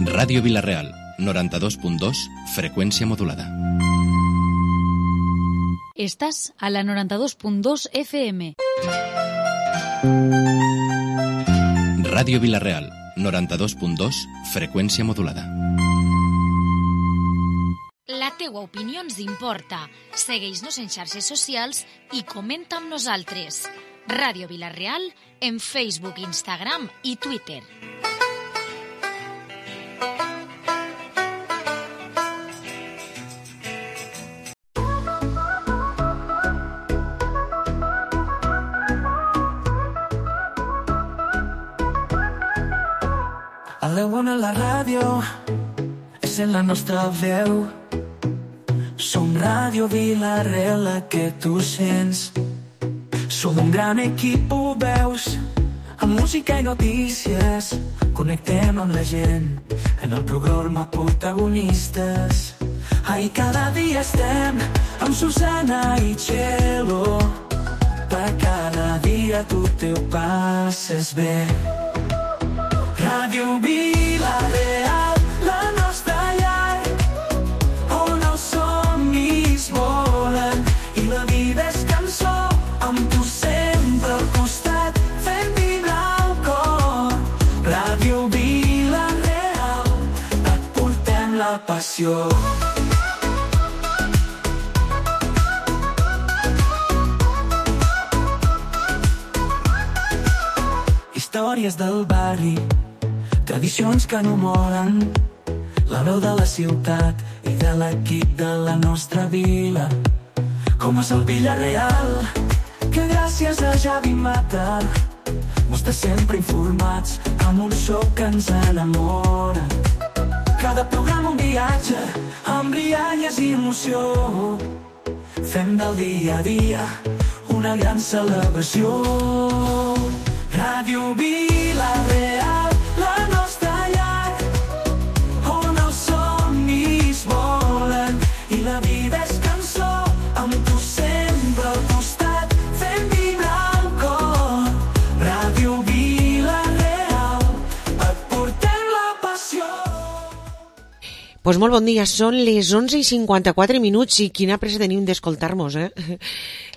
Ràdio Vila-real, 92.2, freqüència modulada. Estàs a la 92.2 FM. Ràdio Vila-real, 92.2, freqüència modulada. La teua opinió ens importa. Segueix-nos en xarxes socials i comenta amb nosaltres. Ràdio Vila-real en Facebook, Instagram i Twitter. A la bona la ràdio és en la nostra veu. Som Ràdio Vila-real, la que tu sents. Som un gran equip, ho veus, amb música i notícies. Connectem amb la gent en el programa Protagonistes. Ahí cada dia estem amb Susana i Txelo. Per cada dia tu te ho passes bé. Ràdio Vila-real, la nostra llar, on els somnis volen i la vida és cançó, amb tu sempre al costat, fent vibrar el cor. Ràdio Vila-real, et portem la passió. Històries del barri, tradicions que no moren, la veu de la ciutat i de l'equip de la nostra vila. Com és el Vila-real, que gràcies a Javi Mata mos té sempre informats amb un so que ens enamora. Cada programa un viatge amb rialles i emoció. Fem del dia a dia una gran celebració. Ràdio Vila-real, la nostra llar, on els somnis volen i la vida és cançó, amb tu sempre al costat, fent vibrar el cor. Ràdio Vila-real, et portem la passió. Pues molt bon dia, són les 11:54 i quina pressa tenim d'escoltar-nos,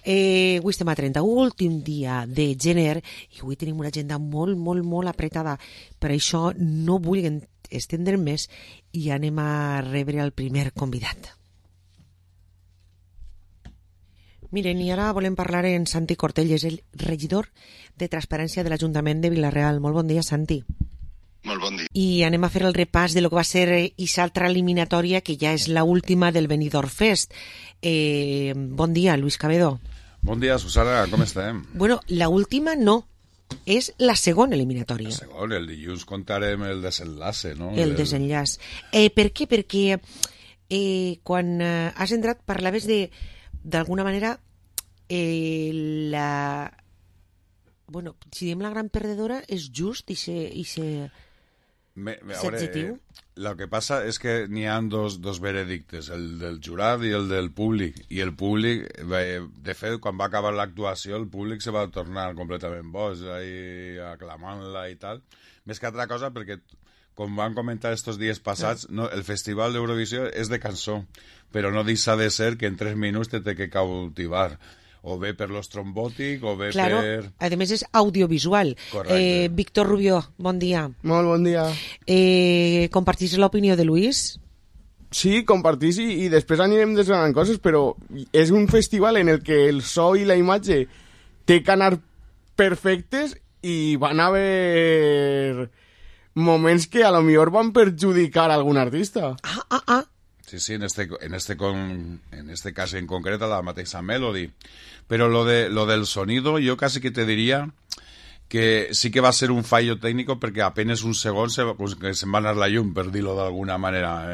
avui estem a 31, últim dia de gener, i avui tenim una agenda molt apretada. Per això no vull estendre més i anem a rebre el primer convidat. Miren, i ara volem parlar en Santi Cortell, és el regidor de Transparència de l'Ajuntament de Vila-real. Molt bon dia, Santi. Molt bon dia. I anem a fer el repàs de lo que va ser aquesta altra eliminatòria, que ja és la última del Benidorm Fest. Bon dia, Luis Cabedo. Bon dia, Susana, com estem? Bueno, la última no, és la segona eliminatòria. La segona, el dilluns contarem el desenlace, no? El desenllaç. Per què? Perquè quan has entrat parlaves d'alguna manera bueno, si diem la gran perdedora és just i ser adjectiu. El que passa és que n'hi ha dos veredictes, el del jurat i el del públic. I el públic, de fet, quan va acabar l'actuació, el públic se va tornar completament boig, ahí aclamant-la i tal. Més que altra cosa, perquè, com van comentar estos dies passats, no, el Festival d'Eurovisió és de cançó, però no deixa de ser que en 3 minuts te té que cautivar. O bé per l'estrombòtic, o bé per... A més és audiovisual. Correcte. Víctor Rubió, bon dia. Molt bon dia. Compartís l'opinió de Luis? Sí, compartís i després anirem desgranant coses, però és un festival en el que el so i la imatge té que anar perfectes i van haver moments que a lo millor van perjudicar algun artista. Sí, en este caso en concreto la mateixa Melody. Pero lo del sonido yo casi que te diría que sí que va a ser un fallo técnico porque apenas un segon se va anar la llum, per dir-lo d'alguna manera.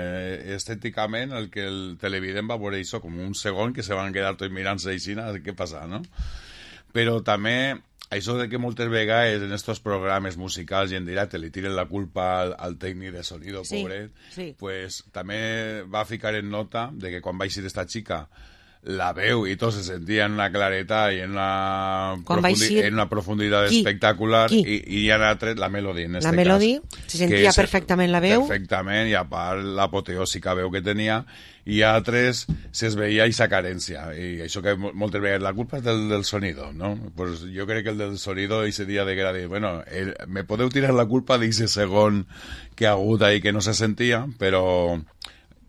Estèticament, el que el televident va veure això com un segon que se van quedar tots mirant-se així, què passa, no? Però també això de que moltes vegades en estos programes musicals i en directe li tiren la culpa al tècnic de sonido, pobret, sí. Pues també va ficar en nota de que quan va eixir esta xica la veu y todo se sentía en una claretat y en una, en una profundidad espectacular y ya era la Melody en este la Melody, cas, se sentia perfectament la veu. Perfectament, i a part l'apoteòsica veu que tenia, i a altres se veia aquesta carència, i això que moltes vegades la culpa és del sonido, no? Pues jo crec que el del sonido ese dia de que era dir, bueno, me podeu tirar la culpa d'ese segon que ha hagut ahí que no se sentia, però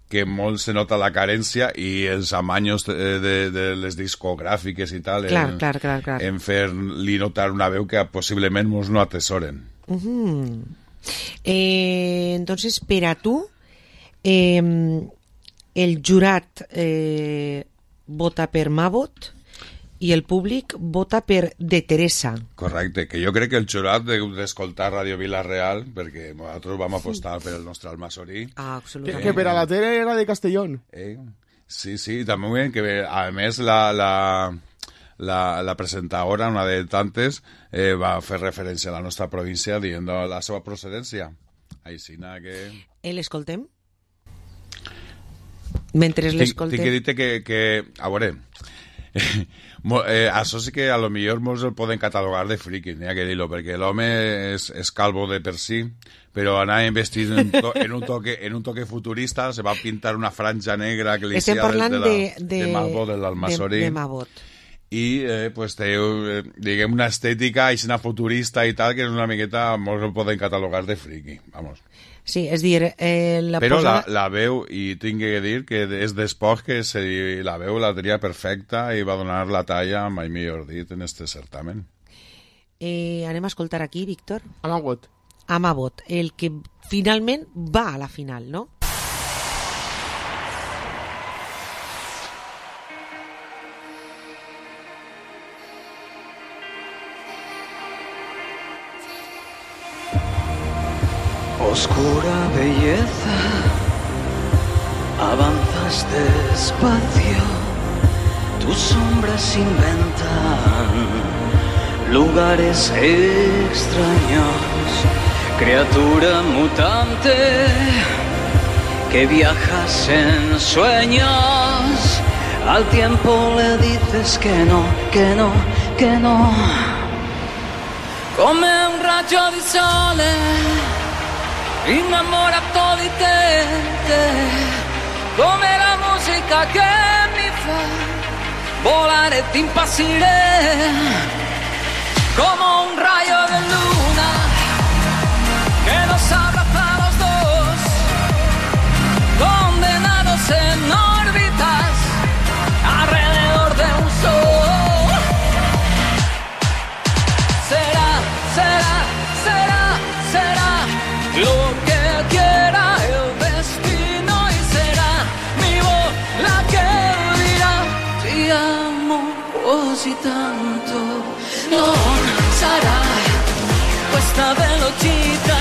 que molt se nota la carència i els amanyos de les discogràfiques i tal clar. en fer-li notar una veu que possiblement mos no atesoren. Entonces, per a tu, el jurat vota per Mabot i el públic vota per De Teresa. Correcte, que jo crec que el jurat d'escoltar Ràdio Vila-real, perquè nosaltres vam apostar per el nostre Almasorí. Absolutament. Que per a la tele era de Castellón. Sí, també, que a més la presentadora, una de tantes, va fer referència a la nostra província dient la seva procedència. Aixina que... L'escoltem? Mentre l'escoltem... Tinc que dir que a veure... això sí que a lo millor molts el poden catalogar de friki, n'hi ha que dir-lo, perquè l'home és calvo de per si, però anava vestit en un toque futurista, se va pintar una franja negra que li estem parlant de Mabot, de l'Almasorí. De Mabot. I pues té, diguem, una estètica aixina futurista i tal, que és una miqueta, molts el poden catalogar de friki, vamos. Sí, és dir... Però la veu, i tinc que dir que és d'espòs que la veu la tenia perfecta i va donar la talla, mai millor dit, en este certamen. Anem a escoltar aquí, Víctor. A Mabot, el que finalment va a la final, no? Oscura belleza, avanzas despacio, tus sombras inventan lugares extraños, criatura mutante que viajas en sueños, al tiempo le dices que no, que no, que no. Come un raggio di sole innamorato di te, come la musica che mi fa volare e ti impazzire, como un rayo de luna que nos abraza a los dos, condenados en órbitas alrededor de un sol. Será, será, será, será lo que quiera el destino y será mi voz la que dirá ti amo così tanto. Non sarà questa velocità,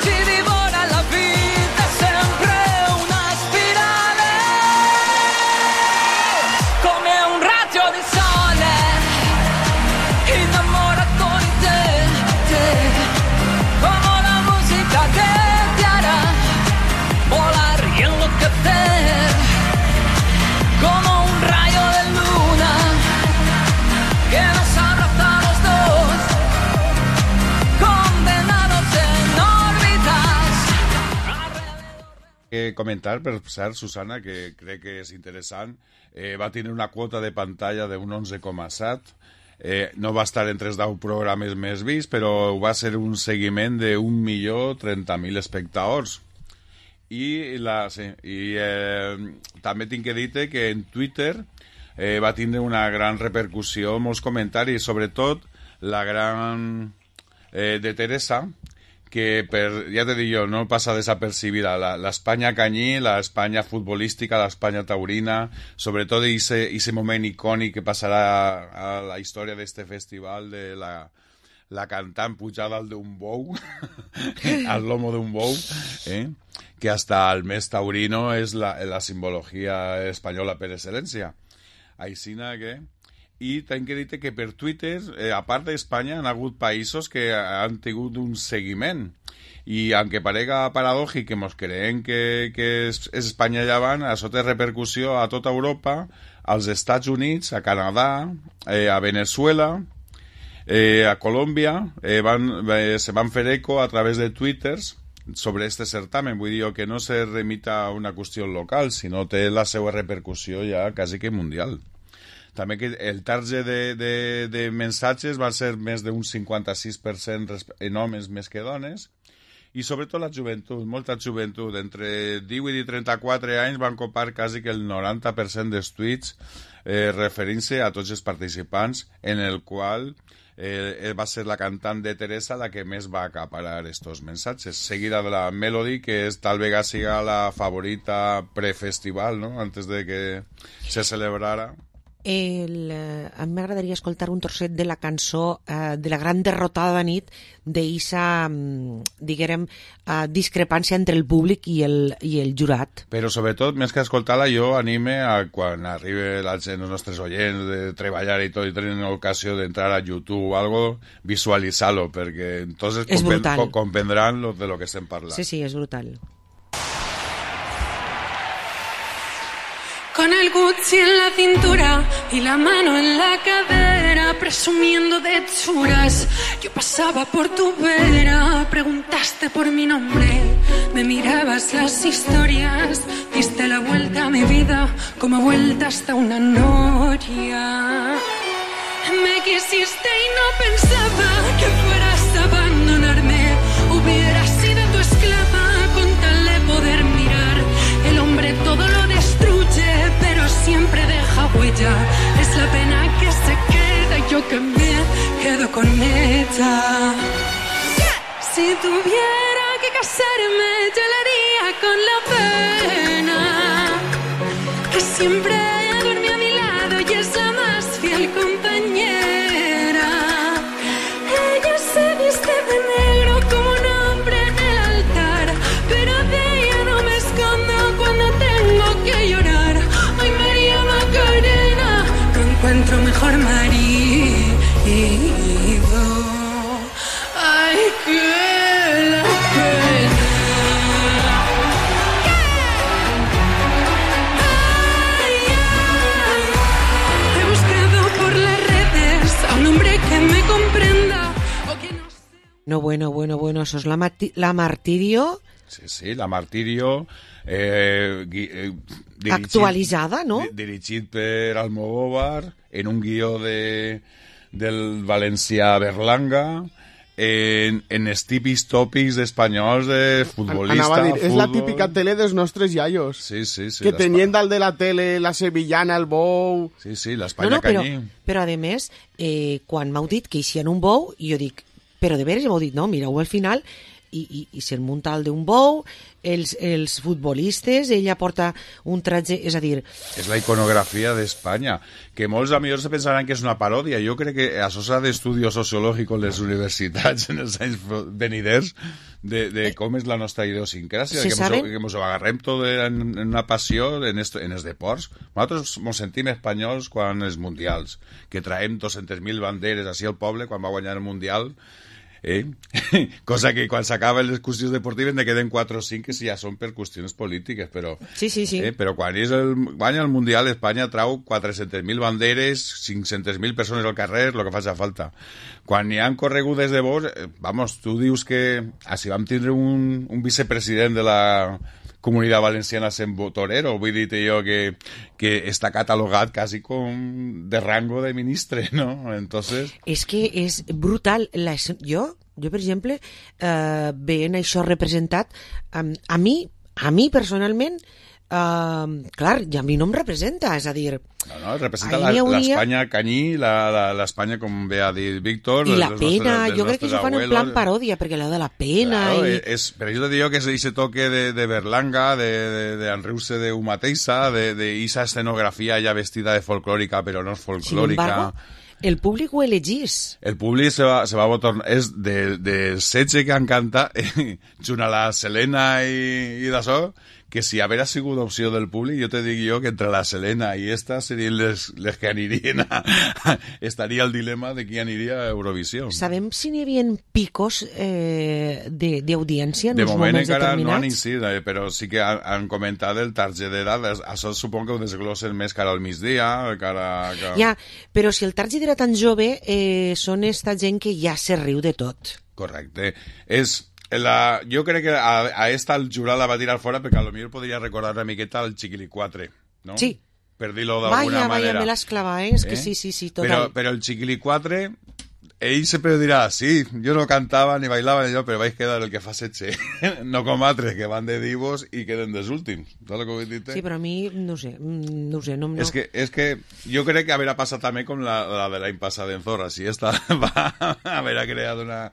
ci divora la vita, sempre una spirale, come un raggio di sole innamorato di te, como la música que te hará volar y enloquecer, como un rayo de luna que nos abraza a los dos, condenados en órbitas. Comentar, per cert, Susana, que crec que és interessant, va tenir una quota de pantalla d'un 11,7, no va estar entre els 10 programes més vists, però va ser un seguiment de 1.030.000 espectadors. També tinc que dir-te que en Twitter va tindre una gran repercussió, molts comentaris, sobretot la gran de Teresa, que ja te dic jo, no passa desapercibida, l'Espanya canyí, l'Espanya futbolística, l'Espanya taurina, sobretot ese moment icònic que passarà a la història d'este festival de la cantant pujada al d'un bou, al lomo d'un bou, que hasta el mes taurino és la simbologia espanyola per excel·lència. Aixina que... I tinc que dir que per Twitter, a part d'Espanya, han hagut països que han tingut un seguiment. y aunque parega paradòjic que mos creem que és Espanya llevant, això té repercussió a tota Europa, als Estats Units, a Canadà, a Venezuela, a Colòmbia, se van fer eco a través de twitters sobre este certamen. Vull dir que no se remita a una qüestió local, sinó té la seva repercussió ja quasi que mundial. També que el target de mensatges va ser més d'un 56% en homes més que dones, i sobretot la joventut, molta joventut, entre 18 i 34 anys van copar quasi que el 90% dels tuits referint-se a tots els participants, en el qual va ser la cantant de Teresa la que més va acaparar estos mensatges, seguida de la Melody, que tal vegada siga la favorita prefestival, ¿no? Antes de que se celebrara. A mi m'agradaria escoltar un trosset de la cançó de la gran derrotada de nit, d'eixa, diguem, discrepància entre el públic i el jurat. Però sobretot, més que escoltar-la, jo anime a quan arribi la gent, els nostres oients, de treballar i tot, i tenen ocasió d'entrar a YouTube o algo, visualitzar-lo, perquè entonces comprendran de lo que estem parlant. Sí, sí, és brutal. Con el Gucci en la cintura y la mano en la cadera, presumiendo de churas. Yo pasaba por tu vera, preguntaste por mi nombre, me mirabas las historias, diste la vuelta a mi vida como vuelta hasta una noria. Me quisiste y no pensaba que fueras a abandonarme, hubiera sido tu esclava con tal de poder mirar. El hombre todo lo destruye, pero siempre deja huella. Es la pena que se queda y yo que me quedo con ella. Si tuviera que casarme, yo lo haría con la pena, que siempre duerme a mi lado y es la más fiel compañera. Ella se viste de negro como un hombre en el altar, pero de ella no me escondo cuando tengo que llorar. Ay, María Macarena, no encuentro mejor marido. Ay, que la pena. Ay, ay, he buscado por las redes a un hombre que me comprenda o que no sé. No, bueno, eso es la Martirio. Sí, la Martirio, actualitzada, no? Dirigit per Almodóvar, en un guió del valencià Berlanga, en els típics tòpics espanyols de futbolista. Anava a dir, és la típica tele dels nostres iaios. Sí. Que tenien dalt de la tele la sevillana, el bou... Sí, l'Espanya canyí. Però a més, quan m'heu dit que hi un bou, jo dic, però de veres m'heu dit, no, mireu al final... I se'n munta el d'un bou, els futbolistes, ella porta un tratge, és a dir... És la iconografia d'Espanya, que molts a millor se pensaran que és una paròdia. Jo crec que això s'ha d'estudi sociològic en les universitats en els anys veniders de com és la nostra idiosincràsia, que ens ho agarrem tot en una passió en els deports. Nosaltres ens sentim espanyols quan els mundials, que traiem 200.000 banderes així al poble quan va guanyar el mundial, cosa que quan s'acaben les qüestions deportives ne queden 4 o 5 que ja són per qüestions polítiques, però sí. Però quan guanya el Mundial, Espanya trau 400.000 banderes, 500.000 persones al carrer, el que faci falta. Quan hi han corregudes de bous, vamos, tu dius que si vam tindre un vicepresident de la Comunitat Valenciana sent torero, vull dir-te jo que està catalogat quasi com de rango de ministre, ¿no? Entonces... És que és brutal. Jo, per exemple, veient això representat, a mi personalment, clar, ja a mi no em representa, és a dir... No, representa l'Espanya canyí, l'Espanya, com ve a dir Víctor... I la pena, jo crec que s'ho fan en plan paròdia, perquè allò de la pena... Claro, però jo te digo que ese toque de Berlanga, d'enriure de un mateixa, d'esa escenografia ja vestida de folclòrica, però no és folclòrica... Sin embargo, el públic ho elegís. El públic se va tornar... És de setge que han cantat, junt a la Selena i d'això, que si haguera sigut opció del públic, jo te dic jo que entre la Selena i esta serien les que anirien estaria el dilema de qui aniria a Eurovisió. Sabem si n'hi havia picos d'audiència en de uns moment moments encara no han determinats? incidit, però sí que han comentat el target d'edat. Això supongo que ho desglossen més cara al migdia, cara... Ja, però si el target era tan jove, són esta gent que ja se riu de tot. Correcte. Jo crec que a esta el jurat la va tirar fora perquè potser podria recordar una miqueta el Chiquili 4, no? Sí. Per dir-lo d'alguna manera. Vaya, me l'has clavat, és que sí, total. Però el Chiquili 4, ell sempre dirà, sí, jo no cantava ni bailava ni allò, però vaig quedar el que fa setxe. No com altres que van de divos i queden dels últims. Saps el que vull dir-te? Sí, però a mi, no sé. No. És que jo crec que haurà passat també com la de l'any passat en Zorra. Si esta va haver creat una...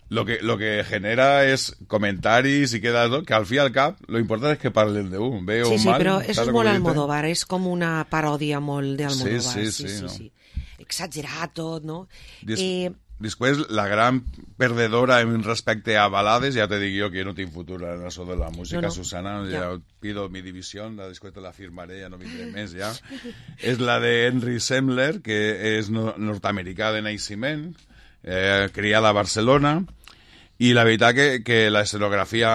Lo que genera es comentaris i queda tot, que al fi i al cap lo important és que parlen d'un, bé o mal. Sí, però és molt Almodóvar, és com una paròdia molt d'Almodóvar. Sí. Exagerat tot, no? Després, la gran perdedora en respecte a balades, ja te dic jo que no tinc futur en això de la música, Susana, ja pido mi división, després te la firmaré, ja no vindré més, ja. És la de Henry Semmler, que és nord-americà de naixement, criada a Barcelona, i la veritat que la escenografia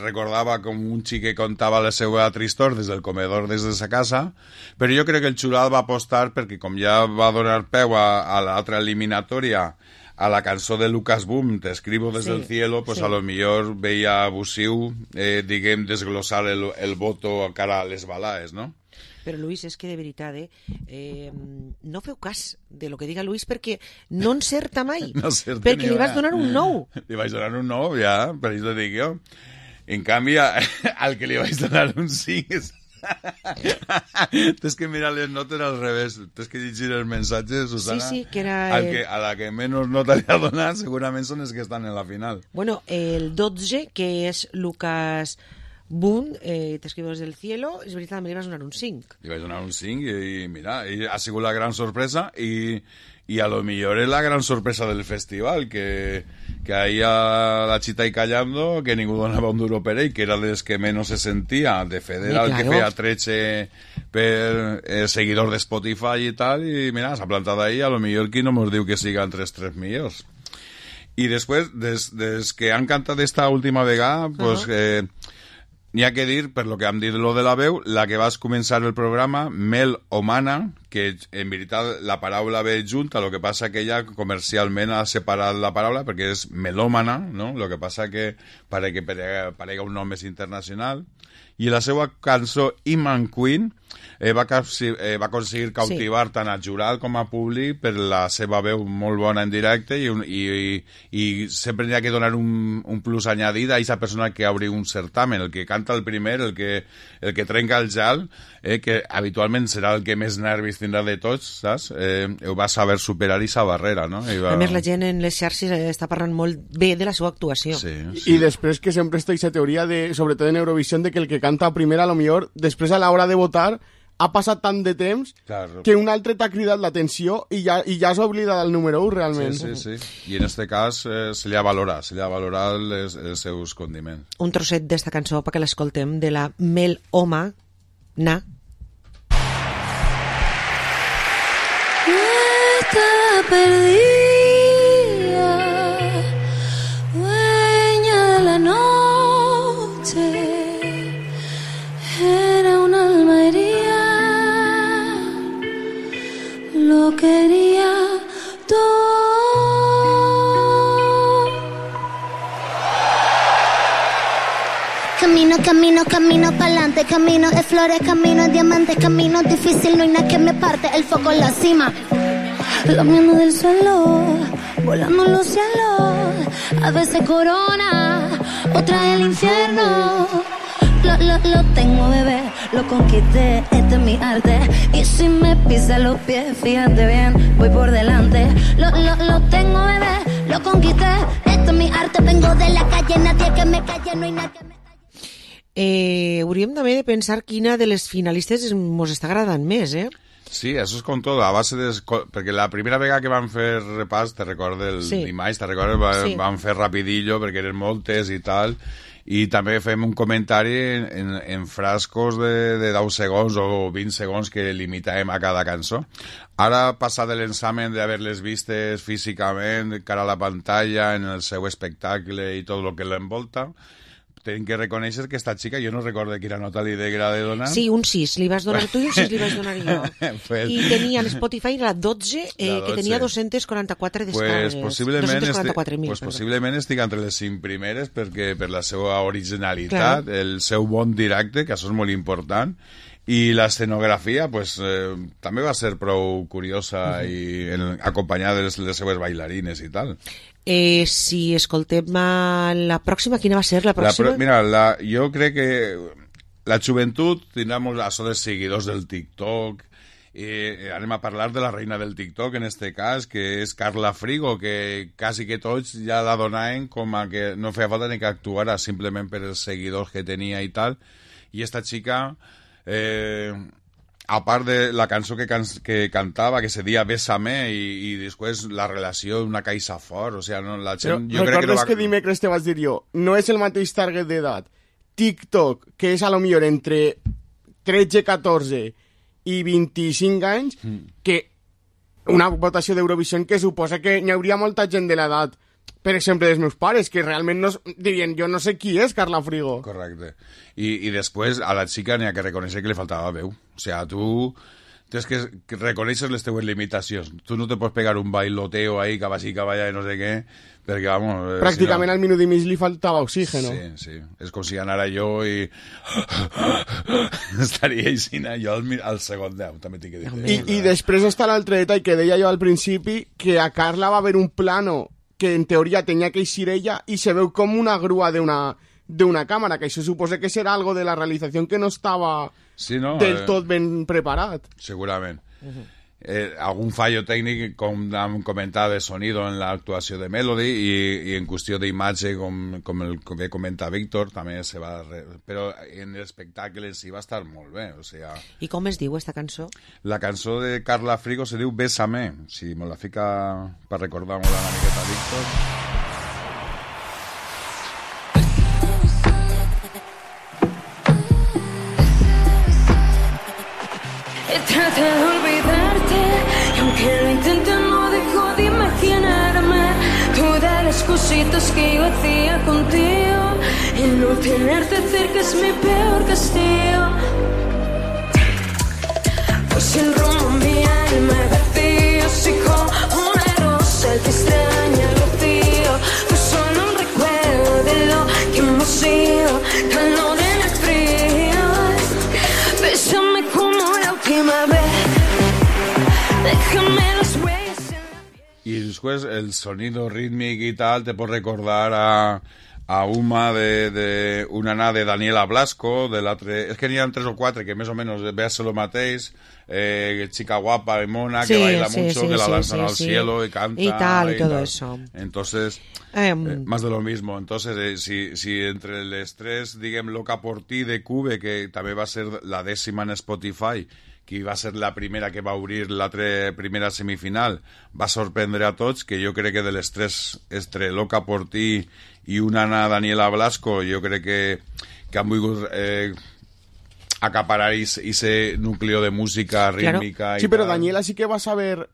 recordava com un xic que contava la seva tristor des del comedor des de sa casa, però jo crec que el jurat va apostar perquè com ja va donar peu a l'altra eliminatòria, a la cançó de Lucas Boom, Te escribo desde el cielo, pues a lo millor veia abusiu, diguem, desglossar el voto cara a les balades, no? Però, Luis, és que de veritat, no feu cas de lo que diga Luis perquè no encerta mai. No encerta perquè li vas donar un 9. Li vaig donar un 9, ja, per això dic jo. En canvi, al que li vaig donar un 5 tens que mirar les notes al revés, tens que llegir els mensatges, Susana. Sí, que era... A la que menys nota li ha donat segurament són els que estan en la final. Bueno, el 12, que és Lucas Boom, Te escribo desde el cielo, és veritat, també li vas donar un 5. Li vaig donar un 5 i mira, ha sigut la gran sorpresa i a lo millor és la gran sorpresa del festival, que ahí a la Chita y Callando, que ningú donava un duro per ell, que era dels que menys se sentia, de Federal, que feia tretxe per seguidor de Spotify i tal, i mira, s'ha plantat ahí, a lo millor qui no mos diu que siga entre els 3 millors. I després, des que han cantat esta última vegada, pues... N'hi ha que dir, per lo que hem dit lo de la veu, la que vas començar el programa, Mel Omana, que en veritat la paraula ve junta, el que passa que ella comercialment ha separat la paraula perquè és melòmana, no? El que passa que parega un nom més internacional. I la seva cançó Iman Queen va aconseguir cautivar tant al jurat com a públic per la seva veu molt bona en directe i sempre n'hi ha que donar un plus añadit a aquesta persona que obri un certamen, el que canta el primer, el que trenca el gel, que habitualment serà el que més nervis tindrà de tots, saps? Ho va saber superar aquesta barrera, no? A més, la gent en les xarxes està parlant molt bé de la seva actuació. Sí. I després que sempre està aquesta teoria, sobretot en Eurovisió, de que el que canta primer, a lo millor, després a l'hora de votar, ha passat tant de temps que un altre t'ha cridat l'atenció i ja s'ha oblidat del número 1, realment. Sí. I en este cas se li ha valorat els seus condiments. Un trosset d'esta cançó perquè l'escoltem, de la Mel Omana. Está perdida, dueña de la noche, era un alma herida, lo quería todo. Camino pa'lante, camino de flores, camino de diamantes, camino difícil, no hay nada que me parte, el foco en la cima. Lamiendo del suelo, volando en los cielos, a veces corona, otra el infierno. Lo tengo, bebé, lo conquisté, este es mi arte. Y si me pisa los pies, fíjate bien, voy por delante. Lo tengo, bebé, lo conquisté, esto es mi arte. Vengo de la calle, nadie que me calle, no hay nadie que me calle. Hauríem també de pensar quina de les finalistes ens està agradant més, Sí, això és com tot, a base de... Perquè la primera vegada que van fer repàs, te recordes, el dimarts, te recordes, van fer rapidillo perquè eren moltes i tal, i també fem un comentari en frascos de 10 segons o 20 segons que limitàvem a cada cançó. Ara, passat l'examen d'haver-les vistes físicament, cara a la pantalla, en el seu espectacle i tot el que l'envolta, tenim que reconèixer que esta xica, jo no recordo quina nota li degrada de donar. Sí, un 6 li vas donar tu i un 6 li vaig donar jo. Pues, i tenia en Spotify la 12, que tenia 244 descàrregues. Pues possiblement estic entre les 5 primeres perquè per la seva originalitat, el seu bon directe, que això és molt important, i l'escenografia pues, també va ser prou curiosa i acompanyada de les seves bailarines i tal. Si escoltem la pròxima, quina va ser la pròxima? Mira, jo crec que la joventut tindrà això de seguidors del TikTok, anem a parlar de la reina del TikTok en este cas, que és Carla Frigo, que quasi que tots ja la donaven com a que no feia falta ni que actuara simplement per els seguidors que tenia i tal, i esta xica... a part de la cançó que cantava, que se dia Bésame, i després la relació d'una caixa fort, o sigui, no, la gent... Però recordes que dimecres te vaig dir jo, no és el mateix target d'edat TikTok, que és a lo millor entre 13, 14 i 25 anys, que una votació d'Eurovisió que suposa que n'hi hauria molta gent de l'edat, per exemple, dels meus pares, que realment no, dirien, jo no sé qui és Carla Frigo. Correcte. I després a la xica n'hi ha que reconèixer que li faltava veu. O sigui, tu tens que reconèixer les teves limitacions. Tu no te pots pegar un bailoteo ahí, cabasí, caballa, no sé què, perquè, vamos... Pràcticament al minut i mig li faltava oxígeno. Sí. És com si anara jo i... estaria així, jo al segon 10, també t'he de dir. I després està l'altre detall que deia jo al principi, que a Carla va haver un plano que en teoria tenia que eixir ella i se veu com una grua d'una càmera, que això suposa que serà algo de la realització que no estava del tot ben preparat. Segurament. Algun fallo tècnic, com hem comentat, de sonido en l'actuació de Melody i en qüestió d'imatge, com el que comenta Víctor, també se va... Però en l'espectacle en si va estar molt bé, o sigui... I com es diu esta cançó? La cançó de Carla Frigo se diu Bésame, si me la fica per recordar-me una miqueta, Víctor... Traté de olvidarte y aunque lo intente no dejo de imaginarme todas las cositas que yo hacía contigo. El no tenerte cerca es mi peor castigo. Pues el rumbo en mi alma vacío, soy como una rosa que extraña el rocío. Pues solo un recuerdo de lo que hemos sido, calor en el frío. Bésame como la última vez, déjame los huellas. Y después el sonido rítmico y tal te puede recordar a una de una nada de Daniela Blasco, de l'altre... És que n'hi ha 3 o 4 que més o menys veus lo mateix, chica guapa y mona, que baila mucho, que la lanzan al cielo y canta. Y tal, y todo eso. Entonces, más de lo mismo. Entonces, si entre les 3, diguem, Loca por ti de Cube, que també va ser la 10ª en Spotify, que va ser la primera que va obrir l'altra primera semifinal, va sorprendre a tots, que jo crec que de les 3, entre Loca por ti i una Daniela Blasco, jo crec que han volgut acaparar ese núcleo de música rítmica. Claro. Sí, però Daniela sí que va saber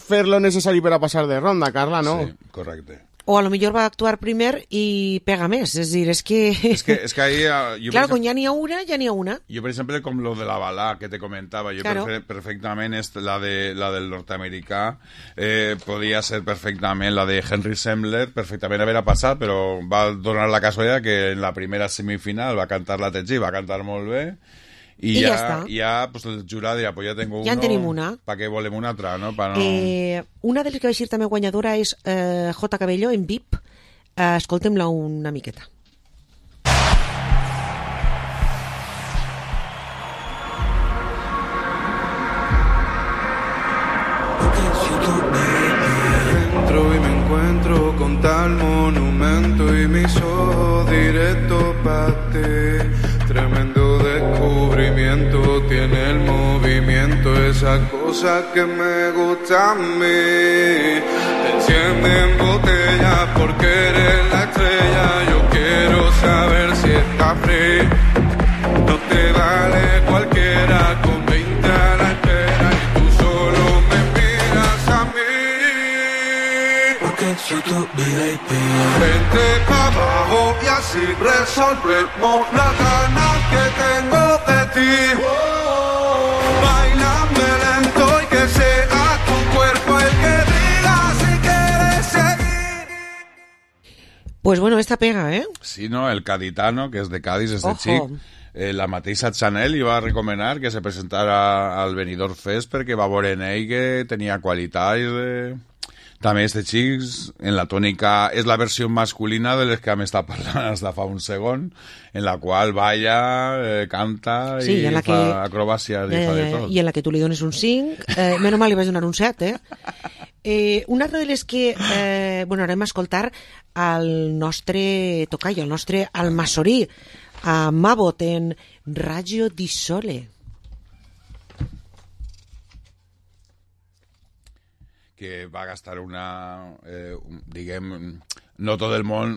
fer lo necessari per a passar de ronda, Carla, no? Sí, correcte. O a lo millor va actuar primer i pega més, és dir, és que ahí... Claro, quan ja n'hi ha una, ja n'hi ha una. Jo, per exemple, com lo de la balà que te comentava, jo claro. perfectament la del nord-americà podia ser perfectament la de Henry Sembler, perfectament haver passat, però va donar la casualitat que en la primera semifinal va cantar la Tetxí, va cantar molt bé, i ja pues, el jurat dirà, pues ja tengo ja en tenim una. ¿Para qué volem una altra, no? No... Una de les que va ser també guanyadora és J. Cabello, en VIP. Escoltem-la una miqueta. Entro y me encuentro con tal monumento y mis ojos directo para ti. Tremendo descubrimiento. sentimiento, tiene el movimiento, esa cosa que me gusta a mí. Te enciende en botella porque eres la estrella. Yo quiero saber si está free. No te vale cualquiera con 20 a la espera y tú solo me miras a mí. Porque soy tu VIP. Vente pa' abajo y así resolvemos las ganas que tengo de ti. Bailame lento y que sea tu cuerpo el que diga si quieres seguir. Pues bueno, esta pega, ¿eh? Sí, no, el caditano, que és de Cádiz, este Ojo. xic, la mateixa Chanel li va recomanar que se presentara al Benidorm Fest perquè va veure en ell que tenia qualitats. També este xic, en la tònica, és la versió masculina de les que hem estat parlant des de fa un segon, en la qual balla, canta Sí, i en la fa que- acrobàcia i fa de tot. I en la que tu li dones un 5. Menys mal li vaig donar un 7, una altra de les que anem a escoltar al nostre tocayo, al nostre almassorí, a Mabot en Raggio di Sole. Que va gastar diguem, no tot el món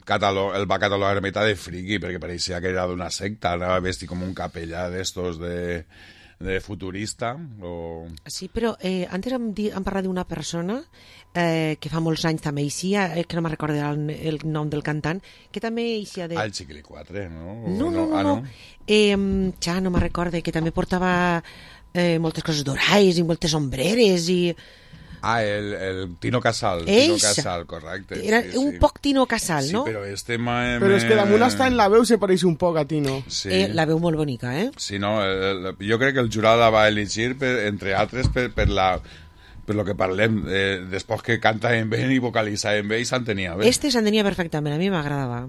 el va catalogar meta de friki, perquè pareixia que era d'una secta, anava vestit com un capellà d'estos de futurista. Sí, però antes hem parlat d'una persona que fa molts anys també eixia, que no me'n recordo el nom del cantant, que també eixia de... El Chiquili 4, no? No. Ja no me'n recordo, que també portava moltes coses d'orais i moltes ombreres i... El Tino Casal. Eixa. Tino Casal, correcte. Era sí, un poc Tino Casal, sí, no? però este... Però és que damunt està en la veu se pareix un poc a Tino. Sí. La veu molt bonica, Sí, no, jo crec que el jurat la va elegir, entre altres, per lo que parlem, després que canta en bé i vocalitza en bé i s'entenia bé. Este s'entenia perfectament, a mi m'agradava.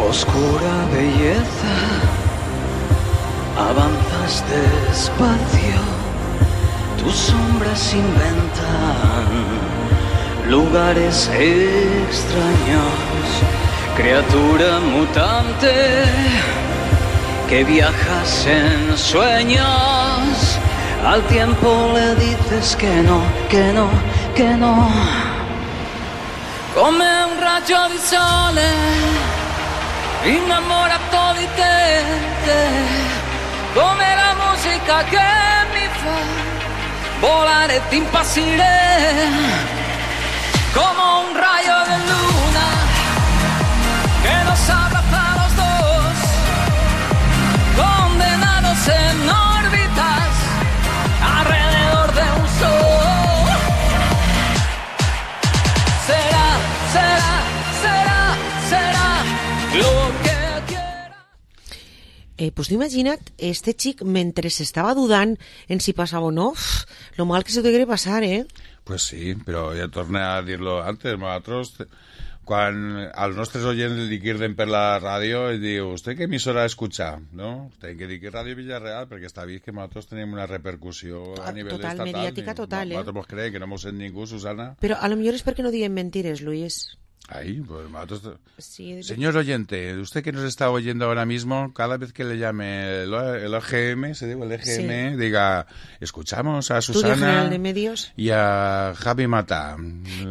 Oscura belleza, avanzas despacio, tus sombras inventan lugares extraños, criatura mutante que viajas en sueños, al tiempo le dices que no, que no, que no. Come un raggio di sole innamorato di te, come la musica che mi fa volare e ti impazzire, como un rayo de luna que nos abraza a los dos, condenados en órbitas alrededor de un sol. Será, será, será, será lo que quiera. Pues tu imagina't, este xic, mentre s'estava dudant en si passava o no, lo mal que se degué passar, Pues sí, però ja torno a dir-lo antes, nosaltres, quan als nostres oients li quirden per la ràdio i diu, ¿usted qué emisora escucha? ¿No? Ten que dir que Ràdio Villarreal, perquè està vist que nosaltres tenim una repercussió a nivell Total, estatal. mediàtica total, Nosaltres mos creiem que no mos sent ningú, Susana. Però a lo millor és perquè no diem mentires, Luis. Ahí, pues nosotros... Sí, Señor oyente, usted que nos está oyendo ahora mismo, cada vez que le llame el OGM, se digo el EGM, Sí. diga, escuchamos a Estudio General Susana de Medios. y a Javi Mata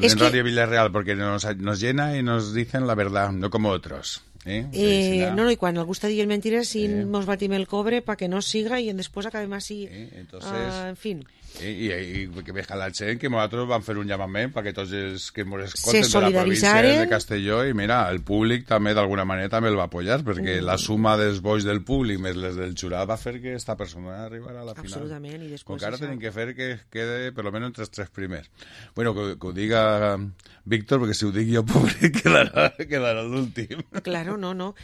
Es en que- Radio Villarreal, porque nos llena y nos dicen la verdad, no como otros. No, i quan algú està dient mentires, si mos batim el cobre pa que no siga i després acabem així. Entonces... En fin. I que veja la gent que nosaltres vam fer un llamament perquè tots els que ens Se escolten de la província solidaritzaren. de Castelló i mira, el públic també d'alguna manera també el va apoyar perquè la suma dels bois del públic més les del jurat va fer que esta persona arribara a la final. Absolutament, i després Com que ara això. tenim que fer que quede per almenys entre els tres primers. Bueno, que ho diga Víctor, perquè si ho dic jo, pobre, quedarà l'últim. Claro, Bueno, no.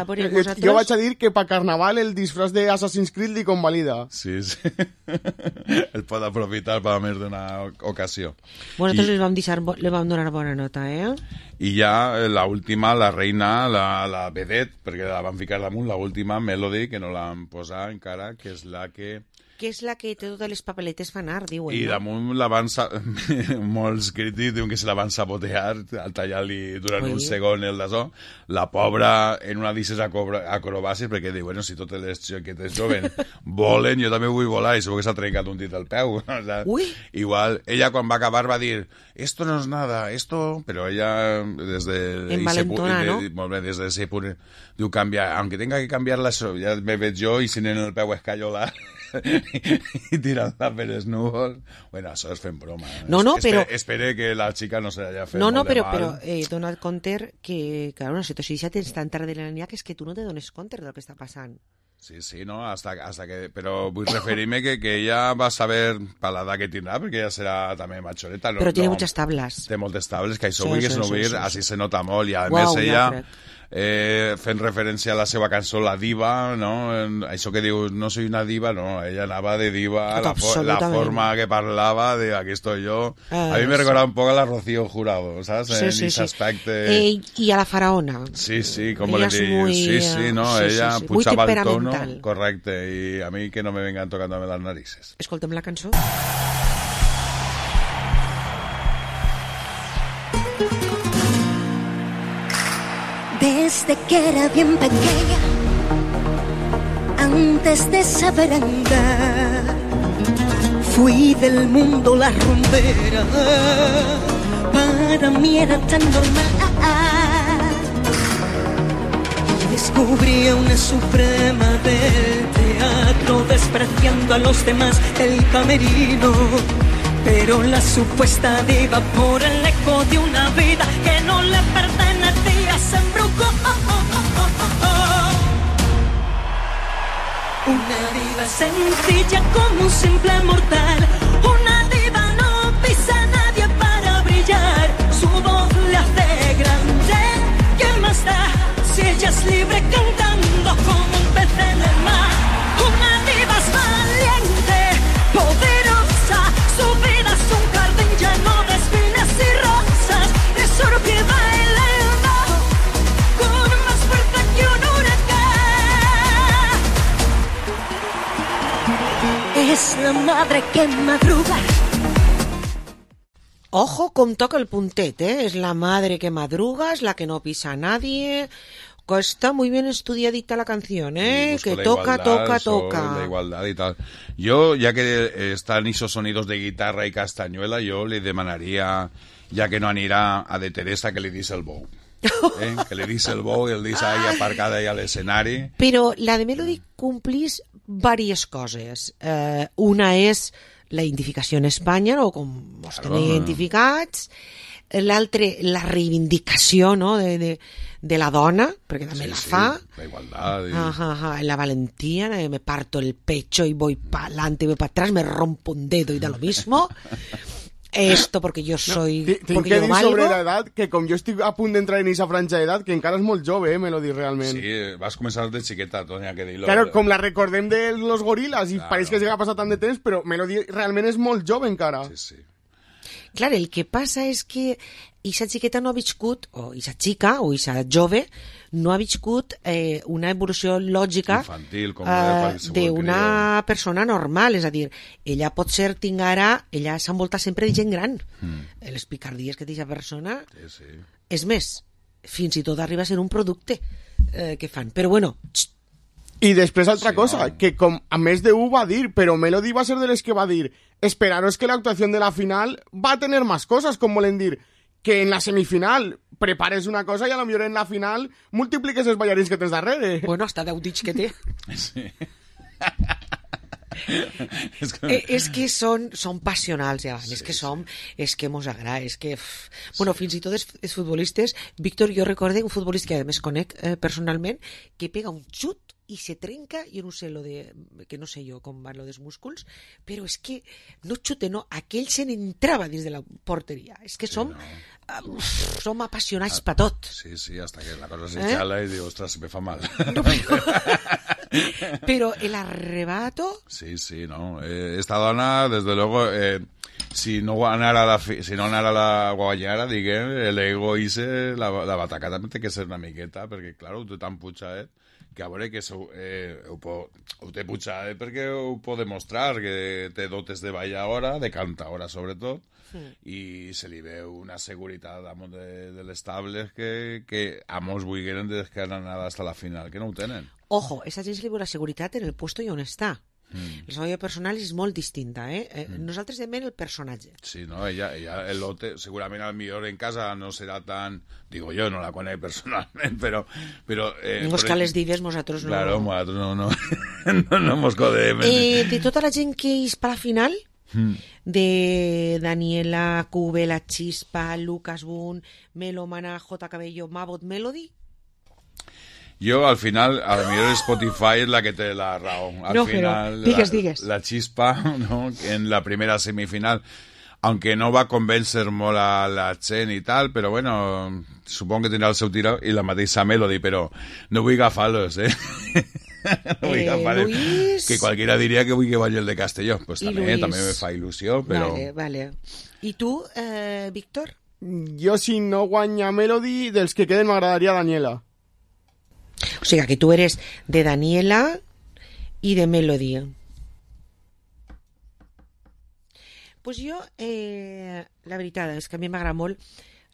Vosaltres... Jo vaig a dir que per Carnaval el disfraç de Assassin's Creed li convalida. Sí. El pot aprofitar per més d'una ocasió. Bueno, nosaltres li vam donar bona nota, I ja l'última, la reina, la vedette, perquè la van ficar damunt, l'última Melody, que no l'han posat encara, que és la que... Que és la que té totes les papeletes fan art, diuen. I damunt la van... Molts crítics diuen que se la van sabotear al tallar-li durant un segon el d'açò. La pobra, en una d'aquestes acrobàcies, perquè diu, bueno, si totes les xiquetes joven volen, jo també vull volar, i segur que s'ha trencat un dit al peu. O sea, igual, ella quan va acabar va dir, esto no es nada, esto... Però ella, desde... Envalentona, ¿no? Molt bé, desde ese punt, diu, canviar, aunque tenga que cambiarla, ja me veig jo, i si en el peu escallolar... i tirant-la per els núvols. Bueno, això és fent broma. Però... Espere que la xica no se l'hagi fet molt de mal. Però dona't compte que, clar, una situació ja tens tan tard de la nit que és que tu no te dones compte del que està passant. Sí, no, hasta que... Però vull referir-me que ella va saber per l'edat que tindrà, perquè ella serà també machoreta. Però tiene muchas tablas. Té moltes tables, que això vull que no vull, així se nota molt, i a més ella... fent referència a la seva cançó La Diva, no? Això que diu, no soy una diva, no, ella anava de diva, la forma que parlava de aquí estoy yo, a mí me recordaba un poco a la Rocío Jurado, ¿sabes? En ese aspecto. Y a la faraona. Sí, como le digo, sí, no, ella puchaba el tono, correcte, y a mí que no me vengan tocándome las narices. Escoltem la cançó. Desde que era bien pequeña, antes de saber andar, fui del mundo la rumbera, para mí era tan normal. Y descubrí una suprema del teatro, despreciando a los demás el camerino. Pero la supuesta diva, por el eco de una vida que no le pertenecía, se embrujó. Una diva sencilla como un simple mortal. Una diva no pisa a nadie para brillar. Su voz le hace grande. ¿Qué más da si ella es libre cantando como un pez en el mar? Una diva es valiente, poderosa. Su vida es un jardín lleno de espinas y rosas. Es oro que bailando con más fuerza que un huracán. Es la madre que madruga. Ojo com toca el puntet, Es la madre que madruga, es la que no pisa a nadie. Está muy bien estudiadita la canción, que toca. La igualdad y tal. Yo, ya que están esos sonidos de guitarra y castañuela, yo le demanaría, ya que no anirà a de Teresa, que le dice el bou. Que le dice el bou i el dice ahí aparcada ahí a l'escenari. Però la de Melody complís diverses coses. Una és la identificació en Espanya, no? Com ens tenen identificats. L'altre, la reivindicació, no? de la dona, perquè també la fa. La igualdad. La valentía, me parto el pecho y voy para adelante y voy para atrás, me rompo un dedo y da lo mismo. Esto porque yo soy... Tinc que dir sobre l'edat que com jo estic a punt d'entrar en aquesta franja d'edat, que encara és molt jove, Melody, realment. Sí, vas començar de xiqueta, Tònia, que dir-lo. Claro, com la recordem de los gorilas, i pareix que ja ha passat tant de temps, però Melody realment és molt jove encara. Sí. Clar, el que passa és que aquesta xiqueta no ha viscut, o aquesta xica, o aquesta jove, no ha viscut una evolució lògica infantil, d'una persona normal. És a dir, ella pot ser tingara, ella s'envolta sempre de gent gran. Les picardies que té aquesta persona... Sí. És més, fins i tot arriba a ser un producte que fan. Però bueno... I després altra cosa, que com a més de va dir, però Melody va ser de les que va dir esperaros que la actuación de la final va a tener más cosas, com volen dir que en la semifinal prepares una cosa i a lo millor en la final multipliques els ballarins que tens darrere. Bueno, hasta 10 dits que té. Sí. És que són passionals, ja. És que mos agrada, és que... Bueno, fins i tot els futbolistes... Víctor, jo recorde un futbolista que a més conec personalment, que pega un xut i se trenca, jo no sé que no sé jo com van lo dels músculs, però és que no xute, no, aquell se n'entrava dins de la porteria. És que som apassionats per tot. Sí, hasta que la cosa se xala y digo, ostras, me fa mal. No, pero el arrebato... Sí, no. Esta dona, desde luego, si no anara la guanyara, diguem, l'ego ise, la bataca també té que ser una miqueta, perquè, clar, ho té tan putxadet, que a veure que ho té putxadet perquè ho pot demostrar, que té dotes de balladora, de cantaora sobretot, i se li veu una seguretat damunt de les tables que a molts vulgueren des que han anat fins a la final, que no ho tenen. Ojo, esa gent se li veu la seguretat en el puesto i on està. La seva personal és molt distinta, Nosaltres demanem el personatge. Sí, no, ella el lote, segurament al millor en casa no serà tan... Digo yo, no la conec personalment, però Mos cal les dives, nosaltres no... Claro, nosaltres no mos codem. De tota la gent que és per la final, de Daniela, Cube, La Chispa, Lucas Boone, Melomana, J. Cabello, Mabot, Melody... Yo, al final, a lo mejor Spotify es la que te la raó. Al final, digues. La Chispa, ¿no? En la primera semifinal, aunque no va a convencer molt a la gent i tal, però bueno, supongo que tindrà el seu tiro i la mateixa Melody, però no vull agafar-los, No vull agafar-los. Luis... Que cualquiera diria que vull que vagi el de Castelló. Pues també me fa il·lusió, però... Vale. I tu, Víctor? Jo, si no guanya Melody, dels que queden m'agradaria Daniela. O sigui, que tu eres de Daniela i de Melody. Pues jo, la veritat és que a mi m'agrada molt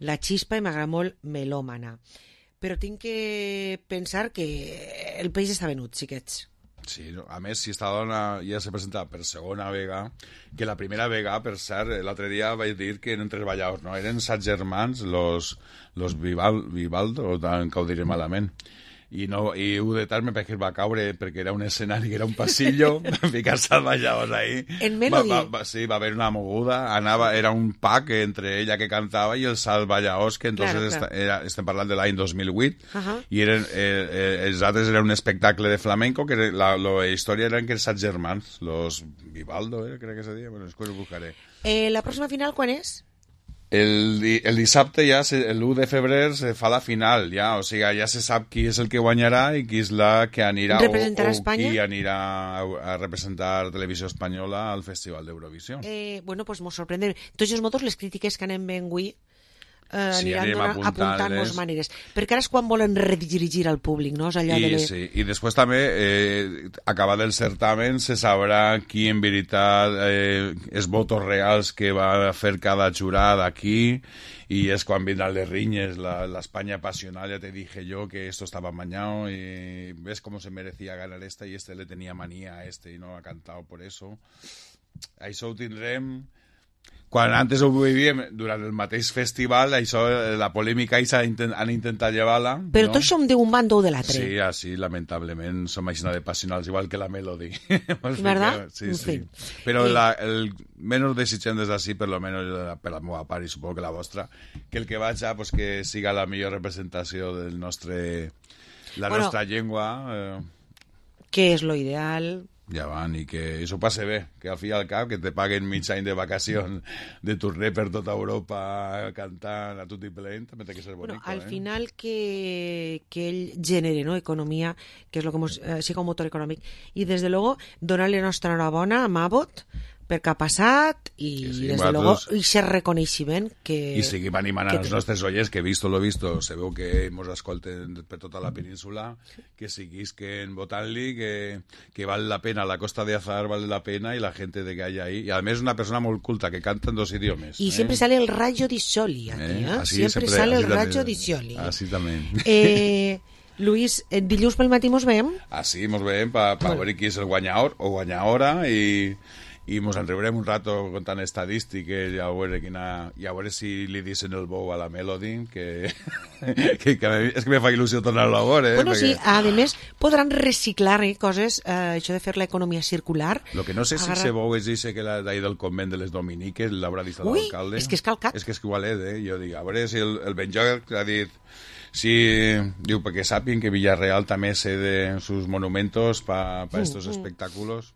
La Chispa i m'agrada molt Melòmana. Però tinc que pensar que el país està venut, xiquets. Sí, a més, si esta dona ja s'ha presentat per segona vegada, que la primera vegada, per cert, l'altre dia vaig dir que eren 3 balladors, no? Eren 7 germans, los Vivaldo, que ho diré malament. I un de tal me parece que va caure perquè era un escenari que era un pasillo, ficar-se al balladors ahí. En Melody? Sí, va haver una moguda, era un pack entre ella que cantava i els balladors, que entonces estem parlant de l'any 2008, i els altres eren un espectacle de flamenco, que la història eren que els 7 germans, los Vivaldo, crec que se deia, bueno, després ho buscaré. La pròxima final quan és? El dissabte ja, l'1 de febrer, se fa la final, ja, o sigui, ja se sap qui és el que guanyarà i qui és la que anirà o qui anirà a representar Televisió Espanyola al Festival d'Eurovisió. Bueno, pues mos sorprendem. Tots els motos, les crítiques que anem ben avui, aniran apuntant-nos maneres. Perquè ara és quan volen redirigir al públic, no? I després també, acabat el certamen, se sabrà qui en veritat els votos reals que va fer cada jurat aquí, y es quan vindran les riñes, la España pasional, ya te dije yo que esto estaba amañado y ves cómo se merecía ganar esta y le tenía manía a y no ha cantado por eso. Això ho tindrem... Quan antes ho vivíem durant el mateix festival, això, la polèmica han intentat llevar-la. Però tots som d'un bando o de l'altre. Sí, així, lamentablement, som així de passionals, igual que la Melody. ¿Verdad? Sí. Però el menys desitgem des d'ací, per lo menos per la meva part, i suposo que la vostra, que el que vaig pues que siga la millor representació del nostra llengua. Que és lo ideal... Ja van, i que això passe bé, que al fi i al cap que te paguen mig any de vacacions de torner per tota Europa cantant a tot i plent, també té que ser bonic. Al final que ell genere, no, economia, que és lo que siga un motor econòmic, i des de luego donar-li nostra enhorabona a Mabot perquè ha passat i des de luego i se reconeixement que... I seguim animant als nostres oients, que visto lo visto, se veu que mos escolten per tota la península, que seguisquen votant-li, que val la pena, la Costa de Azar vale la pena i la gente de que hay ahí, y además es una persona muy culta que canta en 2 idiomes. Y siempre sale el rayo di Soli aquí, Así, siempre sale el rayo di Soli. Así también. Luis, dilluns pel matí mos veiem? Así mos veiem per veure qui és el guanyador o guanyadora i i mos enriurem un rato contant estadístiques i a veure si li dicen el bou a la Melody, que és que me fa il·lusió tornar-lo a veure. Bueno, sí, a més, podran reciclar coses, això de fer l'economia circular. Lo que no sé si se bou és dice que d'ahir del convent de les Dominiques l'haurà dit l'alcalde. És que és calcat. És que igual és, Jo dic, a veure si el Benjol ha dit... Sí, diu, perquè sàpien que Villarreal també cede sus monumentos para estos espectáculos.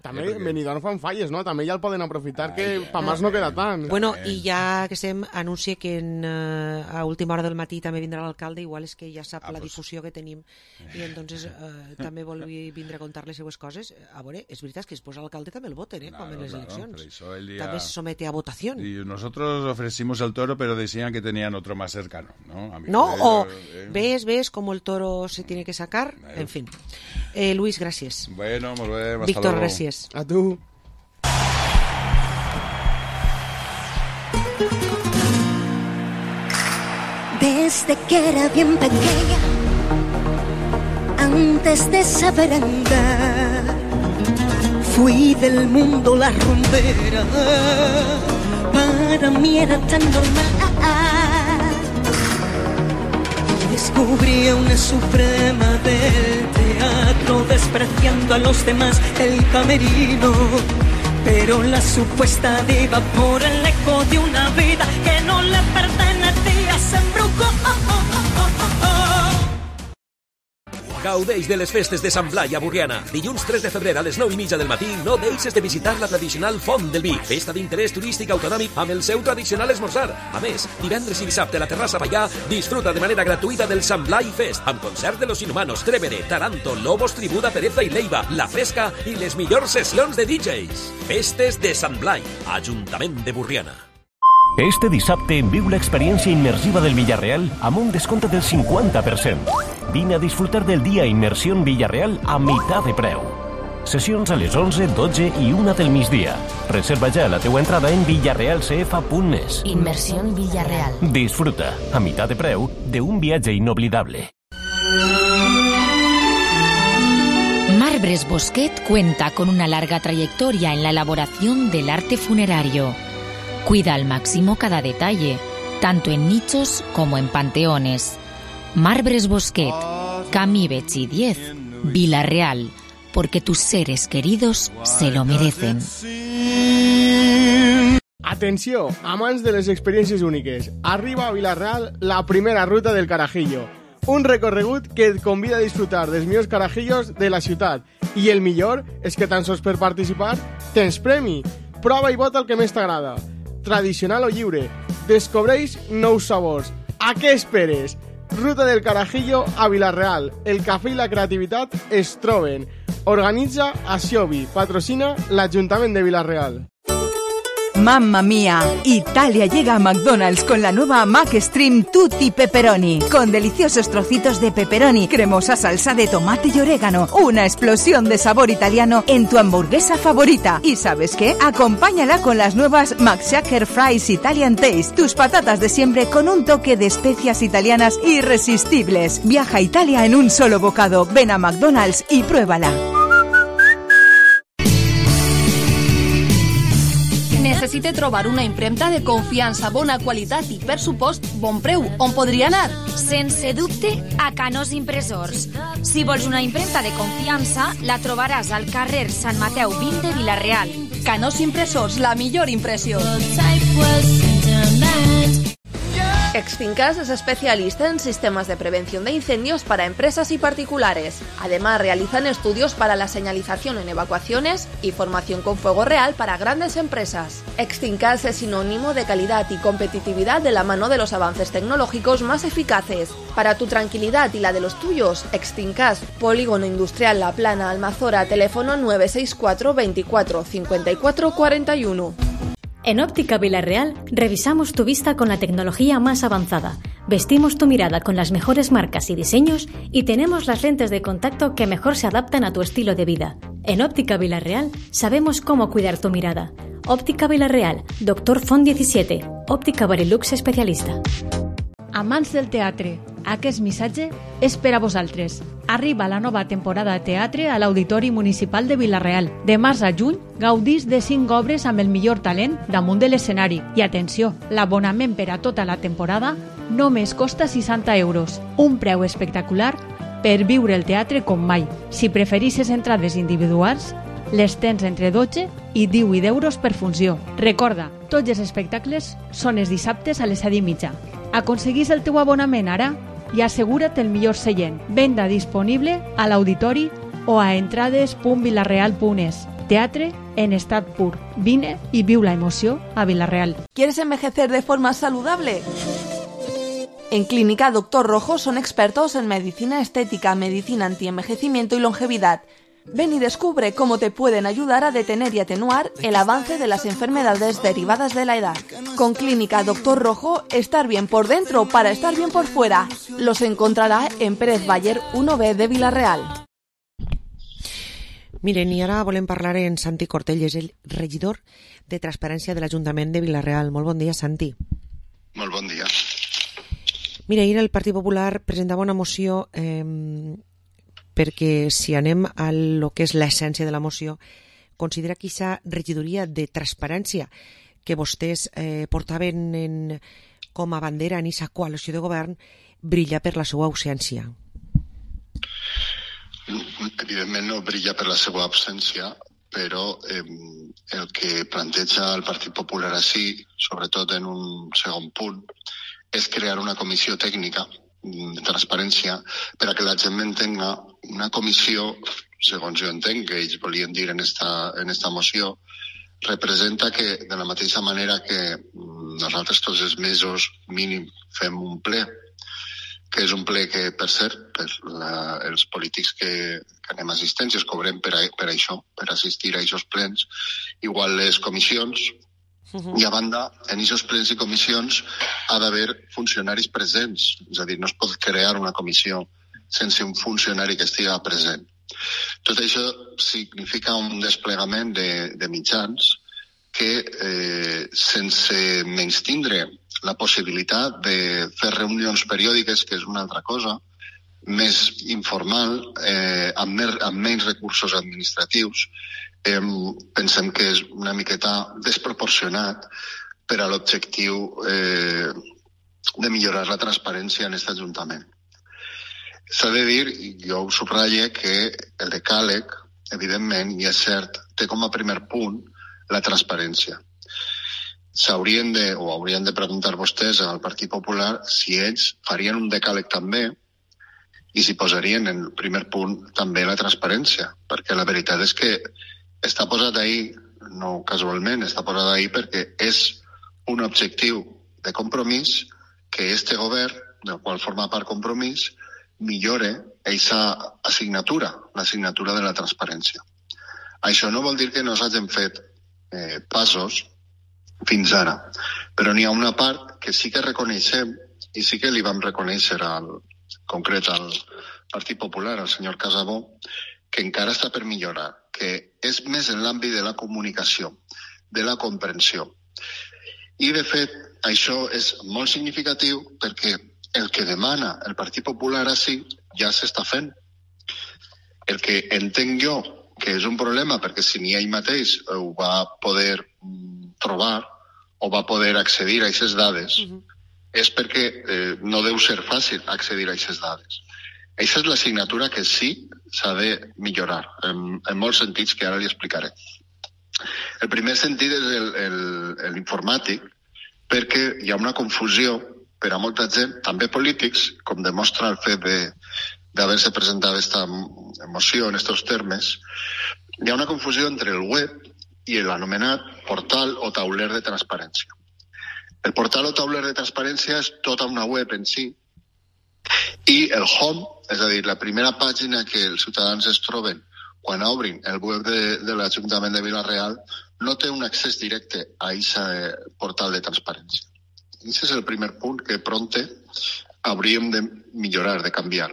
També Benidorm fan falles, no? També ja el poden aprofitar, que pa más no queda tant. Bueno, i ja que estem, anuncia que a última hora del matí també vindrà l'alcalde, igual és que ja sap la difusió que tenim i entonces també vol vindre a contar les seues coses. A veure, és veritat que després l'alcalde també el voten, com en les eleccions. També se somete a votació. Y nosotros ofrecimos el toro, pero decían que tenían otro más cercano, ¿no? No, ves cómo el toro se tiene que sacar, en fin. Luis, gràcies. Bueno, molt bé, hasta Víctor, luego. gràcies. A tu. Desde que era bien pequeña, antes de saber andar, fui del mundo la rumbera. Para mí era tan normal. Descubrí a una suprema del teatro, despreciando a los demás el camerino. Pero la supuesta diva, por el eco de una vida que no le pertenecía, se embrucó. Gaudeix de les festes de Sant Blai a Borriana. Dilluns 3 de febrer a les 9:30 del matí no deixes de visitar la tradicional Font del Vi, festa d'interès turístic autonòmic amb el seu tradicional esmorzar. A més, divendres i dissabte a la terrassa Pallà disfruta de manera gratuïta del Sant Blai Fest, amb concert de Los Inhumanos, Trevere, Taranto, Lobos, Tribuda, Pereza i Leiva, La Fresca i les millors sessions de DJs. Festes de Sant Blai, Ajuntament de Borriana. Este dissabte viu l'experiència immersiva del Villarreal amb un descompte del 50%. Vine a disfrutar del dia Immersión Villarreal a meitat de preu. Sessions a les 11, 12 i 1 del migdia. Reserva ja la teua entrada en villarrealcf.es. Inmersión Villarreal. Disfruta, a mitad de preu, de un viatge inolvidable. Marbres Bosquet cuenta con una larga trayectoria en la elaboración del arte funerario. Cuida al máximo cada detalle, tanto en nichos como en panteones. Marbres Bosquet, Camí Betxí 10, Vila-real, porque tus seres queridos se lo merecen. Atenció, amants de les experiències úniques. Arriba a Vila-real la primera ruta del Carajillo. Un recorregut que et convida a disfrutar dels millors carajillos de la ciutat. I el millor és que tan sols per participar tens premi. Prova i vota el que més t'agrada. Tradicional o lliure. Descobreix nous sabors. A què esperes? Ruta del Carajillo a Vila-real. El cafè i la creativitat es troben. Organitza Asiobi. Patrocina l'Ajuntament de Vila-real. Mamma mía, Italia llega a McDonald's con la nueva McStream Tutti Pepperoni, con deliciosos trocitos de pepperoni, cremosa salsa de tomate y orégano, una explosión de sabor italiano en tu hamburguesa favorita. ¿Y sabes qué? Acompáñala con las nuevas McShaker Fries Italian Taste, tus patatas de siempre con un toque de especias italianas irresistibles. Viaja a Italia en un solo bocado. Ven a McDonald's y pruébala. Necessite trobar una impremta de confiança, bona qualitat i, per supost, bon preu. On podria anar? Sense dubte, a Canós Impressors. Si vols una impremta de confiança, la trobaràs al carrer Sant Mateu 20 de Vila-real. Canós Impressors, la millor impressió. Extincas es especialista en sistemas de prevención de incendios para empresas y particulares. Además, realizan estudios para la señalización en evacuaciones y formación con fuego real para grandes empresas. Extincas es sinónimo de calidad y competitividad de la mano de los avances tecnológicos más eficaces. Para tu tranquilidad y la de los tuyos, Extincas, Polígono Industrial La Plana, Almazora, teléfono 964 24 54 41. En Óptica Vila-real revisamos tu vista con la tecnología más avanzada, vestimos tu mirada con las mejores marcas y diseños y tenemos las lentes de contacto que mejor se adaptan a tu estilo de vida. En Óptica Vila-real sabemos cómo cuidar tu mirada. Óptica Vila-real, Dr. Font 17, Óptica Barilux especialista. Amants del teatre, aquest missatge és per a vosaltres. Arriba la nova temporada de teatre a l'Auditori Municipal de Vila-real. De març a juny, gaudís de 5 obres amb el millor talent damunt de l'escenari. I atenció, l'abonament per a tota la temporada només costa 60 euros. Un preu espectacular per viure el teatre com mai. Si preferisses entrades individuals, les tens entre 12 i 18 euros per funció. Recorda, tots els espectacles són els dissabtes a les 7:30. Aconseguís el teu abonament ara i assegura't el millor seient. Venda disponible a l'auditori o a entrades.vilareal.es. Teatre en estat pur. Vine y viu la emoció a Vila-real. ¿Quieres envejecer de forma saludable? En Clínica Doctor Rojo son expertos en medicina estética, medicina antienvejecimiento y longevidad. Ven y descubre cómo te pueden ayudar a detener y atenuar el avance de las enfermedades derivadas de la edad. Con Clínica Doctor Rojo, estar bien por dentro para estar bien por fuera. Los encontrará en Pérez Bayer 1B de Vila-real. Miren, i ara volem parlar en Santi Cortell, és el regidor de Transparència de l'Ajuntament de Vila-real. Molt bon dia, Santi. Molt bon dia. Mira, ahir el Partit Popular presentava una moció perquè si anem a lo que és l'essència de la moció, considera que aquesta regidoria de transparència que vostès portaven com a bandera en aquesta coalició de govern brilla per la seva ausència. Evidentment no brilla per la seva absència, però el que planteja el Partit Popular així, sobretot en un segon punt, és crear una comissió tècnica de transparència per a que la gent entenga una comissió, segons jo entenc que ells volien dir en esta moció, representa que de la mateixa manera que nosaltres tots els mesos mínim fem un ple, que és un ple que, per cert, els polítics que anem a assistències cobrem per això, per assistir a aquests plens, igual les comissions. I a banda, en aquests plens i comissions ha d'haver funcionaris presents. És a dir, no es pot crear una comissió sense un funcionari que estigui present. Tot això significa un desplegament de mitjans que, sense menystindre la possibilitat de fer reunions periòdiques, que és una altra cosa, més informal, amb menys recursos administratius, pensem que és una miqueta desproporcionat per a l'objectiu de millorar la transparència en aquest Ajuntament. S'ha de dir, i jo ho subratllo, que el decàleg, evidentment, i és cert, té com a primer punt la transparència. Haurien de preguntar vostès al Partit Popular si ells farien un decàleg també i si posarien en el primer punt també la transparència, perquè la veritat és que està posat ahí, no casualment, està posat ahí perquè és un objectiu de compromís que este govern, del qual forma part Compromís, millore aquesta assignatura, l'assignatura de la transparència. Això no vol dir que no s'hagin fet passos fins ara, però n'hi ha una part que sí que reconeixem i sí que li vam reconèixer concret al Partit Popular, al senyor Casabó, que encara està per millorar, que és més en l'àmbit de la comunicació, de la comprensió. I, de fet, això és molt significatiu perquè el que demana el Partit Popular així ja s'està fent. El que entenc jo que és un problema, perquè si ni ell mateix ho va poder trobar o va poder accedir a aquestes dades, és perquè no deu ser fàcil accedir a aquestes dades. Aquesta és l'assignatura que sí s'ha de millorar, en molts sentits que ara li explicaré. El primer sentit és l'informàtic, perquè hi ha una confusió per a molta gent, també polítics, com demostra el fet d'haver-se presentat aquesta moció en aquests termes, hi ha una confusió entre el web i l'anomenat portal o tauler de transparència. El portal o tauler de transparència és tota una web en si, i el home, és a dir, la primera pàgina que els ciutadans es troben quan obrin el web de l'Ajuntament de Vila-real, no té un accés directe a aquest portal de transparència. Aquest és el primer punt que prompte hauríem de millorar, de canviar.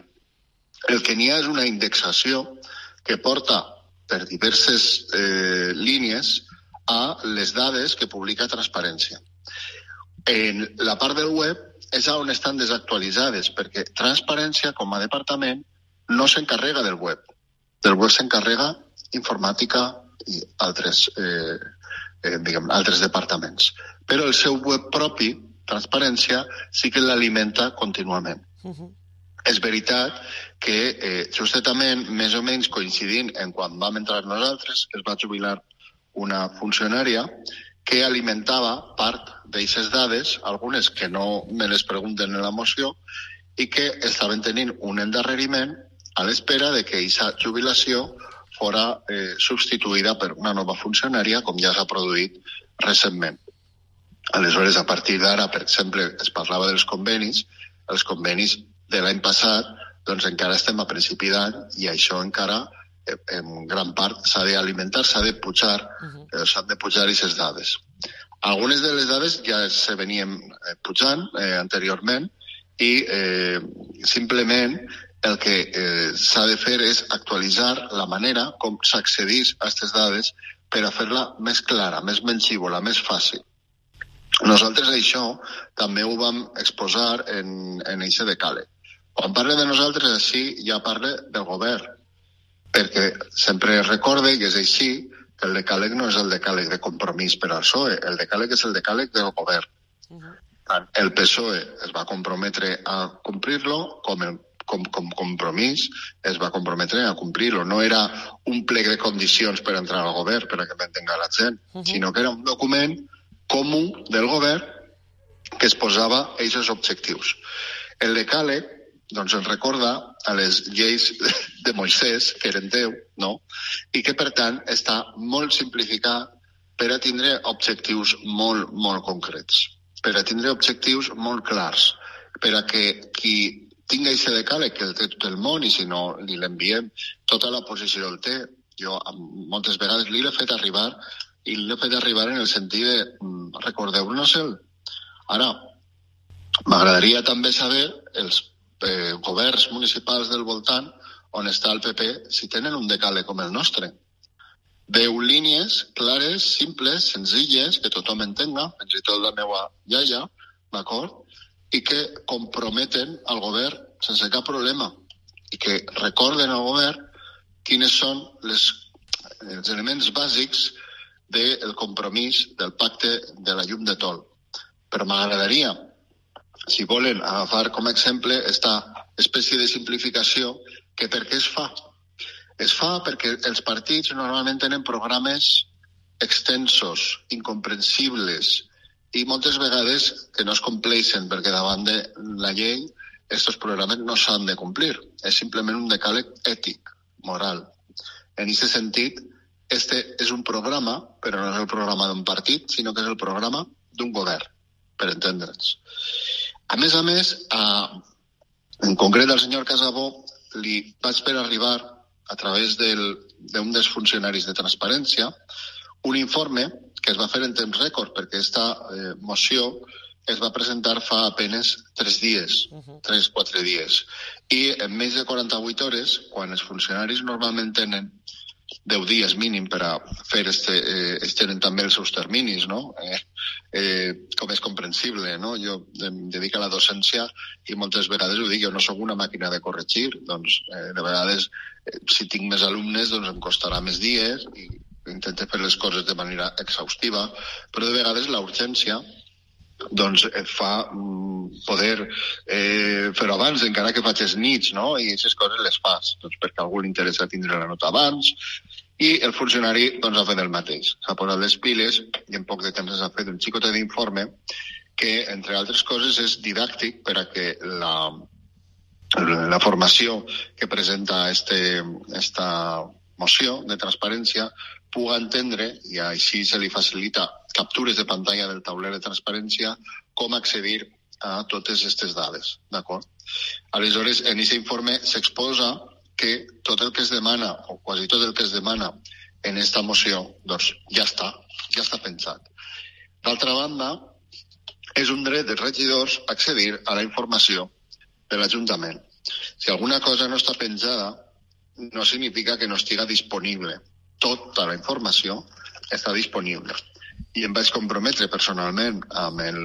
El que n'hi ha és una indexació que porta per diverses línies a les dades que publica Transparència. En la part del web és on estan desactualitzades, perquè Transparència, com a departament, no s'encarrega del web. Del web s'encarrega informàtica i altres departaments. Però el seu web propi, Transparència, sí que l'alimenta contínuament. És veritat que justament, més o menys coincidint en quan vam entrar nosaltres, es va jubilar una funcionària que alimentava part d'aquestes dades, algunes que no me les pregunten en la moció, i que estaven tenint un endarreriment a l'espera de que aquesta jubilació fora substituïda per una nova funcionària, com ja s'ha produït recentment. Aleshores, a partir d'ara, per exemple, es parlava dels convenis. Els convenis de l'any passat, doncs encara estem a principi d'any i això encara, en gran part, s'ha d'alimentar, s'han de pujar aquestes dades. Algunes de les dades ja se venien pujant anteriorment i simplement el que s'ha de fer és actualitzar la manera com s'accedeix a aquestes dades per a fer-la més clara, més mengívola, més fàcil. Nosaltres això també ho vam exposar en aquest decàleg. Quan parle de nosaltres així ja parle del govern, perquè sempre recorde que és així, que el decàleg no és el decàleg de compromís per al PSOE, el decàleg és el decàleg del govern. El PSOE es va comprometre a complir-lo, com compromís es va comprometre a complir-lo. No era un plec de condicions per entrar al govern, per a que m'entenga la gent, sinó que era un document comú del govern que es posava aquests objectius. El decàleg doncs ens recorda a les lleis de Moisès, que eren 10, no? I que, per tant, està molt simplificat per a tindre objectius molt, molt concrets, per a tindre objectius molt clars, per a que qui tingui aquest decàleg, que el té tot el món, i si no li l'enviem, tota la posició el té. Jo moltes vegades li l'he fet arribar, i l'he fet arribar en el sentit de recordeu-nos-el. Ara, m'agradaria també saber els governs municipals del voltant on està el PP, si tenen un decàleg com el nostre. 10 línies clares, simples, senzilles, que tothom entenga, fins i tot la meva iaia, d'acord? I que comprometen al govern sense cap problema i que recorden al govern quines són els elements bàsics del compromís del pacte de la llum de Tol. Però m'agradaria, si volen agafar com a exemple esta espècie de simplificació, que per què es fa? Es fa perquè els partits normalment tenen programes extensos, incomprensibles, i moltes vegades que no es compleixen, perquè davant de la llei aquests programes no s'han de complir. És simplement un decàleg ètic, moral. En aquest sentit, este és un programa, però no és el programa d'un partit, sinó que és el programa d'un govern, per entendre'ns. A més, en concret al senyor Casabó li vaig fer arribar, a través d'un dels funcionaris de Transparència, un informe que es va fer en temps rècord, perquè aquesta moció es va presentar fa apenas 3 dies, 3-4 dies. I en més de 48 hores, quan els funcionaris normalment tenen 10 dies mínim per a fer, ells tenen també els seus terminis, no? Com és comprensible, no? Jo em dedico a la docència i moltes vegades ho dic, jo no sóc una màquina de corregir, doncs de vegades si tinc més alumnes doncs em costarà més dies i intento fer les coses de manera exhaustiva, però de vegades la urgència doncs et fa poder fer-ho abans, encara que facis nits, no? I aquestes coses les fas, doncs perquè a algú li interessa tindre la nota abans, i el funcionari doncs ha fet el mateix. S'ha posat les piles i en poc de temps s'ha fet un xicotet d'informe que, entre altres coses, és didàctic per a que la formació que presenta esta moció de transparència puga entendre, i així se li facilita captures de pantalla del tauler de transparència, com accedir a totes aquestes dades, d'acord? Aleshores, en aquest informe s'exposa que tot el que es demana, o quasi tot el que es demana en esta moció, doncs ja està pensat. D'altra banda, és un dret dels regidors accedir a la informació de l'Ajuntament. Si alguna cosa no està pensada, no significa que no estigui disponible. Tota la informació està disponible. I em vaig comprometre personalment amb el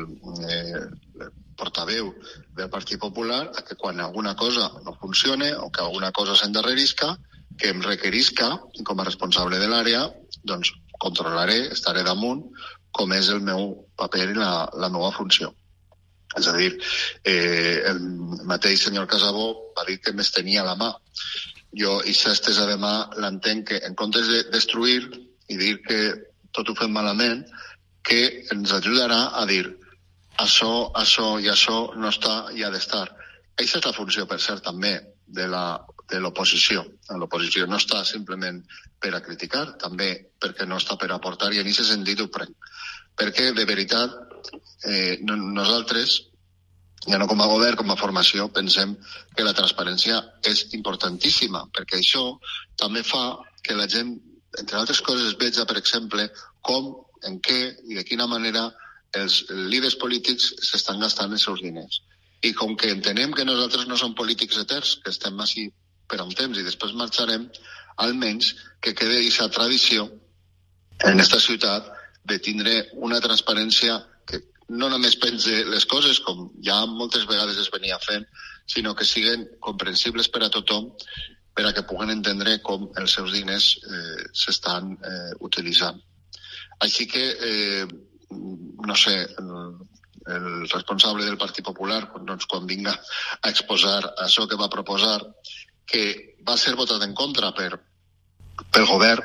portaveu del Partit Popular a que quan alguna cosa no funcione o que alguna cosa s'endarrerisca, que em requerisca, i com a responsable de l'àrea, doncs controlaré, estaré damunt, com és el meu paper i la meva funció. És a dir, el mateix senyor Casabó va dir que m'estenia la mà. Jo, aquesta estesa de mà, l'entenc que, en comptes de destruir i dir que tot ho fem malament, que ens ajudarà a dir això i això no està i ha d'estar. Aquesta és la funció, per cert, també de l'oposició. L'oposició no està simplement per a criticar, també perquè no està per a aportar, i en aquest sentit ho prenc. Perquè, de veritat, nosaltres, ja no com a govern, com a formació, pensem que la transparència és importantíssima, perquè això també fa que la gent, entre altres coses, veja, per exemple, com, en què i de quina manera els líders polítics s'estan gastant els seus diners. I com que entenem que nosaltres no som polítics eterns, que estem així per un temps i després marxarem, almenys que quede aquesta tradició en aquesta ciutat de tindre una transparència que no només pense les coses, com ja moltes vegades es venia fent, sinó que siguen comprensibles per a tothom, per a que puguen entendre com els seus diners s'estan utilitzant. Així que, no sé, el responsable del Partit Popular, doncs, quan vinga a exposar això que va proposar, que va ser votat en contra pel govern,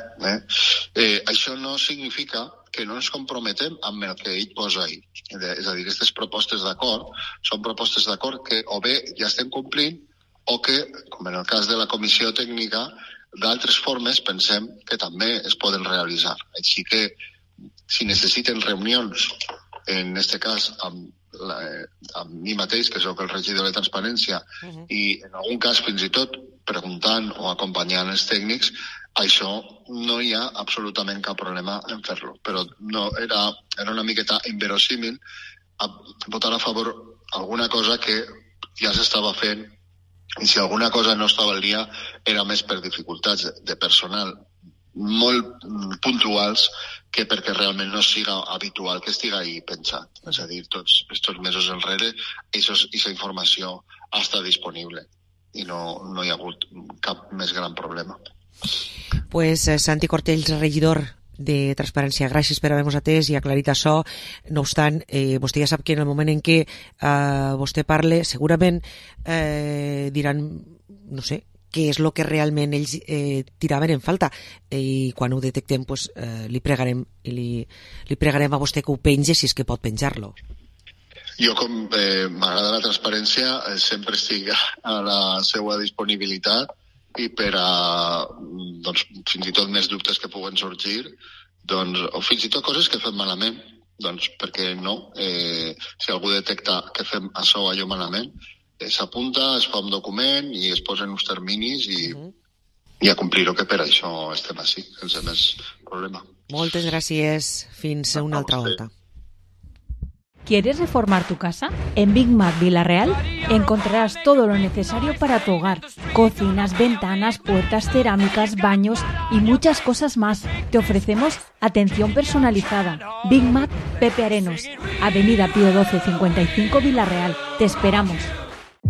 això no significa que no ens comprometem amb el que ell posa ahí. És a dir, aquestes propostes d'acord són propostes d'acord que o bé ja estem complint o que, com en el cas de la comissió tècnica, d'altres formes pensem que també es poden realitzar. Així que, si necessiten reunions, en aquest cas amb mi mateix, que sóc el regidor de Transparència, i en algun cas fins i tot preguntant o acompanyant els tècnics, això no hi ha absolutament cap problema en fer-lo. Però no, era una miqueta inverosímil votar a favor alguna cosa que ja s'estava fent, i si alguna cosa no estava al dia era més per dificultats de personal molt puntuals que perquè realment no siga habitual que estigui ahí pensat. És a dir, tots aquests mesos enrere aquesta informació ha estat disponible i no hi ha hagut cap més gran problema. Pues Santi Cortells, regidor de Transparència, gràcies per haver-nos atès i aclarit això. No obstant, vostè ja sap que en el moment en què vostè parle, segurament diran, no sé, què és el que realment ells tiraven en falta, i quan ho detectem pues, li pregarem a vostè que ho penge, si és que pot penjar-lo. Jo, com m'agrada la transparència, sempre estic a la seva disponibilitat, i per a doncs, fins i tot més dubtes que puguen sorgir, doncs, o fins i tot coses que fem malament, doncs perquè no, si algú detecta que fem això o allò malament, s'apunta, es fa un document i es posen uns terminis i a complir-ho, que per això estem així, sense més problema. Moltes gràcies, fins a una altra volta. ¿Quieres reformar tu casa? En Big Mac Villarreal encontrarás todo lo necesario para tu hogar. Cocinas, ventanas, puertas, cerámicas, baños y muchas cosas más. Te ofrecemos atención personalizada. Big Mac Pepe Arenos, Avenida Pío 12 55 Villarreal. Te esperamos.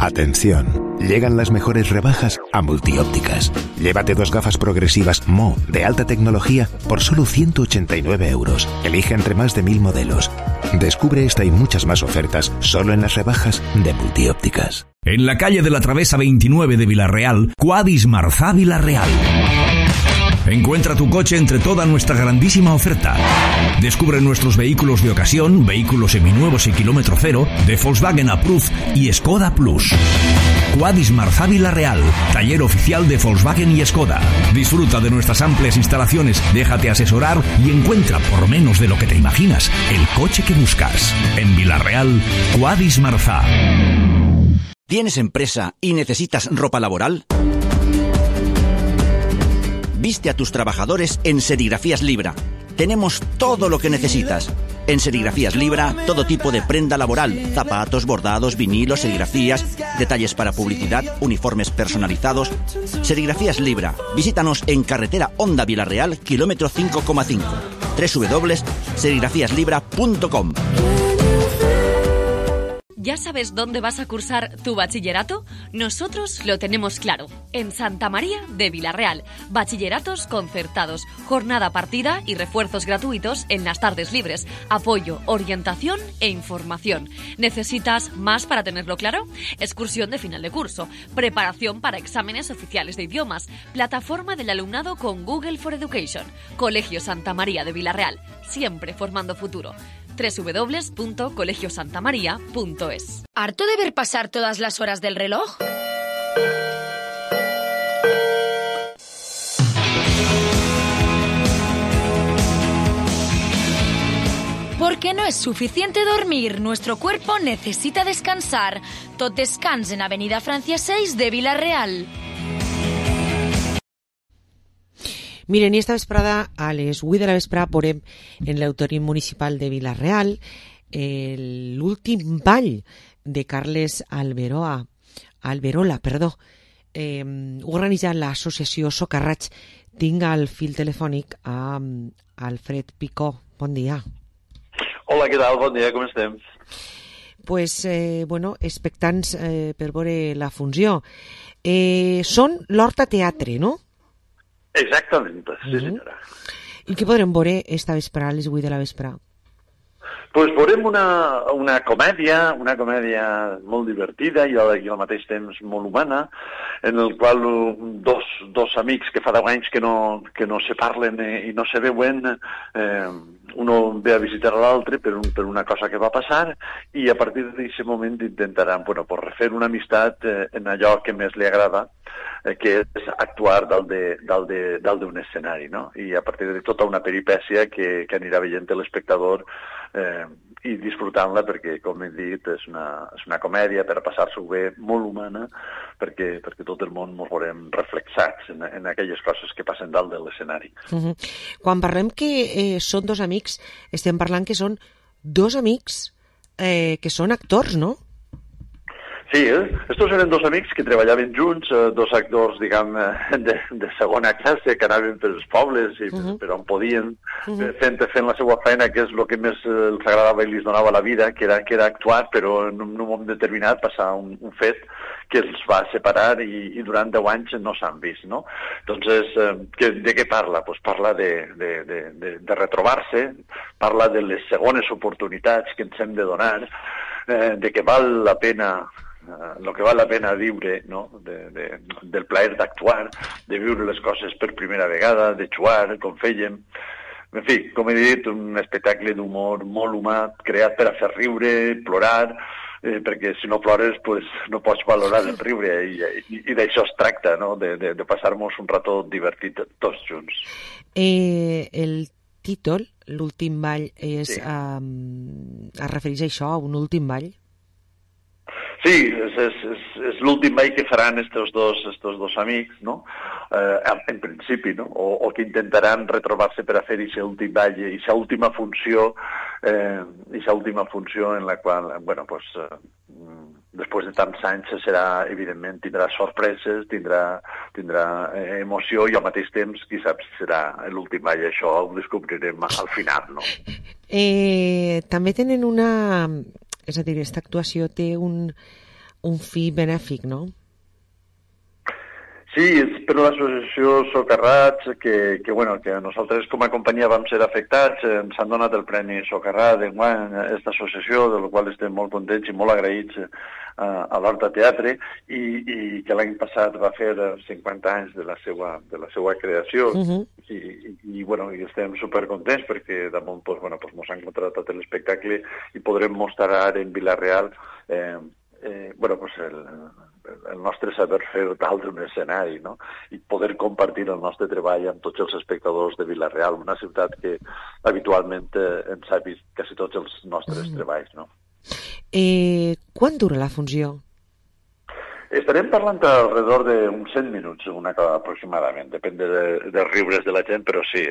Atención, llegan las mejores rebajas a Multiópticas. Llévate 2 gafas progresivas Mo de alta tecnología por solo 189 euros. Elige entre más de 1000 modelos. Descubre esta y muchas más ofertas solo en las rebajas de Multiópticas. En la calle de la Travesa 29 de Villarreal, Quadis Marzá Villarreal. Encuentra tu coche entre toda nuestra grandísima oferta. Descubre nuestros vehículos de ocasión, vehículos seminuevos y kilómetro cero, de Volkswagen Approved y Skoda Plus. Quadis Marzá Villarreal, taller oficial de Volkswagen y Skoda. Disfruta de nuestras amplias instalaciones, déjate asesorar y encuentra, por menos de lo que te imaginas, el coche que buscas. En Villarreal, Quadis Marzá. ¿Tienes empresa y necesitas ropa laboral? Viste a tus trabajadores en Serigrafías Libra. Tenemos todo lo que necesitas. En Serigrafías Libra, todo tipo de prenda laboral, zapatos, bordados, vinilos, serigrafías, detalles para publicidad, uniformes personalizados. Serigrafías Libra. Visítanos en carretera Honda Villarreal, kilómetro 5,5. www.serigrafiaslibra.com. ¿Ya sabes dónde vas a cursar tu bachillerato? Nosotros lo tenemos claro. En Santa María de Vilarreal. Bachilleratos concertados, jornada partida y refuerzos gratuitos en las tardes libres. Apoyo, orientación e información. ¿Necesitas más para tenerlo claro? Excursión de final de curso. Preparación para exámenes oficiales de idiomas. Plataforma del alumnado con Google for Education. Colegio Santa María de Vilarreal. Siempre formando futuro. www.colegiosantamaria.es. ¿Harto de ver pasar todas las horas del reloj? Porque no es suficiente dormir, nuestro cuerpo necesita descansar. Tot descans en Avenida Francia 6 de Vilarreal. Miren, i esta vesprada, a les 8 de la vesprada, veurem en l'Auditori Municipal de Vilarreal l'últim ball de Carles Alberola, organitzat l'associació Socarraig. Tinc al fil telefònic a Alfred Picó. Bon dia. Hola, què tal? Bon dia, com estem? Pues, expectants per veure la funció. Són l'Horta Teatre, no? Exactament, sí senyora. I què podrem veure esta vesprada, a les 8 de la vesprada? Pues veurem una comèdia molt divertida i al mateix temps molt humana, en el qual dos amics que fa 10 anys que no se parlen i no se veuen, uno ve a visitar l'altre per una cosa que va passar i a partir d'aquest moment intentaran refer una amistat en allò que més li agrada, que és actuar dalt d'un escenari, no? I a partir de tota una peripècia que anirà veient l'espectador i disfrutant-la perquè, com he dit, és una comèdia per a passar-s'ho bé, molt humana, perquè tot el món ens veurem reflexats en aquelles coses que passen dalt de l'escenari. Quan parlem que són dos amics, estem parlant que són dos amics que són actors, no? Sí, estos eren dos amics que treballaven junts, dos actors, diguem, de segona classe, que anaven pels pobles i per on podien, fent la seva feina, que és el que més els agradava i els donava la vida, que era actuar, però en un moment determinat passar un fet que els va separar i durant 10 anys no s'han vist, no? Entonces, de què parla? Pues parla de retrobar-se, parla de les segones oportunitats que ens hem de donar, de que val la pena el que val la pena viure, no? Del plaer d'actuar, de viure les coses per primera vegada, de jugar, com fèiem. En fi, com he dit, un espectacle d'humor molt humà, creat per a fer riure, plorar, perquè si no plores pues, no pots valorar el riure i d'això es tracta, no? De passar-nos un rato divertit tots junts. El títol, l'últim ball, es refereix a això, a un últim ball? Sí, és l'últim ball que faran estos dos amics, no? En principi, no? O que intentaran retrobar-se per a fer aquest últim ball, aquesta última funció en la qual, després de tants anys serà, evidentment, tindrà sorpreses, tindrà emoció i al mateix temps, qui sap si serà l'últim ball, això ho descobrirem al final, no? També tenen una... És a dir, aquesta actuació té un fi benèfic, no? Sí, és per l'associació Socarrats, que nosaltres com a companyia vam ser afectats, ens han donat el Premi Socarrat d'enguany a aquesta associació, de la qual estem molt contents i molt agraïts a l'Horta Teatre, i que l'any passat va fer 50 anys de la seva creació, i estem supercontents perquè damunt ens han contratat l'espectacle i podrem mostrar ara en Vilarreal el nostre saber fer dalt d'un escenari, no? I poder compartir el nostre treball amb tots els espectadors de Vilarreal, una ciutat que habitualment ens ha vist quasi tots els nostres treballs, no? Quan dura la funció? Estarem parlant alrededor d'uns 100 minuts, aproximadament. Depèn dels riures de la gent, però sí,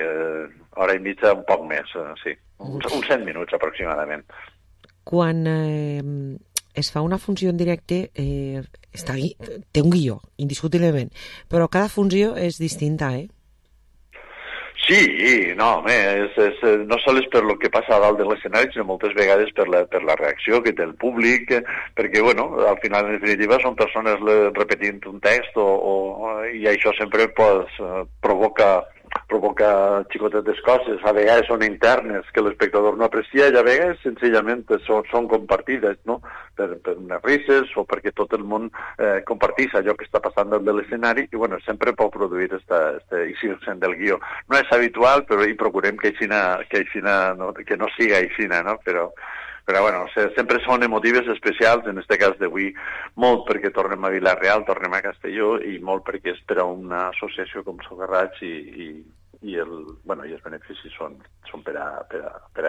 hora i mitja, un poc més, sí. Uns 100 minuts, aproximadament. Quan es fa una funció en directe, té un guió, indiscutiblement, però cada funció és distinta, eh? Sí, no, home, no sols per lo que passa a dalt de l'escenari, sinó moltes vegades per la reacció que té el públic, perquè, bueno, al final, en definitiva, són persones repetint un text i això sempre pues, provoca xicotetes coses, a vegades són internes que l'espectador no aprecia i a vegades senzillament són compartides, no? Per unes risses o perquè tot el món compartís allò que està passant dalt de l'escenari i bueno, sempre pot produir este eixirse'n del guió. No és habitual, però hi procurem que no siga aixina, no? Però bueno, sempre són emotives especials, en aquest cas d'avui, molt perquè tornem a Vila-real, tornem a Castelló, i molt perquè és per a una associació com Socarrats i els beneficis són per a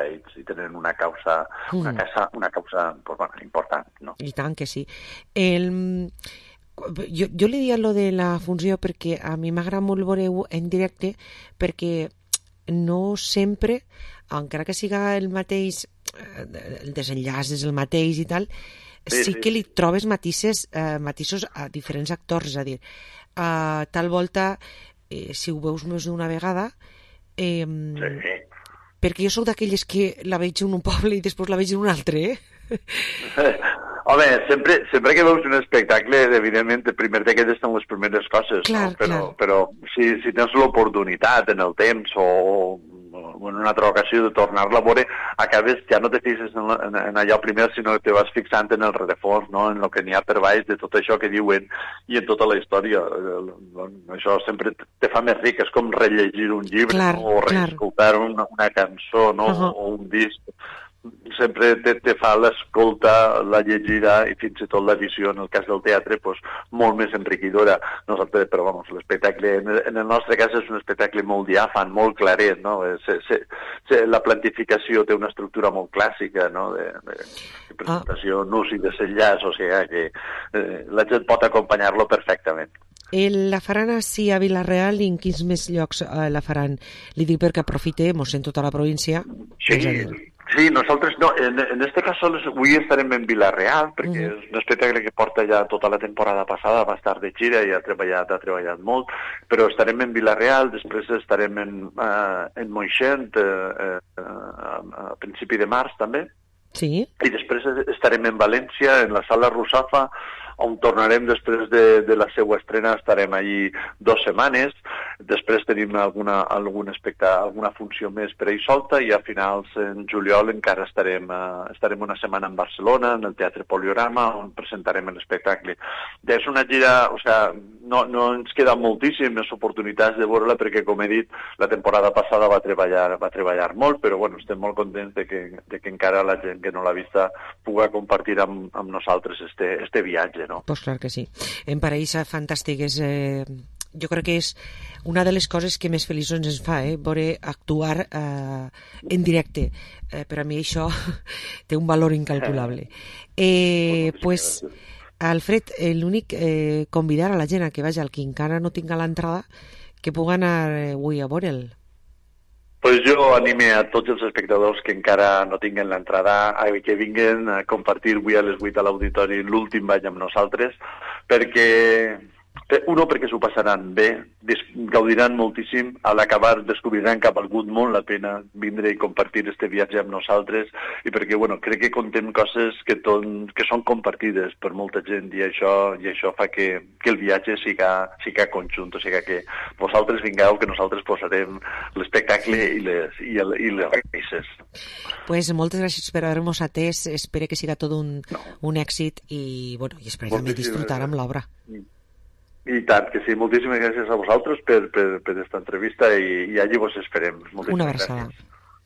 ells i tenen una causa important, no? I tant que sí. Jo li dia lo de la funció perquè a mi m'agrada molt veure en directe perquè no sempre, encara que siga el mateix, el desenllaç és el mateix i tal, sí que li trobes matisos a diferents actors, és a dir, tal volta, si ho veus més d'una vegada, perquè jo sóc d'aquelles que la veig en un poble i després la veig en un altre, Home, sempre que veus un espectacle, evidentment, primer te quedes en les primeres coses, clar, no? Però si tens l'oportunitat en el temps o en una altra ocasió de tornar-la a veure, acabes, ja no te fixes en allò primer, sinó que te vas fixant en el rerefons, no? En el que n'hi ha per baix de tot això que diuen i en tota la història. Això sempre te fa més ric, és com rellegir un llibre, o reescoltar una cançó, no? O un disc. Sempre te fa l'escolta, la llegida i fins i tot la visió, en el cas del teatre, pues, molt més enriquidora. Nosaltres, però vamos, l'espectacle, en el nostre cas és un espectacle molt diàfan, molt claret, no? La plantificació té una estructura molt clàssica, no? De presentació, nus i desenllaç, o sigui que la gent pot acompanyar-lo perfectament. La faran així a Vila-real i en quins més llocs la faran? Li dic perquè aprofitem en tota la província. Sí, nosaltres no, en este cas avui estarem en Vila-real, perquè és un espectacle que porta ja tota la temporada passada, va estar de gira i ha treballat molt, però estarem en Vila-real, després estarem en Moixent a principi de març també, i després estarem en València, en la Sala Russafa, on tornarem després de la seva estrena, estarem allí 2 setmanes, després tenim alguna funció més per ahir solta i a finals en juliol encara estarem una setmana en Barcelona, en el Teatre Poliorama, on presentarem l'espectacle. És una gira, o sigui, no ens queden moltíssimes oportunitats de veure-la perquè, com he dit, la temporada passada va treballar molt, però bueno, estem molt contents de que encara la gent que no l'ha vista pugui compartir amb nosaltres este viatge, no? Pues clar que sí. Em pareix fantàstic. Jo crec que és una de les coses que més feliços ens fa, veure actuar en directe. Per a mi això té un valor incalculable. Pues, Alfred, l'únic convidar a la gent a que vagi, al que encara no tinga l'entrada, que pugui anar avui a veure'l. Pues jo anime a tots els espectadors que encara no tinguen l'entrada que vinguen a compartir avui a les 8 a l'auditori l'últim ball amb nosaltres, perquè s'ho passaran bé, gaudiran moltíssim, a l'acabar descobriran que ha valgut molt la pena vindre i compartir este viatge amb nosaltres i perquè, bueno, crec que contem coses que són compartides per molta gent i això fa que el viatge siga conjunt, o sigui que vosaltres vingueu, que nosaltres posarem l'espectacle i les requisses. Pues moltes gràcies per haver-nos atès, espero que siga tot un èxit i, bueno, i espero també disfrutar amb l'obra. I tant, que sí. Moltíssimes gràcies a vosaltres per esta entrevista i allí vos esperem. Una abraçada.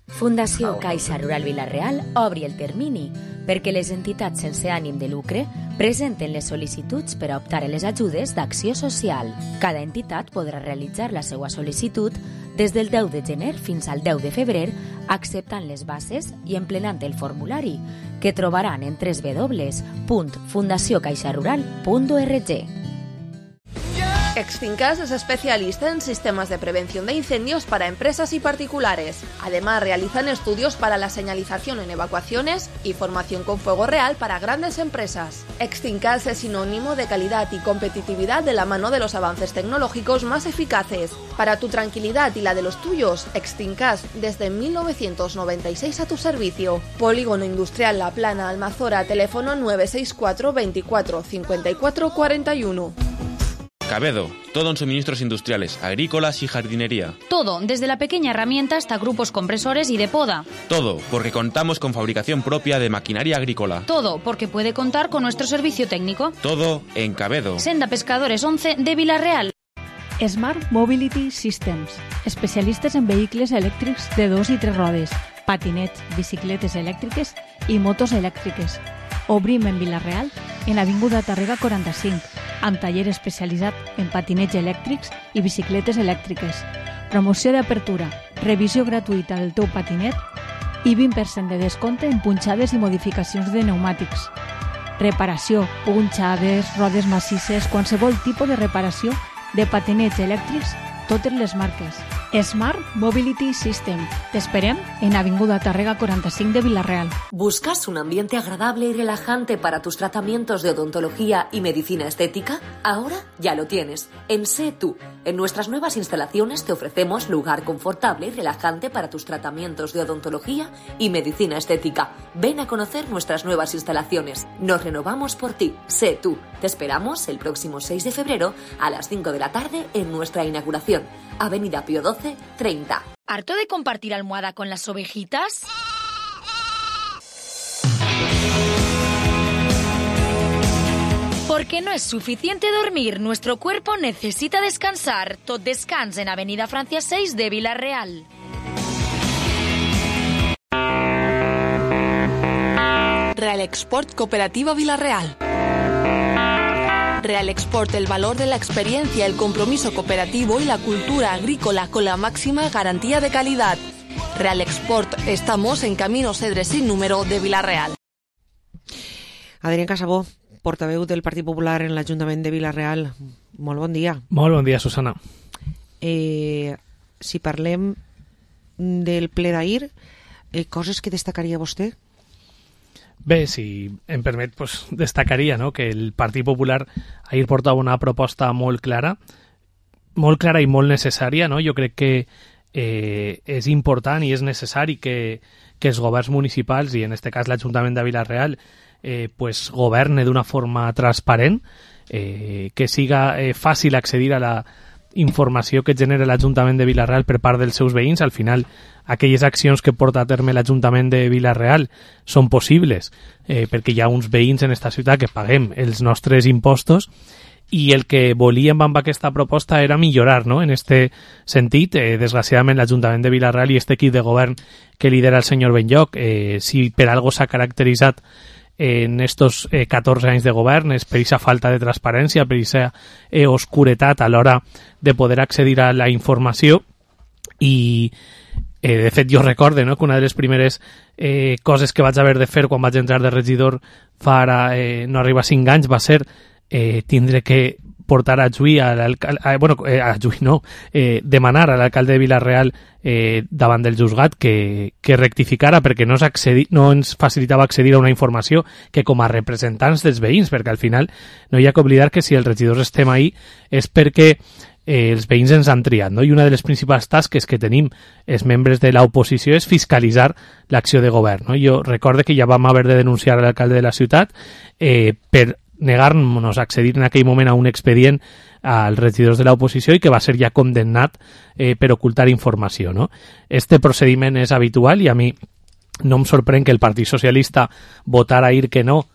Fundació Caixa Rural Vila-real obri el termini perquè les entitats sense ànim de lucre presenten les sol·licituds per a optar a les ajudes d'acció social. Cada entitat podrà realitzar la seva sol·licitud des del 10 de gener fins al 10 de febrer, acceptant les bases i emplenant el formulari, que trobaran en www.fundaciocaixarural.org. Extincas es especialista en sistemas de prevención de incendios para empresas y particulares. Además, realizan estudios para la señalización en evacuaciones y formación con fuego real para grandes empresas. Extincas es sinónimo de calidad y competitividad de la mano de los avances tecnológicos más eficaces. Para tu tranquilidad y la de los tuyos, Extincas desde 1996 a tu servicio. Polígono Industrial La Plana, Almazora, teléfono 964 24 54 41. Cabedo, todo en suministros industriales, agrícolas y jardinería. Todo, desde la pequeña herramienta hasta grupos compresores y de poda. Todo, porque contamos con fabricación propia de maquinaria agrícola. Todo, porque puede contar con nuestro servicio técnico. Todo en Cabedo. Senda Pescadores 11 de Vila-real. Smart Mobility Systems, especialistes en vehicles elèctrics de 2 i 3 rodes, patinets, bicicletes elèctriques i motos elèctriques. Obrim en Vila-real, en Avinguda Tàrrega 45, amb taller especialitzat en patinets elèctrics i bicicletes elèctriques. Promoció d'apertura, revisió gratuïta del teu patinet i 20% de descompte en punxades i modificacions de pneumàtics. Reparació, punxades, rodes massisses, qualsevol tipus de reparació de patinets elèctrics, totes les marques. Smart Mobility System. Te esperem en Avinguda Tàrrega 45 de Vila-real. ¿Buscas un ambiente agradable y relajante para tus tratamientos de odontología y medicina estética? Ahora ya lo tienes. En Sé Tú. En nuestras nuevas instalaciones te ofrecemos lugar confortable y relajante para tus tratamientos de odontología y medicina estética. Ven a conocer nuestras nuevas instalaciones. Nos renovamos por ti. Sé Tú. Te esperamos el próximo 6 de febrero a las 5 de la tarde en nuestra inauguración. Avenida Pío 12, 30. ¿Harto de compartir almohada con las ovejitas? Porque no es suficiente dormir, nuestro cuerpo necesita descansar. Tot Descans en Avenida Francia 6 de Vila-real. Real Export Cooperativa Vila-real. Real Export, el valor de la experiencia, el compromiso cooperativo y la cultura agrícola con la máxima garantía de calidad. Real Export, estamos en Camino Cedres sin número de Vila-real. Adrián Casabó, portaveu del Partit Popular en l'Ajuntament de Vila-real. Molt bon dia. Molt bon dia, Susana. Si parlem del ple d'ahir, coses que destacaria vostè? Bé, si em permet, pues, destacaria, no?, que el Partit Popular ahir portava una proposta molt clara i molt necessària, no? Jo crec que és important i és necessari que els governs municipals, i en aquest cas l'Ajuntament de Vila-real, pues, governe d'una forma transparent, que siga fàcil accedir a la informació que genera l'Ajuntament de Vila-real per part dels seus veïns. Al final, aquelles accions que porta a terme l'Ajuntament de Vila-real són possibles perquè hi ha uns veïns en esta ciutat que paguem els nostres impostos, i el que volíem amb aquesta proposta era millorar, no?, en este sentit. Desgraciadament l'Ajuntament de Vila-real i este equip de govern que lidera el senyor Benlloc, si per algo s'ha caracteritzat en estos 14 anys de govern, és per aquesta falta de transparència, per aquesta oscuretat a l'hora de poder accedir a la informació. I de fet jo recorde, no?, que una de les primeres coses que vaig haver de fer quan vaig entrar de regidor fa ara no arriba a 5 anys va ser tindre que portar a Lluís, demanar a l'alcalde de Vila-real davant del juzgat que rectificara, perquè no ens facilitava accedir a una informació que com a representants dels veïns, perquè al final no hi ha que oblidar que si els regidors estem ahí és perquè els veïns ens han triat, no? I una de les principals tasques que tenim els membres de l'oposició és fiscalitzar l'acció de govern, no? Jo recorde que ja vam haver de denunciar a l'alcalde de la ciutat per negar-nos a accedir en aquell moment a un expedient als regidors de l'oposició i que va ser ja condemnat per ocultar informació, no? Este procediment és habitual i a mi no em sorprèn que el Partit Socialista votara ahir que no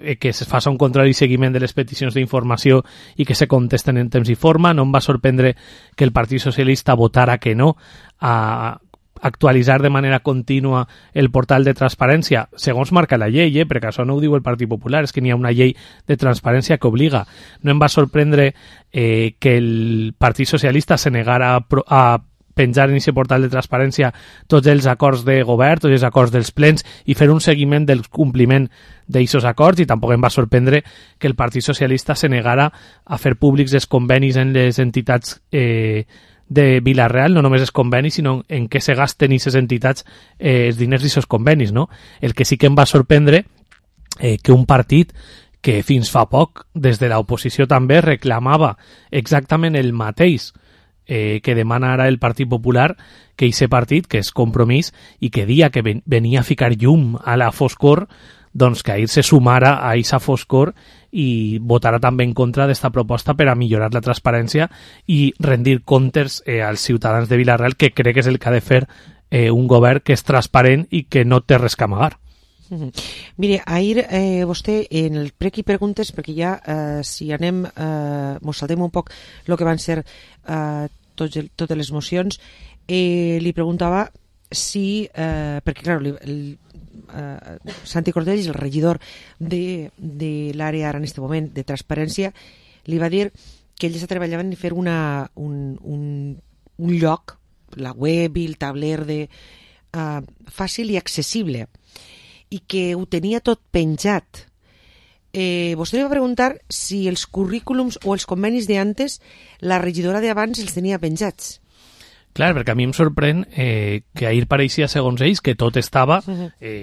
que es faci un control i seguiment de les peticions d'informació i que se contesten en temps i forma. No em va sorprendre que el Partit Socialista votara que no a actualitzar de manera contínua el portal de transparència, segons marca la llei, perquè això no ho diu el Partit Popular, és que n'hi ha una llei de transparència que obliga. No em va sorprendre que el Partit Socialista se negara a penjar en aquest portal de transparència tots els acords de govern, tots els acords dels plens i fer un seguiment del compliment d'aquests acords, i tampoc em va sorprendre que el Partit Socialista se negara a fer públics els convenis en les entitats de Vila-real, no només els convenis, sinó en què se gasten aquestes entitats els diners d'aquests convenis, no? El que sí que em va sorprendre que un partit que fins fa poc, des de l'oposició també, reclamava exactament el mateix que demana ara el Partit Popular, que aquest partit, que és Compromís, i que dia que venia a ficar llum a la foscor, doncs que ahir se sumara a aquesta foscor i votarà també en contra d'esta proposta per a millorar la transparència i rendir comptes als ciutadans de Vila-real, que crec que és el que ha de fer un govern que és transparent i que no té res que amagar. Mire, ahir vostè en el prec i preguntes, perquè ja si anem mos saltem un poc el que van ser totes les mocions, li preguntava si perquè clar, Santi Cordells, el regidor de l'àrea ara en aquest moment de transparència, li va dir que ells treballaven en fer un lloc, la web i el tabler fàcil i accessible, i que ho tenia tot penjat. Vostè li va preguntar si els currículums o els convenis d'antes la regidora d'abans els tenia penjats. Clar, perquè a mi em sorprèn que ahir pareixia, segons ells, que tot estava...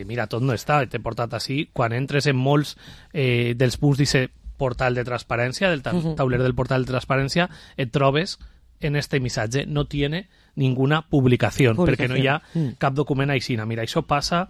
mira, tot no està, t'he portat així. Quan entres en molts dels punts d'aquest portal de transparència, del tauler del portal de transparència, et trobes en este missatge, no tiene ninguna publicació, perquè no hi ha cap document així. Mira, això passa...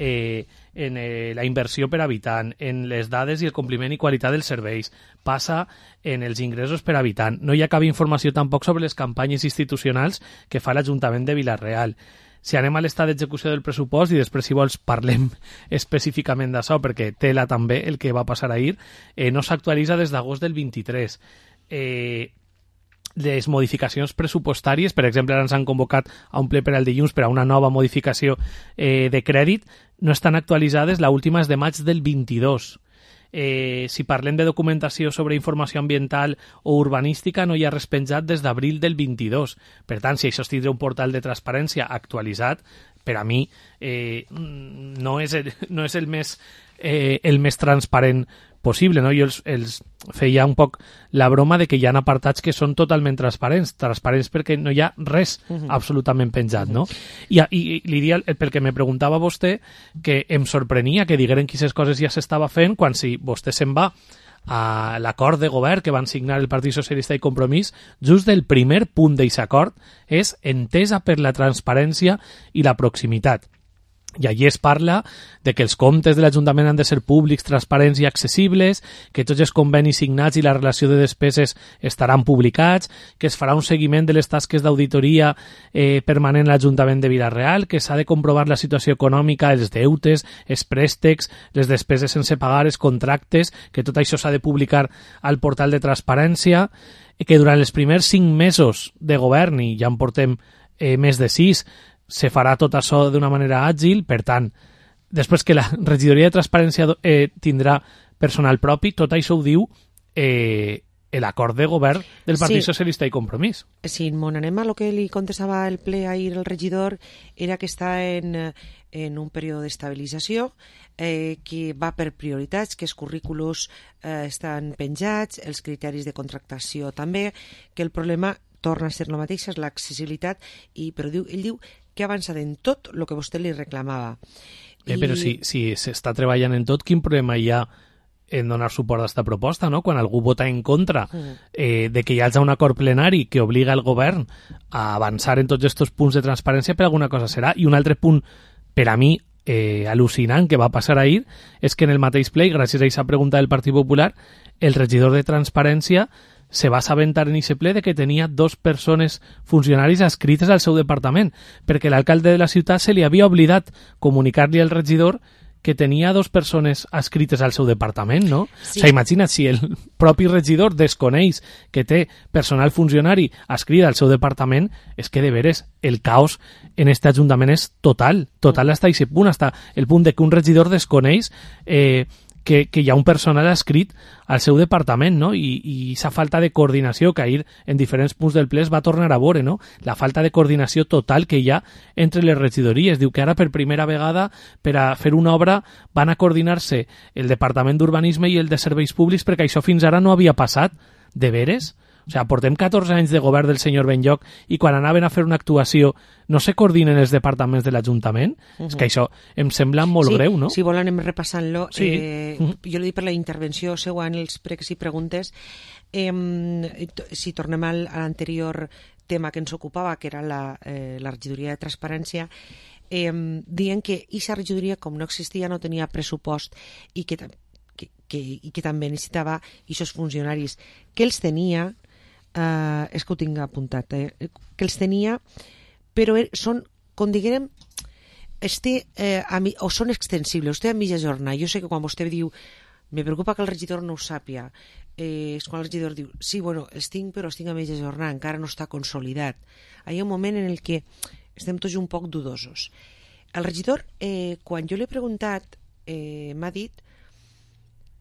en la inversió per habitant, en les dades i el compliment i qualitat dels serveis, passa en els ingressos per habitant. No hi ha cap informació tampoc sobre les campanyes institucionals que fa l'Ajuntament de Vila-real. Si anem a l'estat d'execució del pressupost, i després si vols parlem específicament d'això, perquè tela també el que va passar ahir, no s'actualitza des d'agost del 23. Les modificacions pressupostàries, per exemple, ara ens han convocat a un ple per al dilluns per a una nova modificació de crèdit, no estan actualitzades, l'última és de maig del 22. Si parlem de documentació sobre informació ambiental o urbanística, no hi ha res penjat des d'abril del 22. Per tant, si això es tindrà un portal de transparència actualitzat, per a mi no és el més transparent possible, no? Jo els feia un poc la broma de que hi ha apartats que són totalment transparents perquè no hi ha res absolutament penjat, no? I li dia, perquè me preguntava vostè, que em sorprenia que digueren que aquestes coses ja s'estava fent, quan si vostè se'n va a l'acord de govern que van signar el Partit Socialista i Compromís, just el primer punt d'aquest acord és entesa per la transparència i la proximitat. I allí es parla de que els comptes de l'Ajuntament han de ser públics, transparents i accessibles, que tots els convenis signats i la relació de despeses estaran publicats, que es farà un seguiment de les tasques d'auditoria permanent a l'Ajuntament de Vila-real, que s'ha de comprovar la situació econòmica, els deutes, els préstecs, les despeses sense pagar, els contractes, que tot això s'ha de publicar al portal de transparència, que durant els primers 5 mesos de govern, i ja en portem més de 6, se farà tot això d'una manera àgil. Per tant, després que la regidoria de transparència tindrà personal propi, tot això ho diu l'acord de govern del Partit Socialista i Compromís. Si anem a lo que li contestava el ple ahir el regidor, era que està en un període d'estabilització, que va per prioritats, que els currículos estan penjats, els criteris de contractació també, que el problema torna a ser el mateix, és l'accessibilitat, però ell diu que ha avançat en tot el que vostè li reclamava. Però si s'està treballant en tot, quin problema hi ha en donar suport a aquesta proposta, no? Quan algú vota en contra de que hi hagi un acord plenari que obliga el govern a avançar en tots aquests punts de transparència, per alguna cosa serà. I un altre punt, per a mi, al·lucinant que va passar ahir, és que en el mateix ple, gràcies a aquesta pregunta del Partit Popular, el regidor de Transparència se va assabentar en aquest ple de que tenia 2 persones funcionaris adscrites al seu departament, perquè l'alcalde de la ciutat se li havia oblidat comunicar-li al regidor que tenia 2 persones adscrites al seu departament, no? Sí. O sigui, imagina't, si el propi regidor desconeix que té personal funcionari adscrit al seu departament, és que de veres el caos en aquest ajuntament és total hasta aquest punt, hasta el punt de que un regidor desconeix que hi ha un personal adscrit al seu departament, no? I sa falta de coordinació que ahir en diferents punts del ple es va tornar a veure, no? La falta de coordinació total que hi ha entre les regidories. Diu que ara per primera vegada per a fer una obra van a coordinar-se el Departament d'Urbanisme i el de Serveis Públics, perquè això fins ara no havia passat. De veres? O sigui, portem 14 anys de govern del senyor Benlloch i quan anaven a fer una actuació no se coordinen els departaments de l'Ajuntament? És que això em sembla molt greu, no? Si vol anem repassant-lo. Sí. Jo li dic per la intervenció seua en els pregs i preguntes. Si tornem a l'anterior tema que ens ocupava, que era la regidoria de transparència, dient que aquesta regidoria, com no existia, no tenia pressupost i que també necessitava aquests funcionaris que els tenia, és que ho tinc apuntat, que els tenia, però són, com diguem, o són extensibles, vostè a mitja jornada. Jo sé que quan vostè diu me preocupa que el regidor no ho sàpia, és quan el regidor diu sí, bueno, els tinc, però els tinc a mitja jornada, encara no està consolidat. Hi ha un moment en el que estem tots un poc dudosos. El regidor, quan jo l'he preguntat, m'ha dit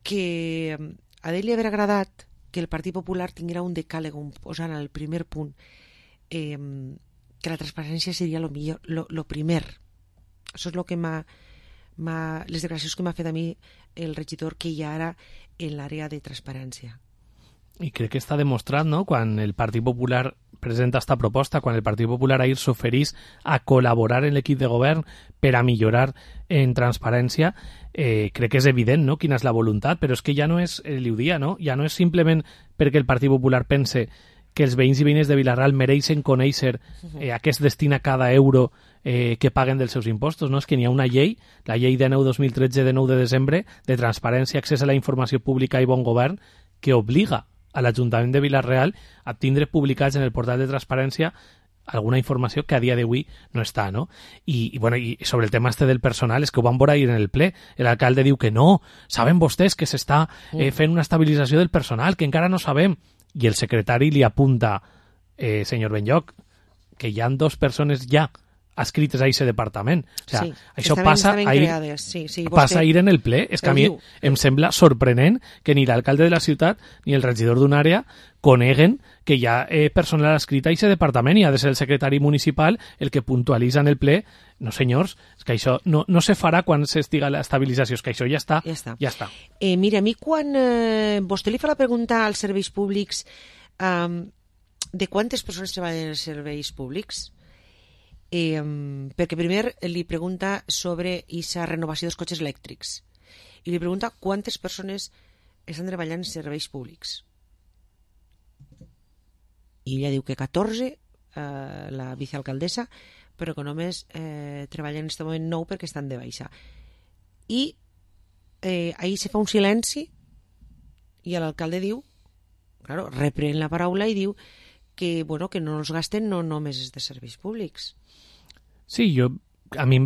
que a ell li hauria agradat que el Partit Popular tinguera un decàleg posant al primer punt que la transparència seria lo primer. Això és el que les declaracions que m'ha fet a mi el regidor que hi ha ara en l'àrea de transparència. I crec que està demostrat, no?, quan el Partit Popular presenta esta proposta, quan el Partit Popular ahir s'oferís a col·laborar en l'equip de govern per a millorar en transparència, crec que és evident, no?, quina és la voluntat, però és que ja no és, li ho dia, no?, ja no és simplement perquè el Partit Popular pense que els veïns i veïnes de Vila-real mereixen conèixer a què es destina cada euro que paguen dels seus impostos, no? És que n'hi ha una llei, la llei 19/2013 de 9 de desembre, de transparència, accés a la informació pública i bon govern, que obliga a l'Ajuntament de Vila-real a tindre publicats en el portal de transparència alguna informació que a dia d'avui no està, no? I sobre el tema del personal, és que ho van veure ahir en el ple. L'alcalde diu que no, saben vostès que s'està fent una estabilització del personal, que encara no sabem. I el secretari li apunta, senyor Benlloch, que hi ha 2 persones ja adscrites a aquest departament. O sigui, això passa ahir en el ple. És que a mi em sembla sorprenent que ni l'alcalde de la ciutat ni el regidor d'una àrea coneguen que hi ha personal adscrit a aquest departament i ha de ser el secretari municipal el que puntualitza en el ple. No, senyors, és que això no se farà quan s'estiga l'estabilització, és que això ja està. Mira, a mi quan vostè li fa la pregunta als serveis públics de quantes persones treballen als serveis públics, perquè primer li pregunta sobre aquesta renovació dels cotxes elèctrics i li pregunta quantes persones estan treballant en serveis públics i ella diu que 14, la vicealcaldessa, però que només treballen en aquest moment 9 perquè estan de baixa. I ahir se fa un silenci i l'alcalde diu, claro, reprèn la paraula i diu que, bueno, que no els gasten no només és de serveis públics. Sí, a mi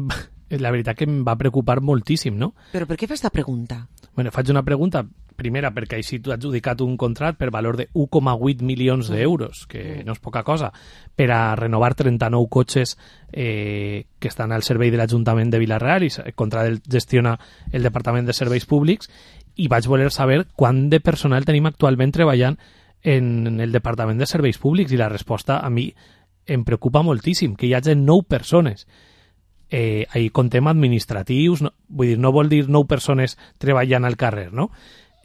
la veritat que em va preocupar moltíssim, no? Però per què fa aquesta pregunta? Bueno, faig una pregunta, primera, perquè així tu has adjudicat un contracte per valor de 1,8 milions d'euros, que no és poca cosa, per a renovar 39 cotxes que estan al servei de l'Ajuntament de Vila-real i contra el gestiona el Departament de Serveis Públics, i vaig voler saber quant de personal tenim actualment treballant en el Departament de Serveis Públics, i la resposta a mi em preocupa moltíssim, que hi hagi 9 persones. Ahí contem administratius, vull dir, no vol dir 9 persones treballant al carrer, no?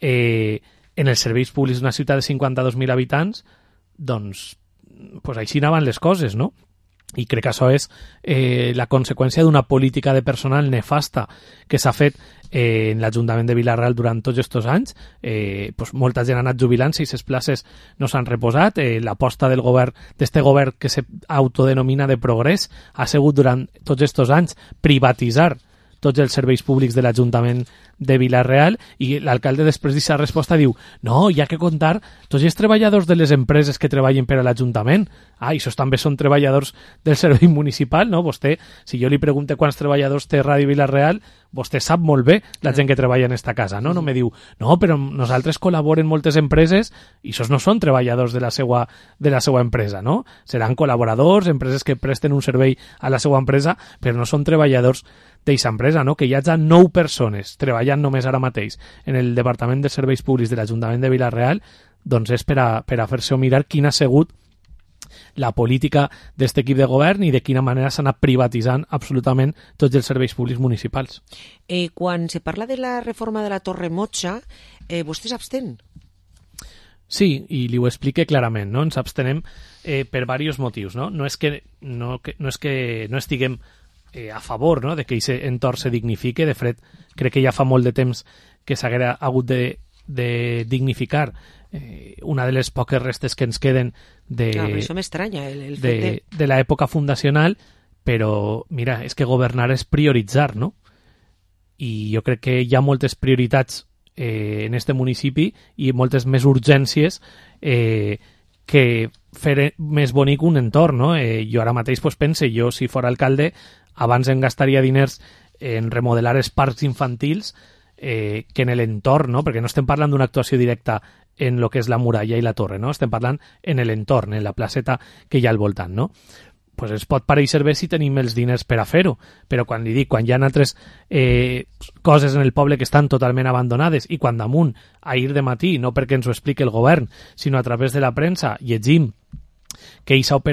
En els serveis públics d'una ciutat de 52.000 habitants, doncs així anaven les coses, no? I crec que això és la conseqüència d'una política de personal nefasta que s'ha fet en l'Ajuntament de Vila-real durant tots aquests anys. Molta gent ha anat jubilant-se i les places no s'han reposat. L'aposta del govern, d'este govern que s'autodenomina de progrés, ha sigut durant tots aquests anys privatitzar tots els serveis públics de l'Ajuntament de Vila-real, i l'alcalde després d'aquesta resposta diu no, hi ha que comptar tots els treballadors de les empreses que treballen per a l'Ajuntament. I això també són treballadors del servei municipal, no? Vostè, si jo li pregunto quants treballadors té Ràdio Vila-real, vostè sap molt bé la gent que treballa en esta casa, no? No me diu, no, però nosaltres col·laboren moltes empreses i això no són treballadors de la seva empresa, no? Seran col·laboradors, empreses que presten un servei a la seva empresa, però no són treballadors d'aquesta empresa, no? Que hi hagi 9 persones treballant només ara mateix en el Departament de Serveis Públics de l'Ajuntament de Vila-real, doncs és per a fer-se mirar quina ha sigut la política d'aquest equip de govern i de quina manera s'ha anat privatitzant absolutament tots els serveis públics municipals. Quan se parla de la reforma de la Torre Motxa, vostè s'abstén? Sí, i li ho explique clarament, no? Ens abstenem per diversos motius, no? No és que no estiguem a favor, no?, de que aquest entorn se dignifique. De fet, crec que ja fa molt de temps que s'haguera hagut de dignificar una de les poques restes que ens queden això m'estranya, el fet de l'època fundacional, però mira, és que governar és prioritzar, no? I jo crec que hi ha moltes prioritats en este municipi i moltes més urgències que fer més bonic un entorn, no? Jo ara mateix pense, jo si fora alcalde abans em gastaria diners en remodelar els parcs infantils que en l'entorn, no? Perquè no estem parlant d'una actuació directa en el que és la muralla i la torre, no? Estem parlant en l'entorn, en la placeta que hi ha al voltant, no? Pues ens pot pareixer bé si tenim els diners per a fer-ho, però quan li dic, quan hi ha altres coses en el poble que estan totalment abandonades i quan damunt, ahir de matí, no perquè ens ho expliqui el govern, sinó a través de la premsa, llegim que aquest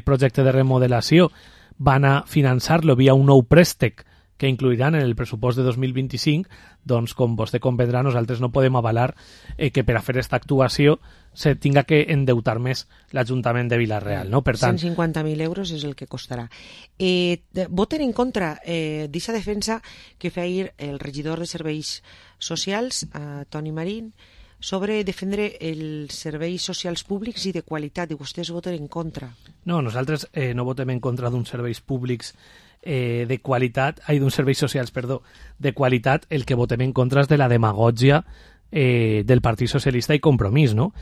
projecte de remodelació van a finançar-lo via un nou préstec que incluiran en el pressupost de 2025, doncs, com vostè comprendrà, nosaltres no podem avalar que per a fer aquesta actuació se tinga que endeutar més l'Ajuntament de Vila-real, no? Per tant, 150.000 euros és el que costarà. Voten en contra d'aquesta defensa que feia ahir el regidor de Serveis Socials, Toni Marín, sobre defendre els serveis socials públics i de qualitat, i vostès voten en contra. No, nosaltres no votem en contra d'uns serveis públics de qualitat, d'uns serveis socials, perdó, de qualitat. El que votem en contra és de la demagògia del Partit Socialista i Compromís, no?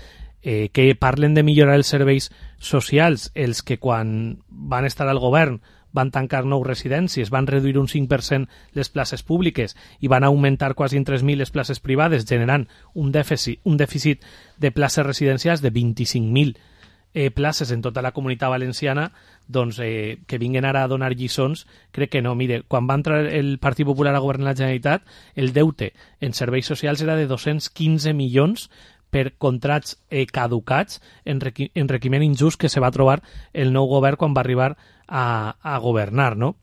Que parlen de millorar els serveis socials, els que quan van estar al govern van tancar 9 residències, van reduir un 5% les places públiques i van augmentar quasi en 3.000 les places privades, generant un dèficit de places residencials de 25.000 places en tota la Comunitat Valenciana, doncs que vinguen ara a donar lliçons, crec que no. Mire, quan va entrar el Partit Popular a governar la Generalitat, el deute en serveis socials era de 215 milions per contrats caducats, enriquiment injust que se va trobar el nou govern quan va arribar a governar, no?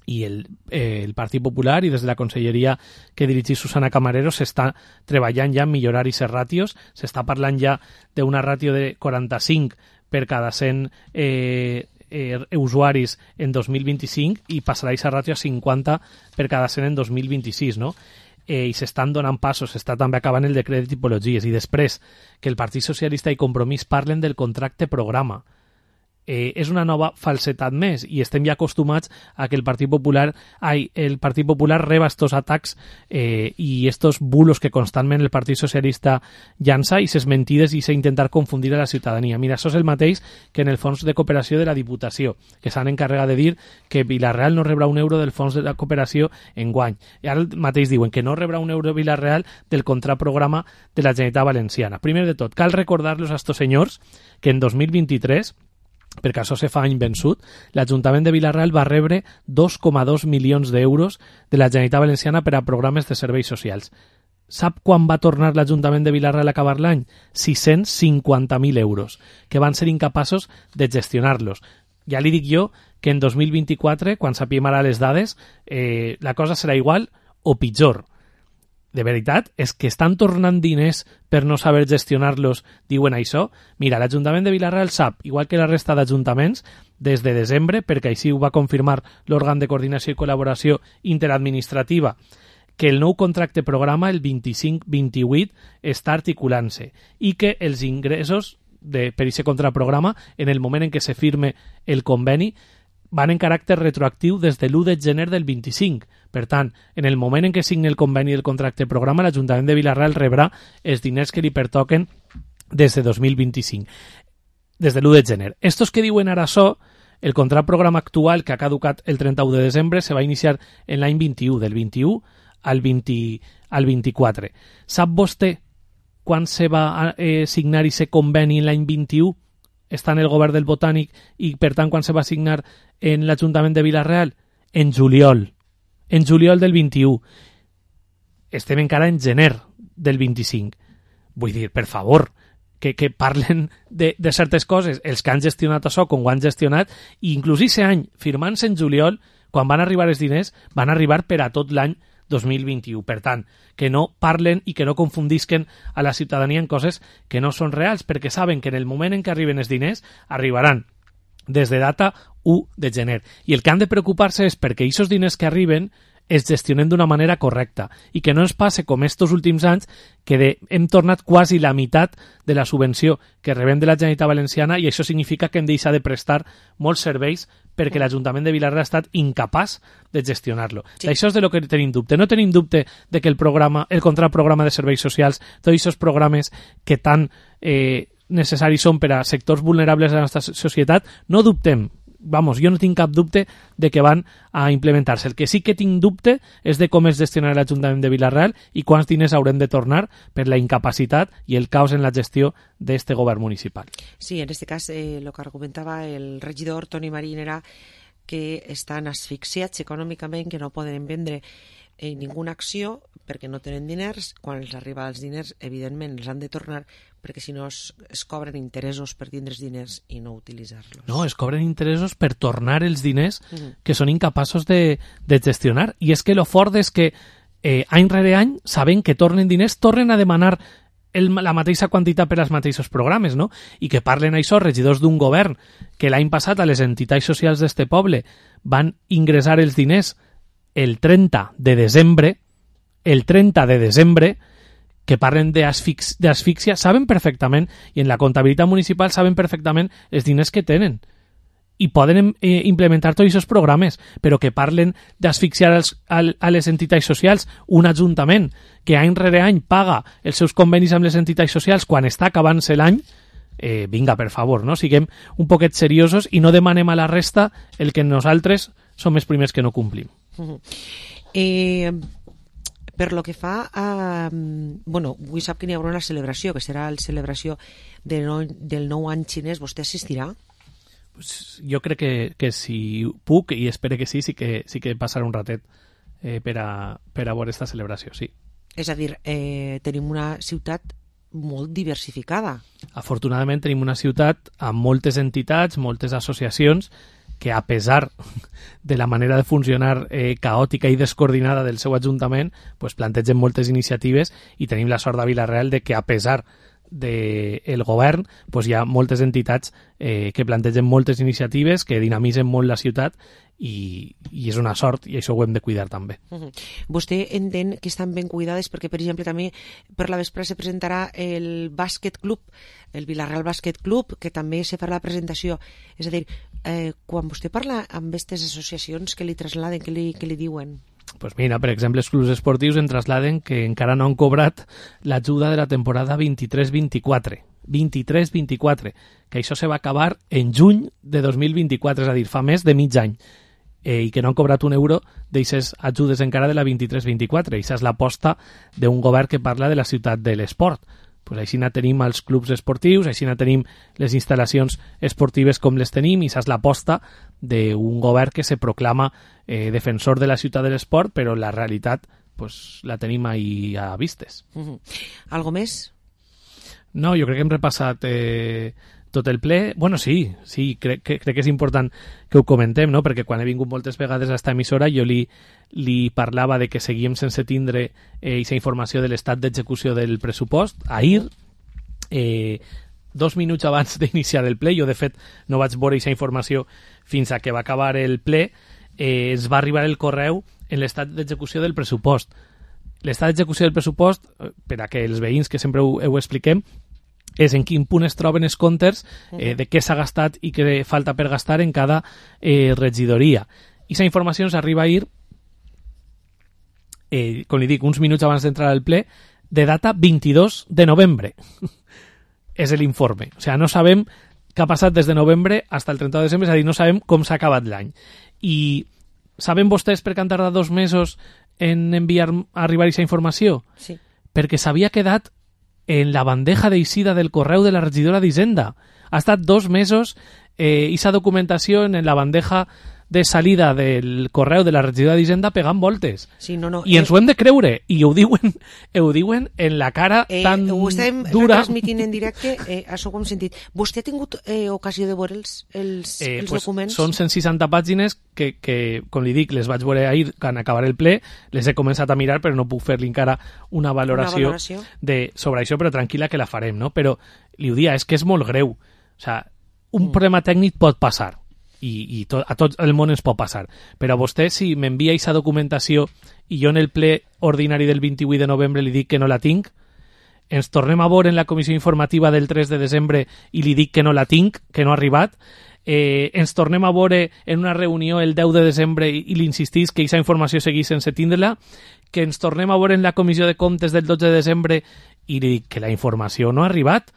I el Partit Popular i des de la conselleria que dirigís Susana Camarero s'està treballant ja en millorar aquestes ràtios, s'està parlant ja d'una ràtio de 45 per cada 100 usuaris en 2025 i passarà aquesta ràtio a 50 per cada 100 en 2026, no? I s'estan donant passos, s'està també acabant el decret de tipologies, i després que el Partit Socialista i Compromís parlen del contracte programa. És una nova falsetat més i estem ja acostumats a que el Partit Popular reba estos atacs i estos bulos que constantment el Partit Socialista llança i ses mentides i s'intentar confundir a la ciutadania. Mira, això és el mateix que en el fons de cooperació de la Diputació, que s'han encarregat de dir que Vila-real no rebrà un euro del fons de la cooperació enguany. I ara mateix diuen que no rebrà un euro Vila-real del contraprograma de la Generalitat Valenciana. Primer de tot, cal recordar-los a estos senyors que en 2023, perquè això se fa any vençut, l'Ajuntament de Vila-real va rebre 2,2 milions d'euros de la Generalitat Valenciana per a programes de serveis socials. Sap quan va tornar l'Ajuntament de Vila-real a acabar l'any? 650.000 euros, que van ser incapaços de gestionar-los. Ja li dic jo que en 2024, quan sapiem ara les dades, la cosa serà igual o pitjor. De veritat, és que estan tornant diners per no saber gestionar-los, diuen això. Mira, l'Ajuntament de Vila-real sap, igual que la resta d'ajuntaments, des de desembre, perquè així ho va confirmar l'òrgan de coordinació i col·laboració interadministrativa, que el nou contracte programa, el 25-28, està articulant-se i que els ingressos per aquest contraprograma, en el moment en què se firme el conveni, van en caràcter retroactiu des de l'1 de gener del 25. Per tant, en el moment en què signi el conveni del contracte programa, l'Ajuntament de Vila-real rebrà els diners que li pertoquen des de 2025, des de l'1 de gener. Estos que diuen ara això El contrat programa actual, que ha caducat el 31 de desembre, se va iniciar en l'any 21, del 21 al 24. Sap vostè quan se va signar aquest conveni en l'any 21? Està en el govern del Botànic i, per tant, quan se va signar en l'Ajuntament de Vila-real? En juliol del 21. Estem encara en gener del 25. Vull dir, per favor, que parlen de certes coses, els que han gestionat això com ho han gestionat, i inclús aquest any, firmant-se en juliol, quan van arribar els diners, van arribar per a tot l'any 2021. Per tant, que no parlen i que no confundisquen a la ciutadania en coses que no són reals, perquè saben que en el moment en què arriben els diners, arribaran des de data 1 de gener. I el que han de preocupar-se és perquè aquests diners que arriben es gestionen d'una manera correcta i que no ens passe com estos últims anys que hem tornat quasi la meitat de la subvenció que rebem de la Generalitat Valenciana, i això significa que hem deixat de prestar molts serveis perquè l'Ajuntament de Vila-real ha estat incapaç de gestionar-lo. Sí. Això és de lo que tenim dubte. No tenim dubte de que el contrat programa de serveis socials, tots aquests programes que tan necessaris són per a sectors vulnerables de la nostra societat, no dubtem. Vamos, jo no tinc cap dubte de que van a implementar-se. El que sí que tinc dubte és de com es gestionarà l'Ajuntament de Vila-real i quants diners haurem de tornar per la incapacitat i el caos en la gestió d'aquest govern municipal. Sí, en este cas, el que argumentava el regidor Toni Marín era que estan asfixiats econòmicament, que no poden vendre ninguna acció perquè no tenen diners. Quan els arriba els diners, evidentment, els han de tornar, perquè si no es cobren interessos per tindre els diners i no utilitzar-los. No, es cobren interessos per tornar els diners que són incapaços de gestionar. I és que lo fort és que any rere any, sabent que tornen diners, tornen a demanar la mateixa quantitat per als mateixos programes, no? I que parlen això regidors d'un govern que l'any passat a les entitats socials d'este poble van ingressar els diners el 30 de desembre, que parlen d'asfíxia, saben perfectament, i en la comptabilitat municipal saben perfectament els diners que tenen i poden implementar tots aquests programes, però que parlen d'asfixiar a les entitats socials, un ajuntament que any rere any paga els seus convenis amb les entitats socials quan està acabant-se l'any, vinga, per favor, no? Siguem un poquet seriosos i no demanem a la resta el que nosaltres som els primers que no complim. Per lo que fa a... Bueno, avui sap que n'hi haurà una celebració, que serà la celebració del nou any xinès. Vostè assistirà? Pues jo crec que si puc, i espero que sí que passarà un ratet per a veure aquesta celebració, sí. És a dir, tenim una ciutat molt diversificada. Afortunadament tenim una ciutat amb moltes entitats, moltes associacions, que a pesar de la manera de funcionar caòtica i descoordinada del seu ajuntament, pues plantegen moltes iniciatives, i tenim la sort de Vila-real de que a pesar del govern pues hi ha moltes entitats que plantegen moltes iniciatives, que dinamitzen molt la ciutat, i és una sort, i això ho hem de cuidar també. Vostè entén que estan ben cuidades perquè, per exemple, també per la vespre se presentarà el bàsquet club, el Vila-real Bàsquet Club, que també se farà la presentació. És a dir, quan vostè parla amb aquestes associacions, que li trasladen, que li diuen? Pues mira, per exemple, els clubs esportius en trasladen que encara no han cobrat l'ajuda de la temporada 23-24, que això se va acabar en juny de 2024, és a dir, fa més de mig any, i que no han cobrat un euro d'aixes ajudes encara de la 23-24. Això és l'aposta d'un govern que parla de la ciutat de l'esport. Pues així tenim els clubs esportius, així tenim les instal·lacions esportives com les tenim, i això és l'aposta d'un govern que se proclama defensor de la ciutat de l'esport, però la realitat pues, la tenim ahí a vistes. Algo més? No, jo crec que hem repassat tot el ple. Bueno, sí, crec que és important que ho comentem, no? Perquè quan he vingut moltes vegades a esta emissora jo li parlava de que seguíem sense tindre aquesta informació de l'estat d'execució del pressupost. Ahir, 2 minuts abans d'iniciar el ple, jo de fet no vaig veure aquesta informació fins a que va acabar el ple, es va arribar el correu en l'estat d'execució del pressupost. L'estat d'execució del pressupost, per a que els veïns que sempre ho expliquem, és en quin punt es troben els comptes, de què s'ha gastat i què falta per gastar en cada regidoria. I aquesta informació ens arriba ahir, com li dic, uns minuts abans d'entrar al ple, de data 22 de novembre. És l'informe. O sigui, no sabem que ha passat des de novembre fins al 30 de desembre, és a dir, no sabem com s'ha acabat l'any. I saben vostès per què han tardat 2 mesos en arribar aquesta informació? Sí. Perquè s'havia quedat en la bandeja d'eixida del correu de la regidora d'Hisenda. Ha estat 2 mesos esa documentació en la bandeja de salida del correu de la regidora d'Hisenda pegant voltes. Sí, no, I ens ho hem de creure. I ho diuen en la cara tan ho estem dura. transmitint en directe, això ho hem sentit. Vostè ha tingut ocasió de veure els documents? Són 160 pàgines que, com li dic, les vaig veure ahir quan acabaré el ple, les he començat a mirar, però no puc fer-li encara una valoració sobre això, però tranquil·la que la farem, no? Però li ho dia, és que és molt greu. O sea, un problema tècnic pot passar. I a tot el món ens pot passar. Però a vostè, si m'envia aquesta documentació i jo en el ple ordinari del 28 de novembre li dic que no la tinc, ens tornem a veure en la comissió informativa del 3 de desembre i li dic que no la tinc, que no ha arribat, ens tornem a veure en una reunió el 10 de desembre i li insistís que aquesta informació seguís sense tindre-la, que ens tornem a veure en la comissió de comptes del 12 de desembre i li dic que la informació no ha arribat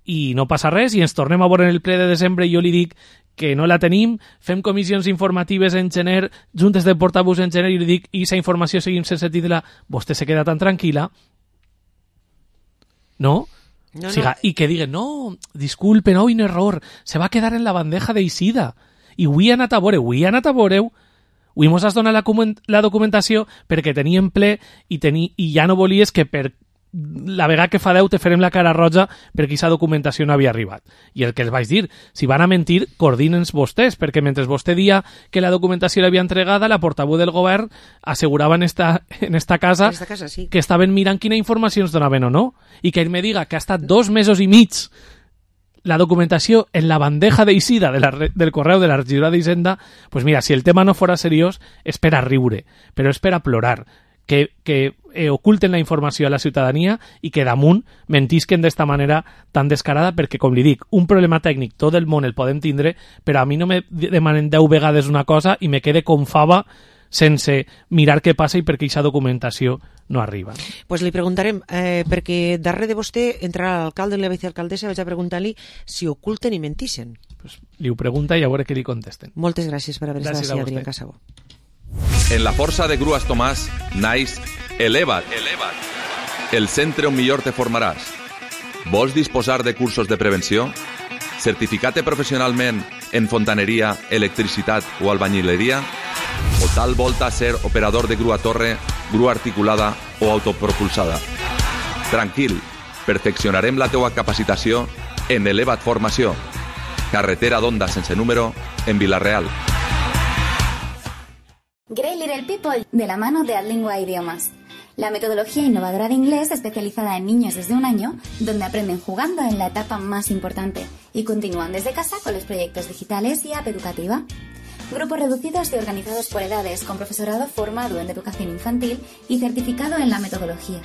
i no passa res, i ens tornem a veure en el ple de desembre i jo li dic que no la tenim, fem comissions informatives en gener, juntes de portaveus en gener, i li dic, i aquesta informació seguim sense tindre-la, vostè se queda tan tranquil·la, no? No, o sigui, i que diguen, no, disculpen, un error, se va quedar en la bandeja d'eixida, i avui ha anat a veure, avui mos has donat la documentació perquè teníem ple i ja no volies que per la vegada que fa 10 te farem la cara roja perquè aquesta documentació no havia arribat. I el que els vaig dir, si van a mentir, coordinen-se vostès, perquè mentre vostè dia que la documentació l'havia entregada, la portaveu del govern assegurava en esta casa sí, que estaven mirant quina informació ens donaven o no. I que ell me diga que ha estat 2 mesos i mig la documentació en la bandeja d'eixida del correu de la regidora d'Hisenda, pues mira, si el tema no fora seriós, és per a riure, però és per a plorar. Que oculten la informació a la ciutadania i que damunt mentisquen d'esta manera tan descarada, perquè, com li dic, un problema tècnic tot el món el podem tindre, però a mi no me demanen 10 vegades una cosa i me quede com fava sense mirar què passa i perquè aquesta documentació no arriba. Pues li preguntarem, perquè darrere de vostè entrarà l'alcalde i la vicealcaldessa, vaig a preguntar-li si oculten i mentixen. Pues li ho pregunta i a veure què li contesten. Moltes gràcies per haver estat així, Adrià Casabó. En la força de Grues Tomàs naix Eleva't, el centre on millor te formaràs. Vols disposar de cursos de prevenció? Certificar-te professionalment en fontaneria, electricitat o albañileria? O tal volta ser operador de grua torre, grua articulada o autopropulsada? Tranquil, perfeccionarem la teua capacitació en Eleva't Formació. Carretera d'Onda sense número en Vila-real. Grey Little People, de la mano de Adlingua Idiomas. La metodología innovadora de inglés especializada en niños desde 1 año, donde aprenden jugando en la etapa más importante y continúan desde casa con los proyectos digitales y app educativa. Grupos reducidos y organizados por edades, con profesorado formado en educación infantil y certificado en la metodología.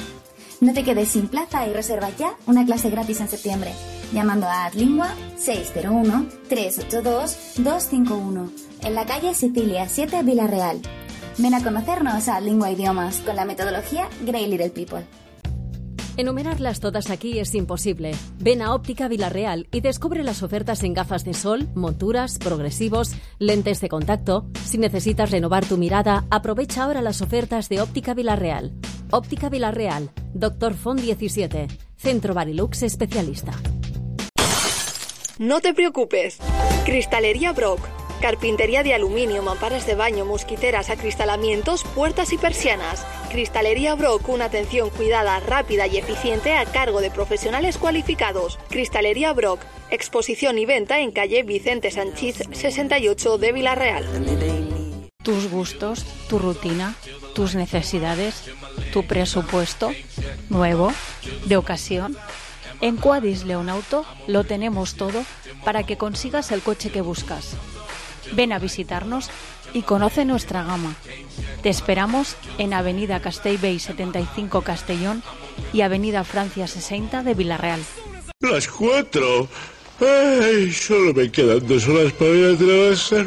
No te quedes sin plaza y reserva ya una clase gratis en septiembre, llamando a Adlingua 601-382-251, en la calle Sicilia 7, Vila-real. Ven a conocernos a Adlingua Idiomas con la metodología Grey Little People. Enumerarlas todas aquí es imposible. Ven a Óptica Vila-real y descubre las ofertas en gafas de sol, monturas, progresivos, lentes de contacto. Si necesitas renovar tu mirada, aprovecha ahora las ofertas de Óptica Vila-real. Óptica Vila-real, Dr. Font 17, Centro Barilux Especialista. No te preocupes. Cristalería Brock. Carpintería de aluminio, mamparas de baño, mosquiteras, acristalamientos, puertas y persianas. Cristalería Brock, una atención cuidada, rápida y eficiente a cargo de profesionales cualificados. Cristalería Brock, exposición y venta en calle Vicente Sanchís 68 de Vila-real. Tus gustos, tu rutina, tus necesidades, tu presupuesto, nuevo, de ocasión. En Quadis León Auto lo tenemos todo para que consigas el coche que buscas. Ven a visitarnos y conoce nuestra gama. Te esperamos en Avenida Castellbell 75 Castellón y Avenida Francia 60 de Vila-real. Las 4. Ay, solo me quedan 2 horas para ir a trabajar,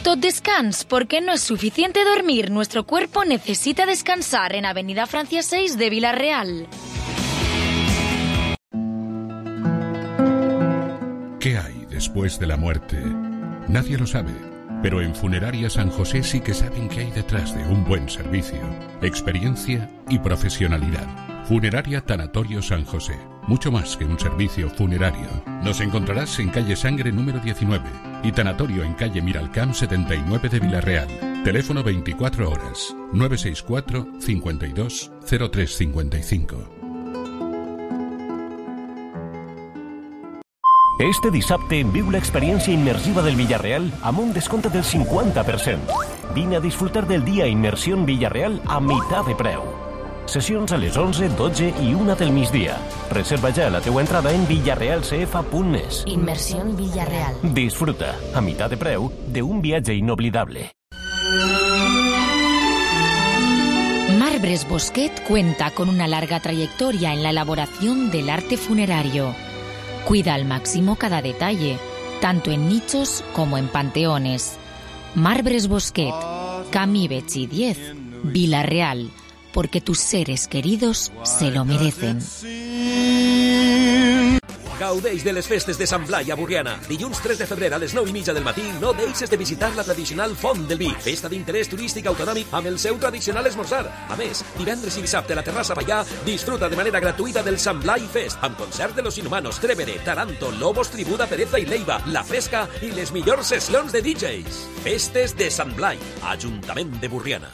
Tot descans, porque no es suficiente dormir. Nuestro cuerpo necesita descansar en Avenida Francia 6 de Villarreal. ¿Qué hay después de la muerte? Nadie lo sabe, pero en Funeraria San José sí que saben qué hay detrás de un buen servicio, experiencia y profesionalidad. Funeraria Tanatorio San José, mucho más que un servicio funerario. Nos encontrarás en calle Sangre número 19 y Tanatorio en calle Miralcamp 79 de Villarreal. Teléfono 24 horas, 964 52 0355. Este dissabte viu l'experiència immersiva del Villarreal amb un descompte del 50%. Vine a disfrutar del dia Immersión Villarreal a meitat de preu. Sessions a les 11, 12 i 1 del migdia. Reserva ja la teua entrada en villarrealcf.net. Inmersión Villarreal. Disfruta, a meitat de preu, d'un viatge inoblidable. Marbres Bosquet cuenta con una larga trayectoria en la elaboración del arte funerario. Cuida al máximo cada detalle, tanto en nichos como en panteones. Marbres Bosquet, Camí Betxí 10, Villarreal, porque tus seres queridos se lo merecen. Gaudeix de les festes de Sant Blai a Borriana. Dilluns 3 de febrer a les 9:30 del matí no deixes de visitar la tradicional Font del Vi, festa d'interès turístic autonòmic amb el seu tradicional esmorzar. A més, divendres i dissabte a la Terrassa Pallà disfruta de manera gratuïta del Sant Blai Fest, amb concert de Los Inhumanos, Trevere, Taranto, Lobos, Tribuda, Pereza i Leiva, La Fresca i les millors sessions de DJs. Festes de Sant Blai, Ajuntament de Borriana.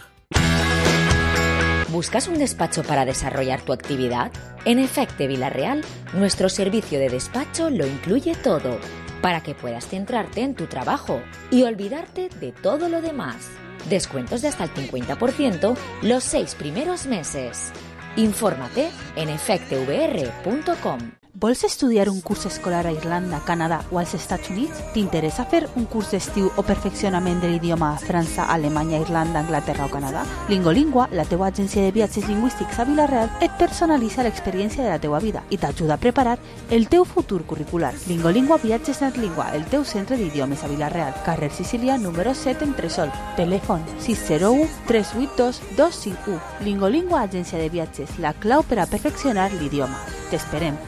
¿Buscas un despacho para desarrollar tu actividad? En Efecte Villarreal, nuestro servicio de despacho lo incluye todo, para que puedas centrarte en tu trabajo y olvidarte de todo lo demás. Descuentos de hasta el 50% los 6 primeros meses. Infórmate en efectevr.com. Vols estudiar un curs escolar a Irlanda, Canadà o als Estats Units? T'interessa fer un curs d'estiu o perfeccionament de l'idioma a França, Alemanya, Irlanda, Anglaterra o Canadà? Lingolingua, la teua agència de viatges lingüístics a Vila-real, et personalitza l'experiència de la teua vida i t'ajuda a preparar el teu futur curricular. Lingolingua Viatges Netlingua, el teu centre d'idiomes a Vila-real, carrer Sicília, número 7 en Tresol. Telèfon 601 382 251. Lingolingua, agència de viatges, la clau per a perfeccionar l'idioma. T'esperem.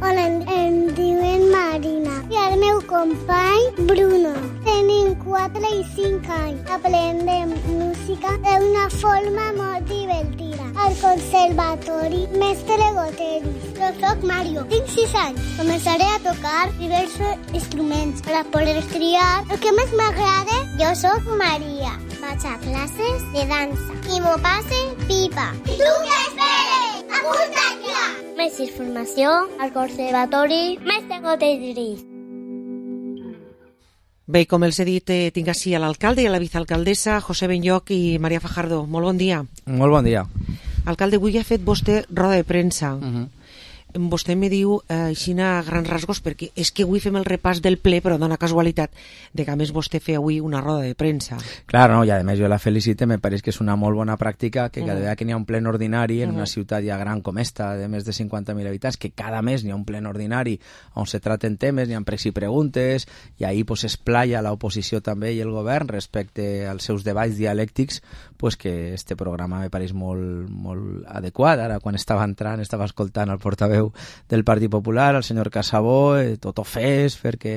Hola, em diuen Marina i el meu company Bruno. Tenim 4 i 5 anys. Aprendem música d'una forma molt divertida. Al conservatori Mestre Goteris. Jo soc Mario, tinc 6 anys. Començaré a tocar diversos instruments per a poder triar el que més m'agrada. Jo soc Maria. Vaig a classes de dansa i m'ho passe pipa. I tu què esperes? Apunta't ja! Més informació al Conservatori Mestre Goteris. Bé, com els he dit, tinc així a l'alcalde i a la vicealcaldessa, José Benlloch i Maria Fajardo. Molt bon dia. Molt bon dia. Alcalde, avui ha fet vostè roda de premsa. Vostè me diu així a grans rasgos, perquè és que avui fem el repàs del ple, però dona casualitat de que a més vostè feia avui una roda de premsa. Claro, no, i a més jo la felicite, me pareix que és una molt bona pràctica que cada vegada que n'hi ha un plen ordinari en una ciutat ja gran com esta, de més de 50.000 habitants, que cada mes n'hi ha un plen ordinari on se traten temes, n'hi ha pregs i preguntes, i ahir pues, es playa l'oposició també i el govern respecte als seus debats dialèctics, pues, que este programa me pareix molt, molt adequat. Ara, quan estava entrant, estava escoltant el portaveu del Partit Popular, el senyor Casabó, tot ofès perquè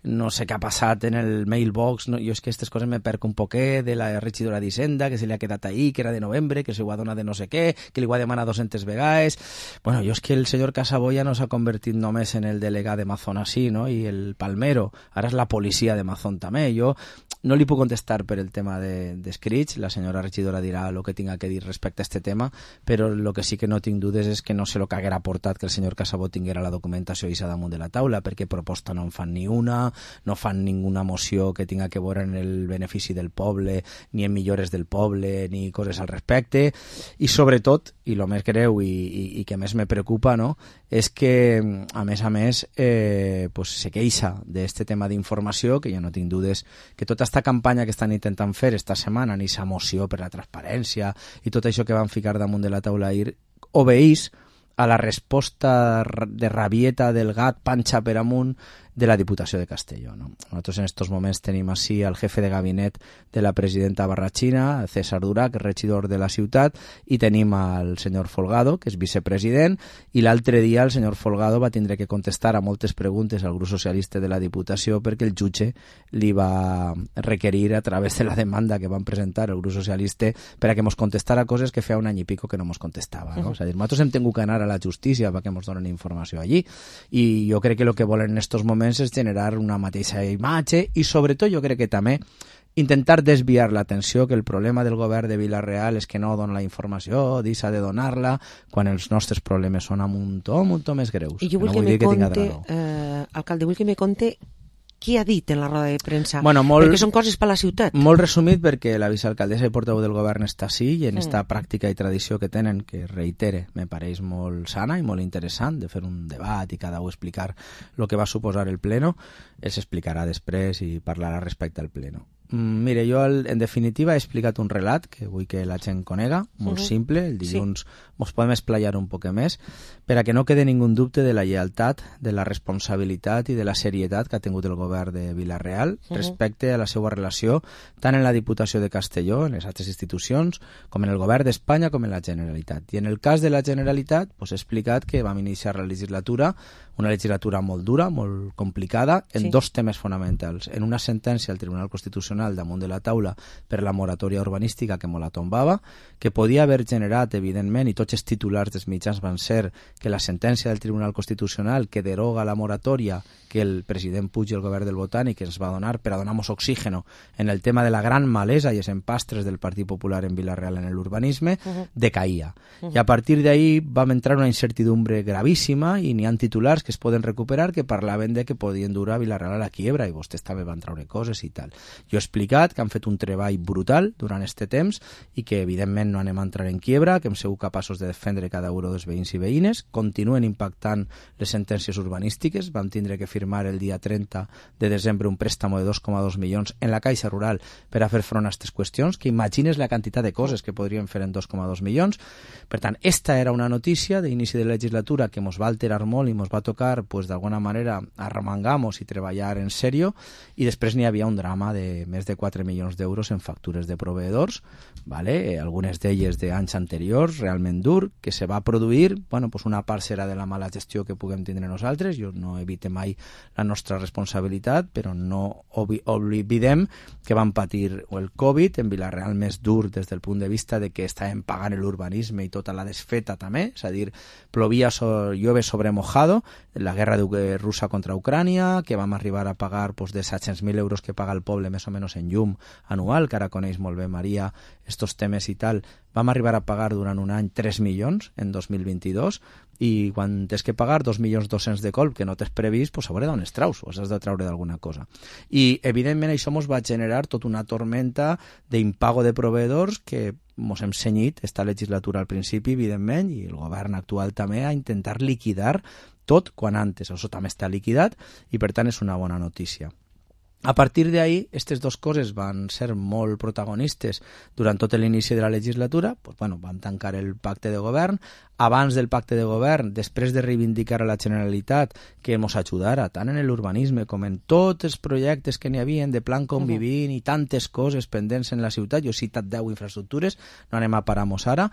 no sé què ha passat en el mailbox, no? Jo és que aquestes coses me perco un poquet de la regidora d'Hisenda, que se li ha quedat ahí, que era de novembre, que se ho ha donat de no sé què, que li ho ha demanat 200 vegades. Bueno, jo és que el senyor Casabó ja no s'ha convertit només en el delegat de Mazón així, no? I el Palmero, ara és la policia de Mazón també. Jo no li puc contestar per el tema d'escrits, la senyora regidora dirà el que tinga que dir respecte a este tema, però el que sí que no tinc dudes és que no sé el que haguera portat que el senyor Casabó tinguera la documentació i damunt de la taula, perquè proposta no en fan ni una, no fan ninguna moció que tinga que veure en el benefici del poble, ni en millores del poble, ni coses al respecte, i sobretot, i el més greu i que més me preocupa, no?, és que, a més, pues, se queixa d'este tema d'informació, que jo no tinc dudes que tota esta campanya que estan intentant fer esta setmana, ni sa moció per la transparència i tot això que van ficar damunt de la taula ahir, obeís a la resposta de rabieta del gat panxa per amunt de la Diputació de Castelló. No? Nosaltres en estos moments tenim així el jefe de gabinet de la presidenta barratxina, César Durà, que és regidor de la ciutat, i tenim el senyor Folgado, que és vicepresident, i l'altre dia el senyor Folgado va tindre que contestar a moltes preguntes al grup socialista de la Diputació perquè el jutge li va requerir a través de la demanda que van presentar el grup socialista per a que mos contestara coses que feia un any i pico que no mos contestava. No? És a dir, nosaltres hem tingut que anar a la justícia perquè mos donen informació allí, i jo crec que el que volen en estos moments és generar una mateixa imatge i sobretot jo crec que també intentar desviar l'atenció, que el problema del govern de Vila-real és que no dona la informació, deixa de donar-la, quan els nostres problemes són a muntó més greus. I jo vull que me conte, alcalde, vull que me conte què ha dit en la roda de premsa, perquè són coses per la ciutat. Molt resumit, perquè la vicealcaldessa i portaveu del govern està així, i en esta pràctica i tradició que tenen, que reitere, me pareix molt sana i molt interessant, de fer un debat i cada un explicar el que va suposar el pleno, els explicarà després i parlarà respecte al pleno. Mire, jo en definitiva he explicat un relat que vull que la gent conega, molt simple, el dilluns ens podem esplayar un poc més, per a que no quede ningú dubte de la lleialtat, de la responsabilitat i de la serietat que ha tingut el govern de Vila-real respecte a la seva relació tant en la Diputació de Castelló, en les altres institucions, com en el govern d'Espanya, com en la Generalitat. I en el cas de la Generalitat, he explicat que vam iniciar la legislatura, una legislatura molt dura, molt complicada, en dos temes fonamentals. En una sentència al Tribunal Constitucional damunt de la taula per la moratòria urbanística que la tombava, que podia haver generat, evidentment, i tots els titulars dels mitjans van ser que la sentència del Tribunal Constitucional que deroga la moratòria que el president Puig i el govern del Botànic ens va donar per a donar-nos oxígeno en el tema de la gran malesa i els empastres del Partit Popular en Vila-real en l'urbanisme, decaïa. I a partir d'ahí vam entrar una incertidumbre gravíssima i n'hi ha titulars que es poden recuperar que parlaven de que podien dur a Vila-real a la quiebra i vostès també van treure coses i tal. Jo he explicat que han fet un treball brutal durant aquest temps i que evidentment no anem a entrar en quiebra, que hem sigut capaços de defendre cada euro dels veïns i veïnes, continuen impactant les sentències urbanístiques, vam tindre que firmar el dia 30 de desembre un préstamo de 2,2 milions en la Caixa Rural per a fer front a aquestes qüestions, que imagines la quantitat de coses que podríem fer en 2,2 milions. Per tant, esta era una notícia d'inici de legislatura que ens va alterar molt i ens va tocar, pues, d'alguna manera, arremangar-nos i treballar en sèrio, i després n'hi havia un drama de més de 4 milions d'euros en factures de proveïdors, ¿vale? Algunes d'elles d'anys anteriors, realment dur, que se va produir, bueno, pues una part serà de la mala gestió que puguem tindre nosaltres, jo no evite mai la nostra responsabilitat, però no oblidem que vam patir el Covid en Vila-real més dur des del punt de vista de que estàvem pagant l'urbanisme i tota la desfeta també, és a dir, plovia llueve sobre mojado, la guerra russa contra Ucrània, que vam arribar a pagar pues, de 700.000 euros que paga el poble més o menys en llum anual, que ara coneix molt bé Maria estos temes i tal, vam arribar a pagar durant un any 3 milions en 2022 i quan tens que pagar 2.200.000 de colp que no t'has previst, pues a veure d'on es traus o has de traure d'alguna cosa. I evidentment això ens va generar tota una tormenta d'impago de proveïdors que ens hem cenyit esta legislatura al principi, evidentment, i el govern actual també a intentar liquidar tot quan antes. Això també està liquidat i per tant és una bona notícia. A partir d'ahí, aquestes dues coses van ser molt protagonistes durant tot l'inici de la legislatura. Pues, bueno, vam tancar el pacte de govern. Abans del pacte de govern, després de reivindicar a la Generalitat que ens ajudara tant en l'urbanisme com en tots els projectes que n'hi havia de plan convivint i tantes coses pendents en la ciutat, jo he citat 10 infraestructures, no anem a parar-nos ara,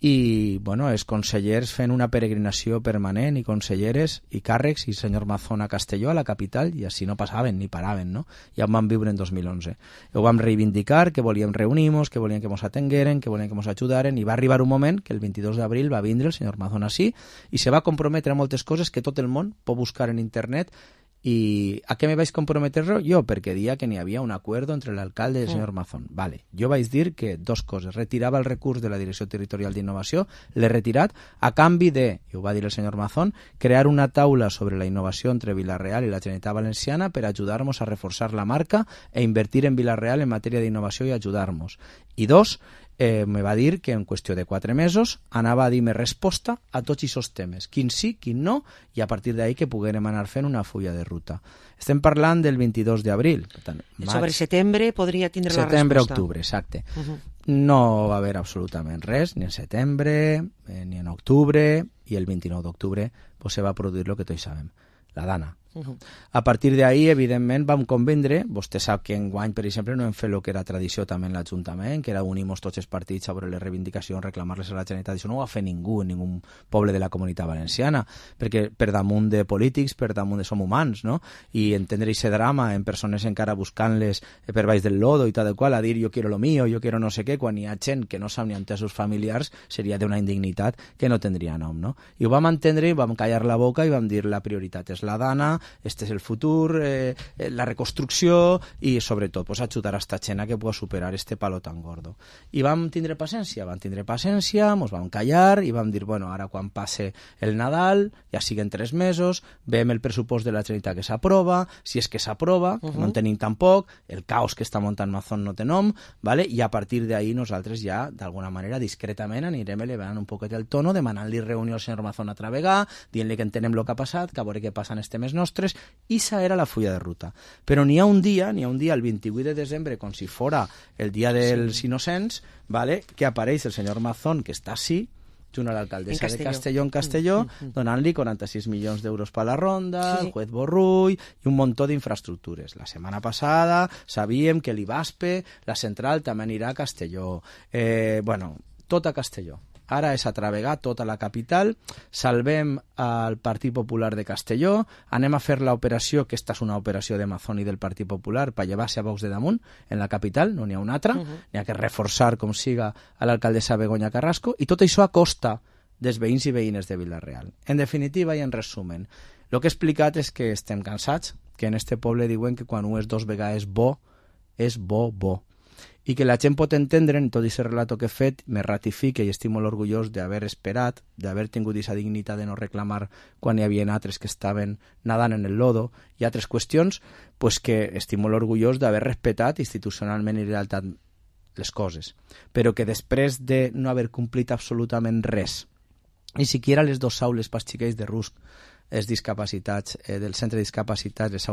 i bueno, els consellers fent una peregrinació permanent i conselleres i càrrecs i senyor Mazón a Castelló, a la capital, i així no passaven ni paraven, no? Ja ho vam viure en 2011. Ho vam reivindicar, que volíem reunir-nos, que volíem que ens atengueren, que volíem que ens ajudaren, i va arribar un moment que el 22 d'abril va vindre el senyor Mazón així i se va comprometre a moltes coses que tot el món pot buscar en internet. ¿Y a qué me vais a comprometer yo? Porque decía que ni había un acuerdo entre el alcalde y el señor Mazón. Vale, jo vaig dir que dos coses. Retirava el recurs de la Direcció Territorial d'Innovació, l'he retirat, a canvi de, i ho va dir el senyor Mazón, crear una taula sobre la innovació entre Vila-real i la Generalitat Valenciana per ajudar-nos a reforçar la marca e invertir en Vila-real en matèria d'innovació i ajudar-nos. I dos, me va dir que en qüestió de 4 mesos anava a dir-me resposta a tots aquests temes, quin sí, quin no, i a partir d'ahí que poguérem anar fent una fulla de ruta. Estem parlant del 22 d'abril. Sobre setembre podria tindre la resposta. Setembre-octubre, exacte. No va haver absolutament res, ni en setembre, ni en octubre, i el 29 d'octubre pues, se va produir el que tots sabem. La Dana. A partir d'ahí, evidentment, vam convendre, vostè sap que enguany, per exemple, no hem fet el que era tradició també en l'Ajuntament, que era unir-nos tots els partits sobre les reivindicacions, reclamar-les a la Generalitat. Això no ho va fer ningú, en ningú poble de la Comunitat Valenciana, perquè per damunt de polítics, per damunt de som humans, no? I entendre aquest drama en persones encara buscant-les per baix del lodo i tal qual, a dir jo quiero lo mío, jo quiero no sé què, quan hi ha gent que no sap ni entès els familiars, seria d'una indignitat que no tindria nom, no? I ho vam entendre i vam callar la boca i vam dir la prioritat és la dana, este és el futur, la reconstrucció i sobretot pues, ajudar a esta gent que pugui superar este palo tan gordo. I vam tindre paciència, mos vam callar i vam dir, bueno, ara quan passe el Nadal, ja siguen 3 mesos, veiem el pressupost de la Generalitat que s'aprova, si és que s'aprova, no en tenim tampoc, el caos que està muntant Mazón no té nom, ¿vale? I a partir d'ahí nosaltres ja, d'alguna manera, discretament anirem elevant un poquet el tono, demanant-li reunió al senyor Mazón altra vegada, dient-li que entenem el que ha passat, que a veure què passa en els temes nostres, i esa era la fulla de ruta. Però n'hi ha un dia, el 28 de desembre, com si fora el dia dels innocents, ¿vale? Que apareix el senyor Mazón, que està així, junt a l'alcaldessa de Castelló en Castelló, donant-li 46 milions d'euros per la ronda, el juez Borrull i un muntó d'infraestructures. La setmana passada sabíem que l'IBASPE, la central, també anirà a Castelló. Bueno, tot a Castelló. Ara és atravegar tota la capital, salvem al Partit Popular de Castelló, anem a fer l'operació, que esta és una operació de Mazón i del Partit Popular, per llevar-se a Vox de damunt en la capital, no n'hi ha una altra, n'hi ha que reforçar com siga a l'alcaldessa Begoña Carrasco, i tot això a costa dels veïns i veïnes de Vila-real. En definitiva i en resumen, el que he explicat és que estem cansats, que en este poble diuen que quan un és 2 vegades bo, és bo. I que la gent pot entendre, en tot aquest relato que he fet, me ratifique i estic molt orgullós d'haver esperat, d'haver tingut aquesta dignitat de no reclamar quan hi havia altres que estaven nadant en el lodo i altres qüestions, pues que estic molt orgullós d'haver respectat institucionalment i lealtat les coses. Però que després de no haver complit absolutament res, ni siquiera les 2 aules pels xiquets de Rusc, els discapacitats, del centre de discapacitats, les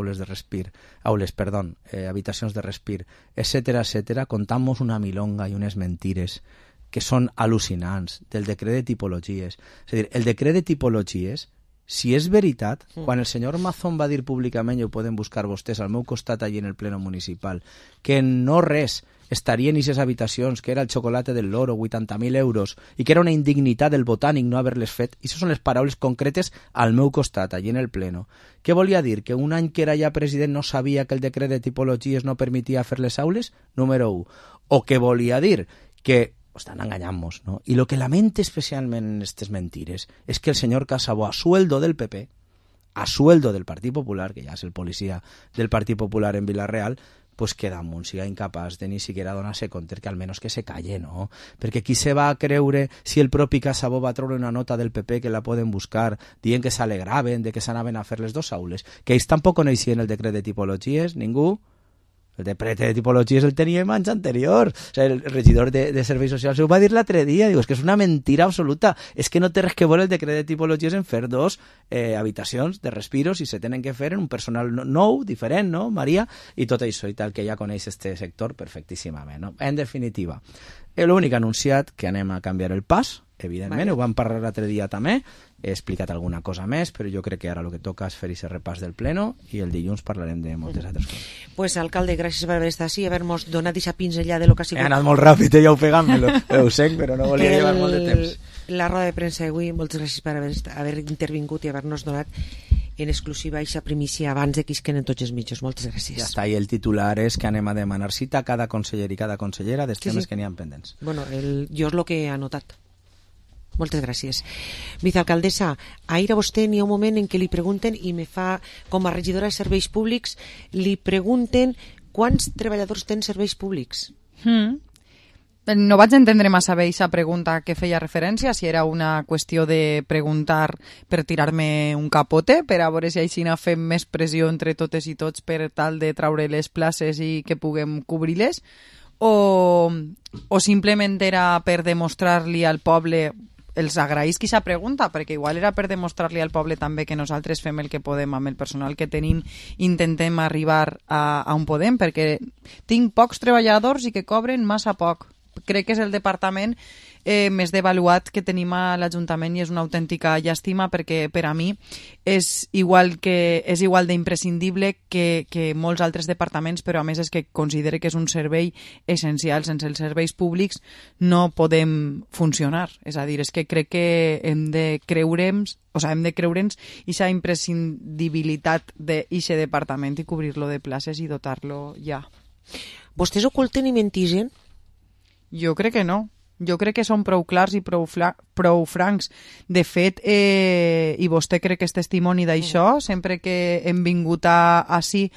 habitacions de respir, etcètera, contamos una milonga i unes mentires que són al·lucinants del decret de tipologies. És a dir, el decret de tipologies, si és veritat, quan el senyor Mazón va dir públicament, i ho poden buscar vostès al meu costat allí en el pleno municipal, que no res estarien en aquestes habitacions, que era el xocolate del loro, 80.000 euros, i que era una indignitat del botànic no haver-les fet. I això són les paraules concretes al meu costat, allí en el pleno. Què volia dir? Que un any que era ja president no sabia que el decret de tipologies no permetia fer les aules? Número 1. O què volia dir? Que estan enganyant-nos, no? I el que lamento especialment en aquestes mentires és que el senyor Casabó, a sueldo del PP, a sueldo del Partit Popular, que ja és el policia del Partit Popular en Vila-real, pues que damunt siga incapaç de ni siquiera donar-se compte que almenys que se calle, no? Perquè qui se va a creure si el propi Casabó va treure una nota del PP que la poden buscar dient que s'alegraven de que s'anaven a fer les 2 aules? Que ells tampoc coneixien el decret de tipologies, ningú? El decret de tipologies el teníem anys anterior. O sigui, el regidor de Serveis Socials ho va dir l'altre dia. Diu, és que és una mentira absoluta. És que no té res que veure el decret de tipologies en fer 2 habitacions de respiros i se tenen que fer en un personal nou, diferent, no, Maria? I tot això i tal, que ja coneix este sector perfectíssimament, no? En definitiva, l'únic anunciat que anem a canviar el pas, evidentment, ho vam parlar l'altre dia també, he explicat alguna cosa més, però jo crec que ara el que toca és fer aquest repàs del pleno i el dilluns parlarem de moltes altres coses. Pues, alcalde, gràcies per haver estat així i haver-nos donat aquesta pinzellada de lo que ha sigut. He anat molt ràpid, ja ofegant-me-lo, ho sé, però no volia llevar molt de temps. La roda de premsa d'avui, moltes gràcies per haver intervingut i haver-nos donat en exclusiva aquesta primícia abans de que isquen en tots els mitjos. Moltes gràcies. Ja està, i el titular és que anem a demanar cita a cada conseller i cada consellera dels temes que n'hi ha pendents. Bueno, jo és el que he anotat. Moltes gràcies. Vicealcaldessa, ahir a vostè n'hi ha un moment en què li pregunten, i me fa, com a regidora de serveis públics, li pregunten quants treballadors tenen serveis públics? No vaig entendre massa bé aquesta pregunta que feia referència, si era una qüestió de preguntar per tirar-me un capote, per a veure si així fem més pressió entre totes i tots per tal de traure les places i que puguem cobrir-les, o simplement era per demostrar-li al poble. Els agraïsc aquesta pregunta, perquè igual era per demostrar-li al poble també que nosaltres fem el que podem amb el personal que tenim, intentem arribar a on podem, perquè tinc pocs treballadors i que cobren massa poc. Crec que és el departament més devaluat que tenim a l'Ajuntament i és una autèntica llàstima perquè per a mi és igual d'imprescindible que molts altres departaments, però a més és que considere que és un servei essencial. Sense els serveis públics no podem funcionar. És a dir, és que crec que hem de creure'ns aquesta imprescindibilitat d'eixe departament i cobrir-lo de places i dotar-lo ja. Vostès oculten i mentixen? Jo crec que no. Jo crec que són prou clars i prou francs. De fet, i vostè crec que és testimoni d'això, sempre que hem vingut ací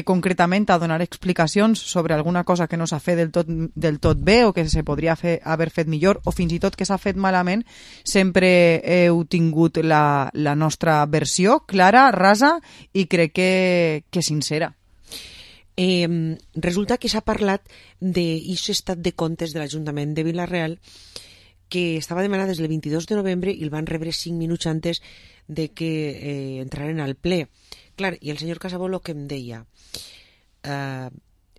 concretament a donar explicacions sobre alguna cosa que no s'ha fet del tot bé o que se podria haver fet millor o fins i tot que s'ha fet malament, sempre heu tingut la nostra versió clara, rasa i crec que sincera. Resulta que s'ha parlat d'aquest estat de comptes de l'Ajuntament de Vila-real que estava demanat des del 22 de novembre i el van rebre 5 minuts antes de que entraren al ple. Clar, i el senyor Casabó el que em deia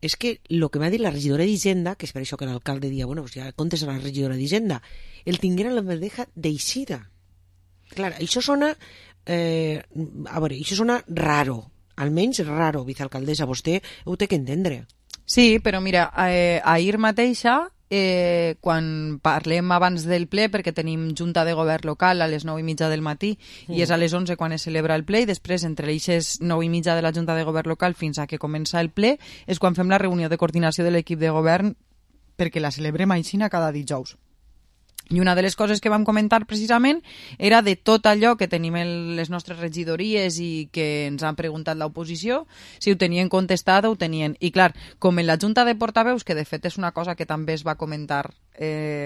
és que el que m'ha dit la regidora d'Hisenda, que és per això que l'alcalde dia, bueno, pues ja comptes a la regidora d'Hisenda, el tinguera la bandeja d'eixida. Clar, això sona això sona raro. Almenys raro, vicealcaldessa, vostè ho té que entendre. Sí, però mira, ahir mateixa, quan parlem abans del ple, perquè tenim junta de govern local a les 9:30 del matí, i és a les 11 quan es celebra el ple, i després entre les 9:30 de la junta de govern local fins a que comença el ple, és quan fem la reunió de coordinació de l'equip de govern perquè la celebrem aixina cada dijous. I una de les coses que vam comentar precisament era de tot allò que tenim en les nostres regidories i que ens han preguntat l'oposició, si ho tenien contestat o ho tenien. I clar, com en la Junta de Portaveus, que de fet és una cosa que també es va comentar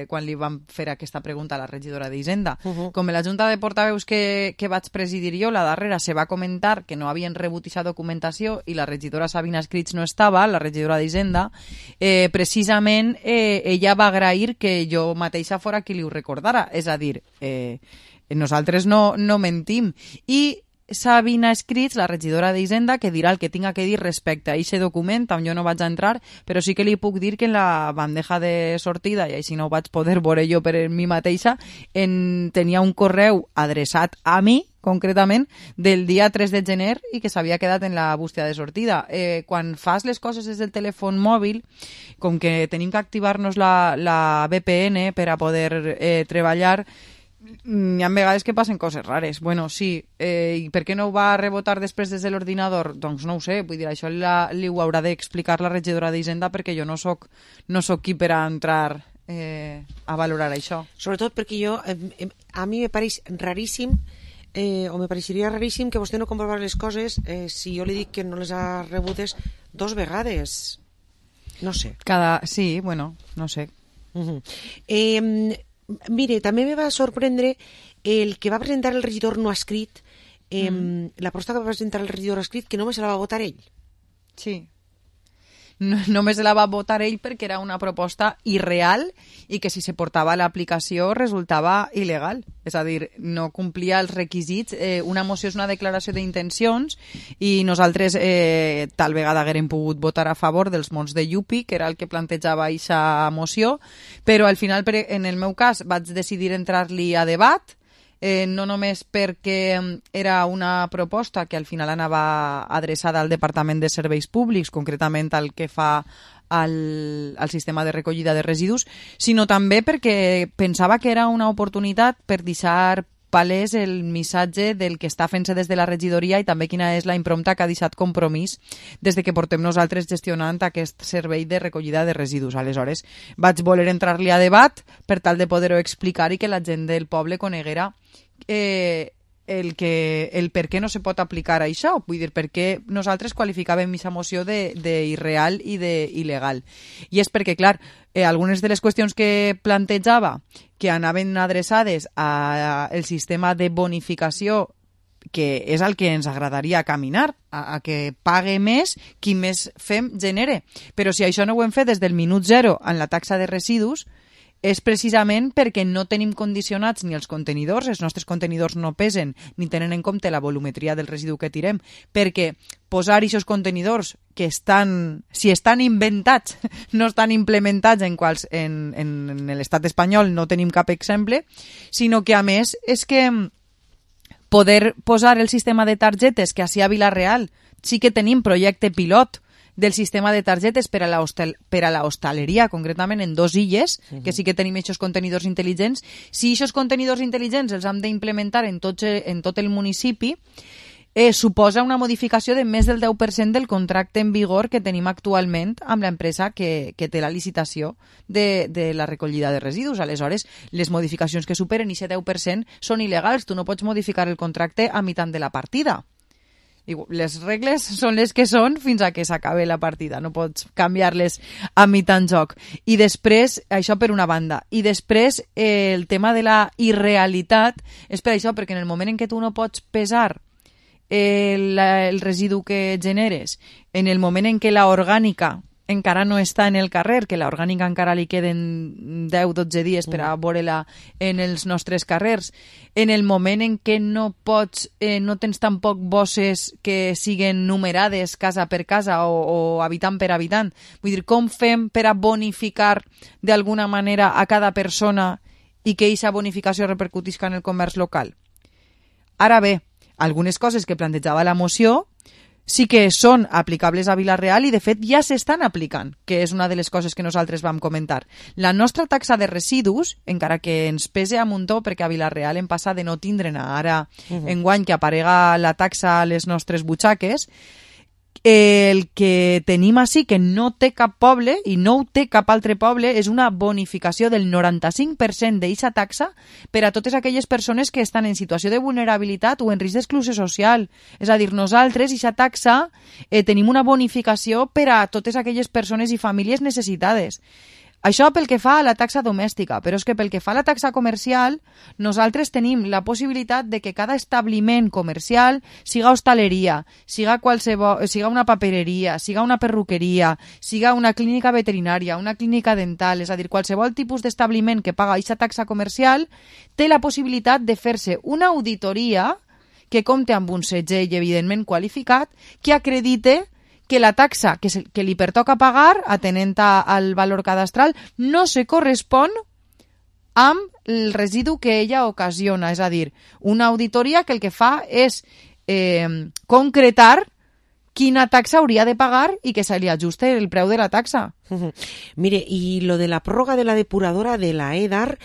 quan li vam fer aquesta pregunta a la regidora d'Hisenda, com en la Junta de Portaveus que vaig presidir jo, la darrera se va comentar que no havien rebut aquesta documentació i la regidora Sabina Escrits no estava, la regidora d'Hisenda, precisament ella va agrair que jo mateixa fora qui li ho recordara, és a dir, nosaltres no mentim. I Sabina Escrits, la regidora d'Hisenda, que dirà el que tinga que dir respecte a aquest document, on jo no vaig entrar, però sí que li puc dir que en la bandeja de sortida, i així no ho vaig poder veure jo per mi mateixa, tenia un correu adreçat a mi, concretament, del dia 3 de gener i que s'havia quedat en la bústia de sortida. Quan fas les coses des del telèfon mòbil, com que tenim que activar-nos la VPN per a poder treballar, hi ha vegades que passen coses rares. Bueno, sí, i per què no ho va rebotar després des de l'ordinador? Doncs no ho sé, vull dir, això li ho haurà d'explicar la regidora d'Hisenda perquè jo no soc qui per a entrar a valorar això. Sobretot perquè a mi me pareix raríssim o me pareixeria raríssim que vostè no comprovar les coses si jo li dic que no les ha rebutes 2 vegades. No sé. Sí, bueno, no sé. Mire, també me va sorprendre el que va presentar el regidor no escrit, la proposta que va presentar el regidor escrit, que només se la va votar ell. Sí. Només la va votar ell perquè era una proposta irreal i que si se portava a l'aplicació resultava il·legal. És a dir, no complia els requisits. Una moció és una declaració d'intencions i nosaltres tal vegada haguérem pogut votar a favor dels mons de Yupi, que era el que plantejava aquesta moció, però al final, en el meu cas, vaig decidir entrar-li a debat, no només perquè era una proposta que al final anava adreçada al Departament de Serveis Públics, concretament al que fa al sistema de recollida de residus, sinó també perquè pensava que era una oportunitat per deixar palès el missatge del que està fent-se des de la regidoria i també quina és la imprompta que ha deixat Compromís des de que portem nosaltres gestionant aquest servei de recollida de residus. Aleshores, vaig voler entrar-li a debat per tal de poder-ho explicar i que la gent del poble coneguera el per què no se pot aplicar això. Vull dir, per què nosaltres qualificàvem aquesta moció d'irreal i d'il·legal. I és perquè, clar, algunes de les qüestions que plantejava que anaven adreçades al sistema de bonificació, que és el que ens agradaria caminar, a que pague més qui més fem genere. Però si això no ho hem fet des del minut zero en la taxa de residus, és precisament perquè no tenim condicionats ni els contenidors, els nostres contenidors no pesen ni tenen en compte la volumetria del residu que tirem, perquè posar aquests contenidors que si estan inventats, no estan implementats en l'estat espanyol, no tenim cap exemple, sinó que a més és que poder posar el sistema de targetes que així a Vila-real sí que tenim projecte pilot del sistema de targetes per a la hostaleria, concretament en 2 illes, que sí que tenim aquests contenidors intel·ligents. Si aquests contenidors intel·ligents els hem d'implementar en tot el municipi, suposa una modificació de més del 10% del contracte en vigor que tenim actualment amb l'empresa que té la licitació de la recollida de residus. Aleshores, les modificacions que superen aquest 10% són il·legals. Tu no pots modificar el contracte a meitat de la partida. Les regles són les que són fins a que s'acabe la partida, no pots canviar-les a mitjà en joc. I després, això per una banda, i després el tema de la irrealitat és per això, perquè en el moment en què tu no pots pesar el residu que generes, en el moment en què la orgànica encara no està en el carrer, que l'orgànica encara li queden 10-12 dies per a veure-la en els nostres carrers, en el moment en què no tens tampoc bosses que siguen numerades casa per casa o habitant per habitant. Vull dir, com fem per a bonificar d'alguna manera a cada persona i que aquesta bonificació repercutisca en el comerç local? Ara bé, algunes coses que plantejava la moció sí que són aplicables a Vila-real i, de fet, ja s'estan aplicant, que és una de les coses que nosaltres vam comentar. La nostra taxa de residus, encara que ens pese a muntó, perquè a Vila-real hem passat de no tindre'n ara enguany que aparega la taxa a les nostres butxaques, el que tenim així, que no té cap poble i no ho té cap altre poble, és una bonificació del 95% d'aquesta taxa per a totes aquelles persones que estan en situació de vulnerabilitat o en risc d'exclusió social. És a dir, nosaltres, aquesta taxa, tenim una bonificació per a totes aquelles persones i famílies necessitades. Això pel que fa a la taxa domèstica, però és que pel que fa a la taxa comercial, nosaltres tenim la possibilitat de que cada establiment comercial, siga hostaleria, siga una papereria, siga una perruqueria, siga una clínica veterinària, una clínica dental, és a dir, qualsevol tipus d'establiment que paga aquesta taxa comercial, té la possibilitat de fer-se una auditoria que compte amb un segell evidentment qualificat que acredite que la taxa que li pertoca pagar, atenent al valor cadastral, no se correspon amb el residu que ella ocasiona. És a dir, una auditoria que el que fa és concretar quina taxa hauria de pagar i que se li ajuste el preu de la taxa. Mire, y lo de la prórroga de la depuradora de la EDAR,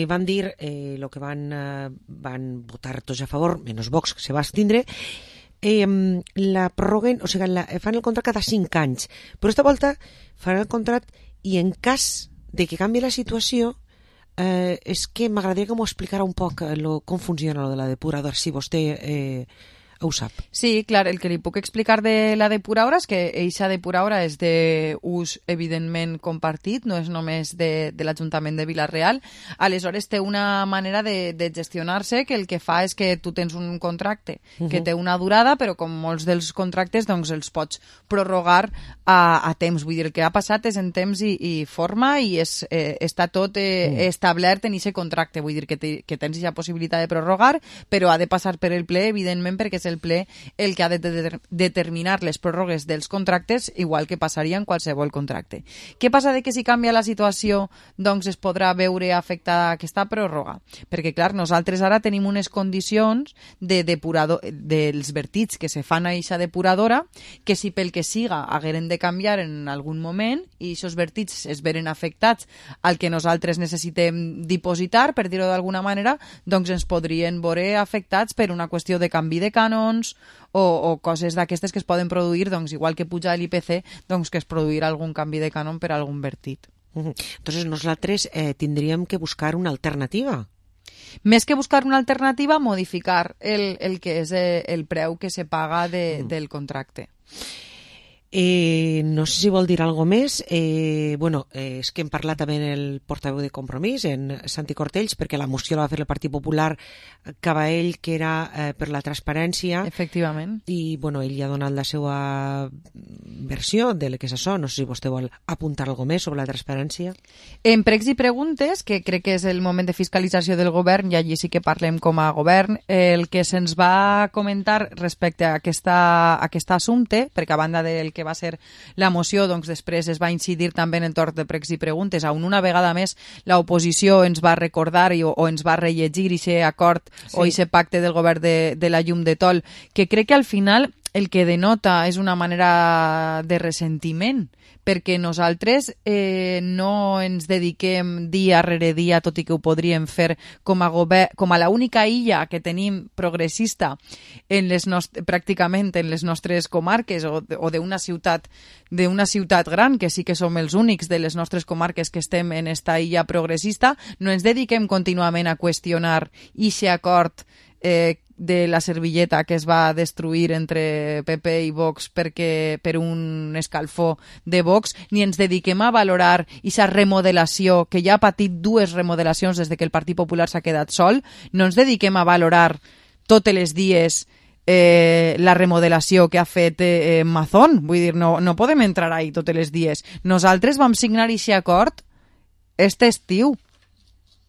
van dir lo que van votar tots a favor, menos Vox, que se va abstindre, la prorroguen, o sigui, fan el contracte cada 5 anys, però aquesta volta faran el contracte i en cas de que canvi la situació, és que m'agradaria que m'ho explicara un poc com funciona lo de la depuradora, si vostè ho sap. Sí, clar, el que li puc explicar de la depuradora és que eixa depuradora és d'ús evidentment compartit, no és només de l'Ajuntament de Vila-real. Aleshores té una manera de gestionar-se que el que fa és que tu tens un contracte que té una durada, però com molts dels contractes doncs els pots prorrogar a temps. Vull dir, el que ha passat és en temps i forma i està tot establert en aquest contracte. Vull dir que tens aquesta possibilitat de prorrogar, però ha de passar per el ple, evidentment, perquè és el ple el que ha de determinar les pròrrogues dels contractes, igual que passaria en qualsevol contracte. Què passa de que si canvia la situació doncs es podrà veure afectada aquesta pròrroga? Perquè, clar, nosaltres ara tenim unes condicions dels vertits que se fan a eixa depuradora que si pel que siga hagueren de canviar en algun moment i aquests vertits es veren afectats al que nosaltres necessitem dipositar, per dir-ho d'alguna manera, doncs ens podrien veure afectats per una qüestió de canvi de cànon o coses d'aquestes que es poden produir, doncs igual que puja l'IPC, doncs que es produirà algun canvi de cànon per algun vertit. Entonces nosaltres tindríem que buscar una alternativa. Més que buscar una alternativa, modificar el que és el preu que se paga del contracte. No sé si vol dir alguna més. És que hem parlat també en el portaveu de Compromís, en Santi Cortells, perquè la moció la va fer el Partit Popular Caball, que era per la transparència. Efectivament. I, ell ja ha donat la seva versió de què és això. No sé si vostè vol apuntar alguna més sobre la transparència. En pregs i preguntes, que crec que és el moment de fiscalització del govern, i allí sí que parlem com a govern, el que se'ns va comentar respecte a aquest assumpte, perquè a banda del que va ser la moció, doncs després es va incidir també en el torn de pregs i preguntes, on una vegada més l'oposició ens va recordar o ens va rellegir aquest acord o aquest pacte del govern de la llum de Tol, que crec que al final el que denota és una manera de ressentiment, perquè nosaltres no ens dediquem dia rere dia, tot i que ho podríem fer com a l'única illa que tenim progressista pràcticament en les nostres comarques o d'una ciutat gran, que sí que som els únics de les nostres comarques que estem en esta illa progressista. No ens dediquem contínuament a qüestionar aquest acord de la servilleta que es va destruir entre PP i Vox per un escalfó de Vox, ni ens dediquem a valorar aquesta remodelació, que ja ha patit 2 remodelacions des que el Partit Popular s'ha quedat sol. No ens dediquem a valorar totes les dies la remodelació que ha fet Mazón. Vull dir, no podem entrar ahí totes les dies. Nosaltres vam signar aquest acord este estiu.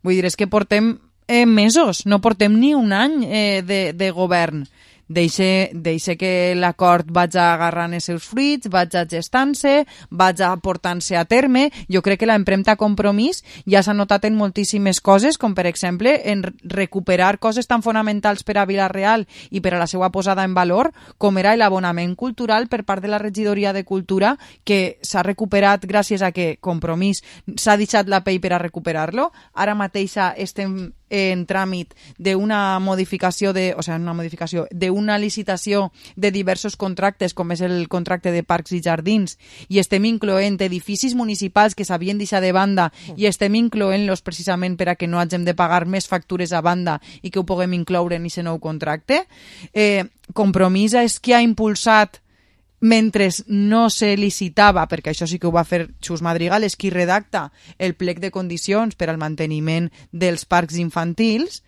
Vull dir, és que portem mesos, no portem ni un any de govern. Deixe que l'acord vaig agarrant els seus fruits, vaig gestant-se, vaig portant-se a terme. Jo crec que l'empremta Compromís ja s'ha notat en moltíssimes coses, com per exemple en recuperar coses tan fonamentals per a Vila-real i per a la seva posada en valor, com era l'abonament cultural per part de la regidoria de Cultura, que s'ha recuperat gràcies a que Compromís s'ha deixat la pell per a recuperar-lo. Ara mateix estem en tràmit d'una modificació d'una licitació de diversos contractes, com és el contracte de parcs i jardins, i estem incloent edificis municipals que s'havien deixat de banda i estem incloent-los precisament per a que no hagin de pagar més factures a banda i que ho puguem incloure en aquest nou contracte. Compromís és qui ha impulsat, mentre no se licitava, perquè això sí que ho va fer Xus Madrigal, és qui redacta el plec de condicions per al manteniment dels parcs infantils,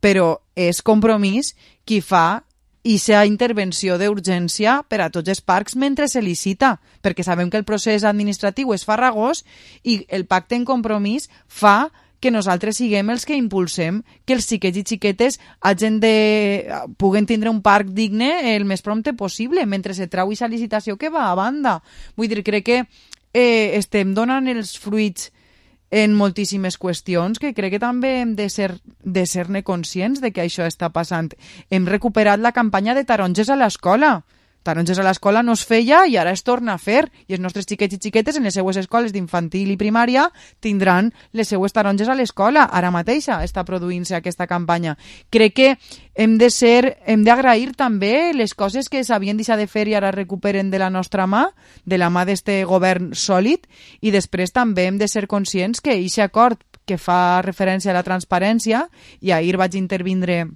però és Compromís qui fa aquesta intervenció d'urgència per a tots els parcs mentre se licita, perquè sabem que el procés administratiu és farragós i el pacte en Compromís fa que nosaltres siguem els que impulsem que els xiquets i xiquetes puguen tindre un parc digne el més prompte possible, mentre se trau aquesta licitació que va a banda. Vull dir, crec que estem donant els fruits en moltíssimes qüestions que crec que també hem de ser-ne conscients de que això està passant. Hem recuperat la campanya de taronges a l'escola. Taronges a l'escola no es feia i ara es torna a fer, i els nostres xiquets i xiquetes en les seues escoles d'infantil i primària tindran les seues taronges a l'escola. Ara mateixa està produint-se aquesta campanya. Crec que hem d'agrair també les coses que s'havien deixat de fer i ara recuperen de la nostra mà, de la mà d'este govern sòlid, i després també hem de ser conscients que aquest acord que fa referència a la transparència, i ahir vaig intervindre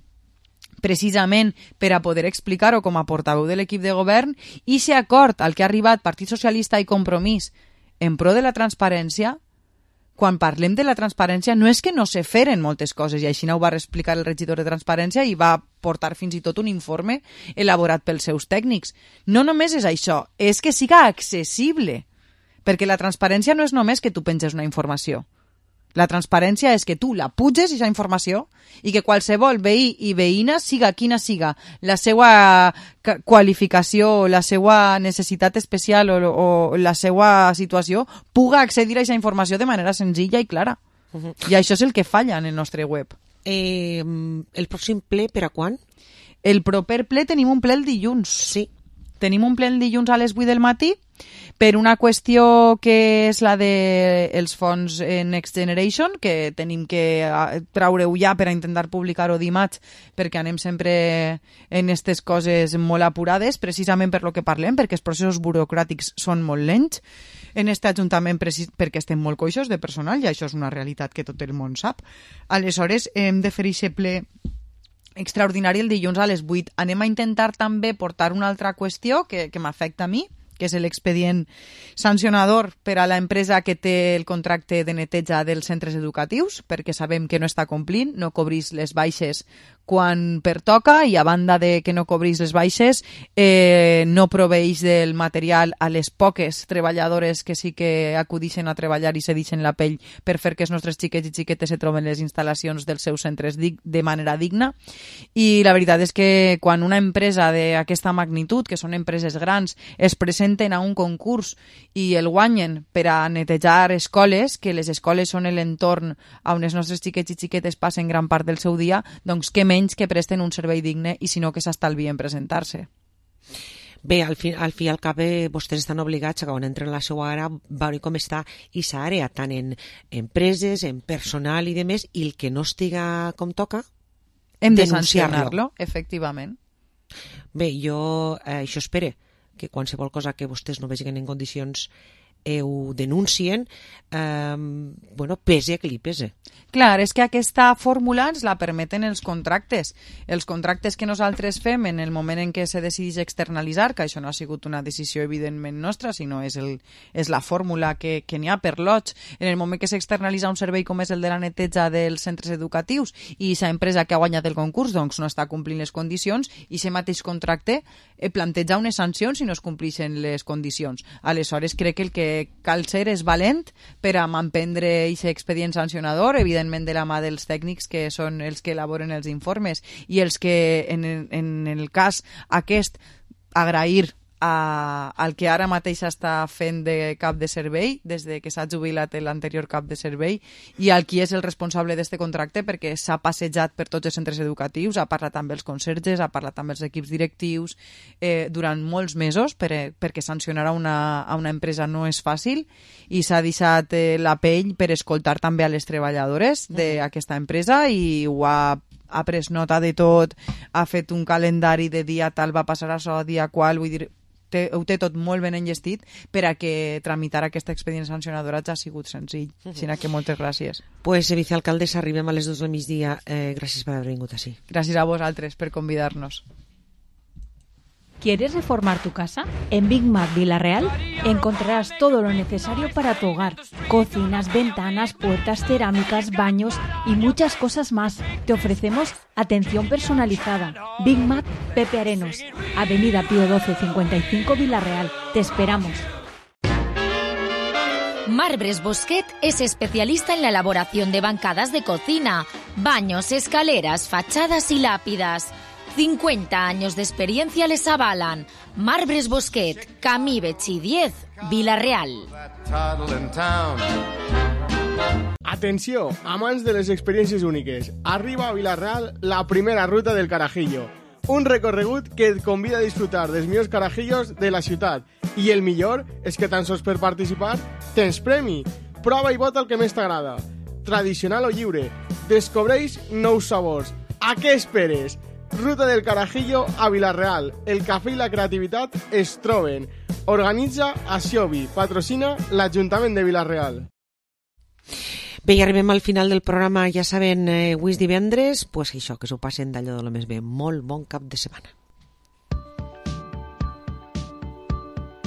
precisament per a poder explicar-ho com a portaveu de l'equip de govern, i aquest acord al que ha arribat Partit Socialista i Compromís en pro de la transparència, quan parlem de la transparència no és que no se feren moltes coses, i així ho va explicar el regidor de transparència i va portar fins i tot un informe elaborat pels seus tècnics. No només és això, és que siga accessible, perquè la transparència no és només que tu penges una informació. La transparència és que tu la puges, aquesta informació, i que qualsevol veí i veïna, siga quina siga la seva qualificació, la seva necessitat especial o la seva situació, puga accedir a aquesta informació de manera senzilla i clara. I això és el que falla en el nostre web. El pròxim ple per a quan? El proper ple tenim un ple el dilluns. Sí. Tenim un ple el dilluns a les 8 del matí, per una qüestió que és la dels fons Next Generation, que tenim que traure-ho ja per a intentar publicar-ho dimarts, perquè anem sempre en aquestes coses molt apurades, precisament per lo que parlem, perquè els processos burocràtics són molt lents en aquest ajuntament, perquè estem molt coixos de personal, i això és una realitat que tot el món sap. Aleshores, hem de fer aquest ple extraordinari el dilluns a les 8. Anem a intentar també portar una altra qüestió que m'afecta a mi, que és l'expedient sancionador per a l'empresa que té el contracte de neteja dels centres educatius, perquè sabem que no està complint, no cobrís les baixes quan pertoca, i a banda de que no cobrís les baixes, no proveeix del material a les poques treballadores que sí que acudixen a treballar i se deixen la pell per fer que els nostres xiquets i xiquetes se troben les instal·lacions dels seus centres de manera digna. I la veritat és que quan una empresa d'aquesta magnitud, que són empreses grans, es presenten a un concurs i el guanyen per a netejar escoles, que les escoles són l'entorn on els nostres xiquets i xiquetes passen gran part del seu dia, doncs què menys que presten un servei digne i sinó que s'estalvien presentar-se. Bé, al fi i al cap vostès estan obligats a quan entren a la seva àrea veure com està aquesta àrea, tant en empreses, en personal i demés, i el que no estiga com toca, hem de sancionar-lo, efectivament. Bé, jo això espero, que qualsevol cosa que vostès no vegin en condicions ho denuncien, pese que li pese. Clar, és que aquesta fórmula ens la permeten els contractes. Els contractes que nosaltres fem en el moment en què se decideix externalitzar, que això no ha sigut una decisió evidentment nostra, sinó és la fórmula que n'hi ha per lots. En el moment que s'externalitza un servei com és el de la neteja dels centres educatius i aquesta empresa que ha guanyat el concurs doncs no està complint les condicions, i aquest mateix contracte planteja unes sancions si no es compleixen les condicions. Aleshores, crec que el que cal ser és valent per a manprendre aquest expedient sancionador, evidentment de la mà dels tècnics que són els que elaboren els informes i els que en el cas aquest agrair al que ara mateix està fent de cap de servei des de que s'ha jubilat l'anterior cap de servei, i al qui és el responsable d'aquest contracte, perquè s'ha passejat per tots els centres educatius, ha parlat amb els conserges, ha parlat amb els equips directius durant molts mesos, perquè sancionar a una empresa no és fàcil, i s'ha deixat la pell per escoltar també a les treballadores d'aquesta empresa, i ho ha pres nota de tot, ha fet un calendari de dia tal va passar això, dia qual, vull dir, ho té tot molt ben enllestit per a que tramitar aquest expedient sancionador ha sigut senzill. Així que moltes gràcies. Pues, vicealcaldessa, arribem a les 2 del migdia. Gràcies per haver vingut així. Gràcies a vosaltres per convidar-nos. ¿Quieres reformar tu casa? En Big Mac Villarreal encontrarás todo lo necesario para tu hogar. Cocinas, ventanas, puertas, cerámicas, baños y muchas cosas más. Te ofrecemos atención personalizada. Big Mac Pepe Arenos, Avenida Pío 12 55 Villarreal. Te esperamos. Marbres Bosquet es especialista en la elaboración de bancadas de cocina, baños, escaleras, fachadas y lápidas. 50 años de experiencia les avalan. Marbres Bosquet, Camí Betxí 10, Vila-real. Atenció, amants de les experiències úniques. Arriba a Vila-real la primera ruta del Carajillo. Un recorregut que et convida a disfrutar dels millors carajillos de la ciutat. I el millor és que tan sols per participar tens premi. Prova i vota el que més t'agrada. Tradicional o lliure. Descobreix nous sabors. A què esperes? Ruta del Carajillo a Vila-real. El cafè i la creativitat es troben. Organitza Asiobi. Patrocina l'Ajuntament de Vila-real. Bé, i arribem al final del programa, ja saben, avui és divendres, pues això, que s'ho passen d'allò de lo més bé. Molt bon cap de setmana.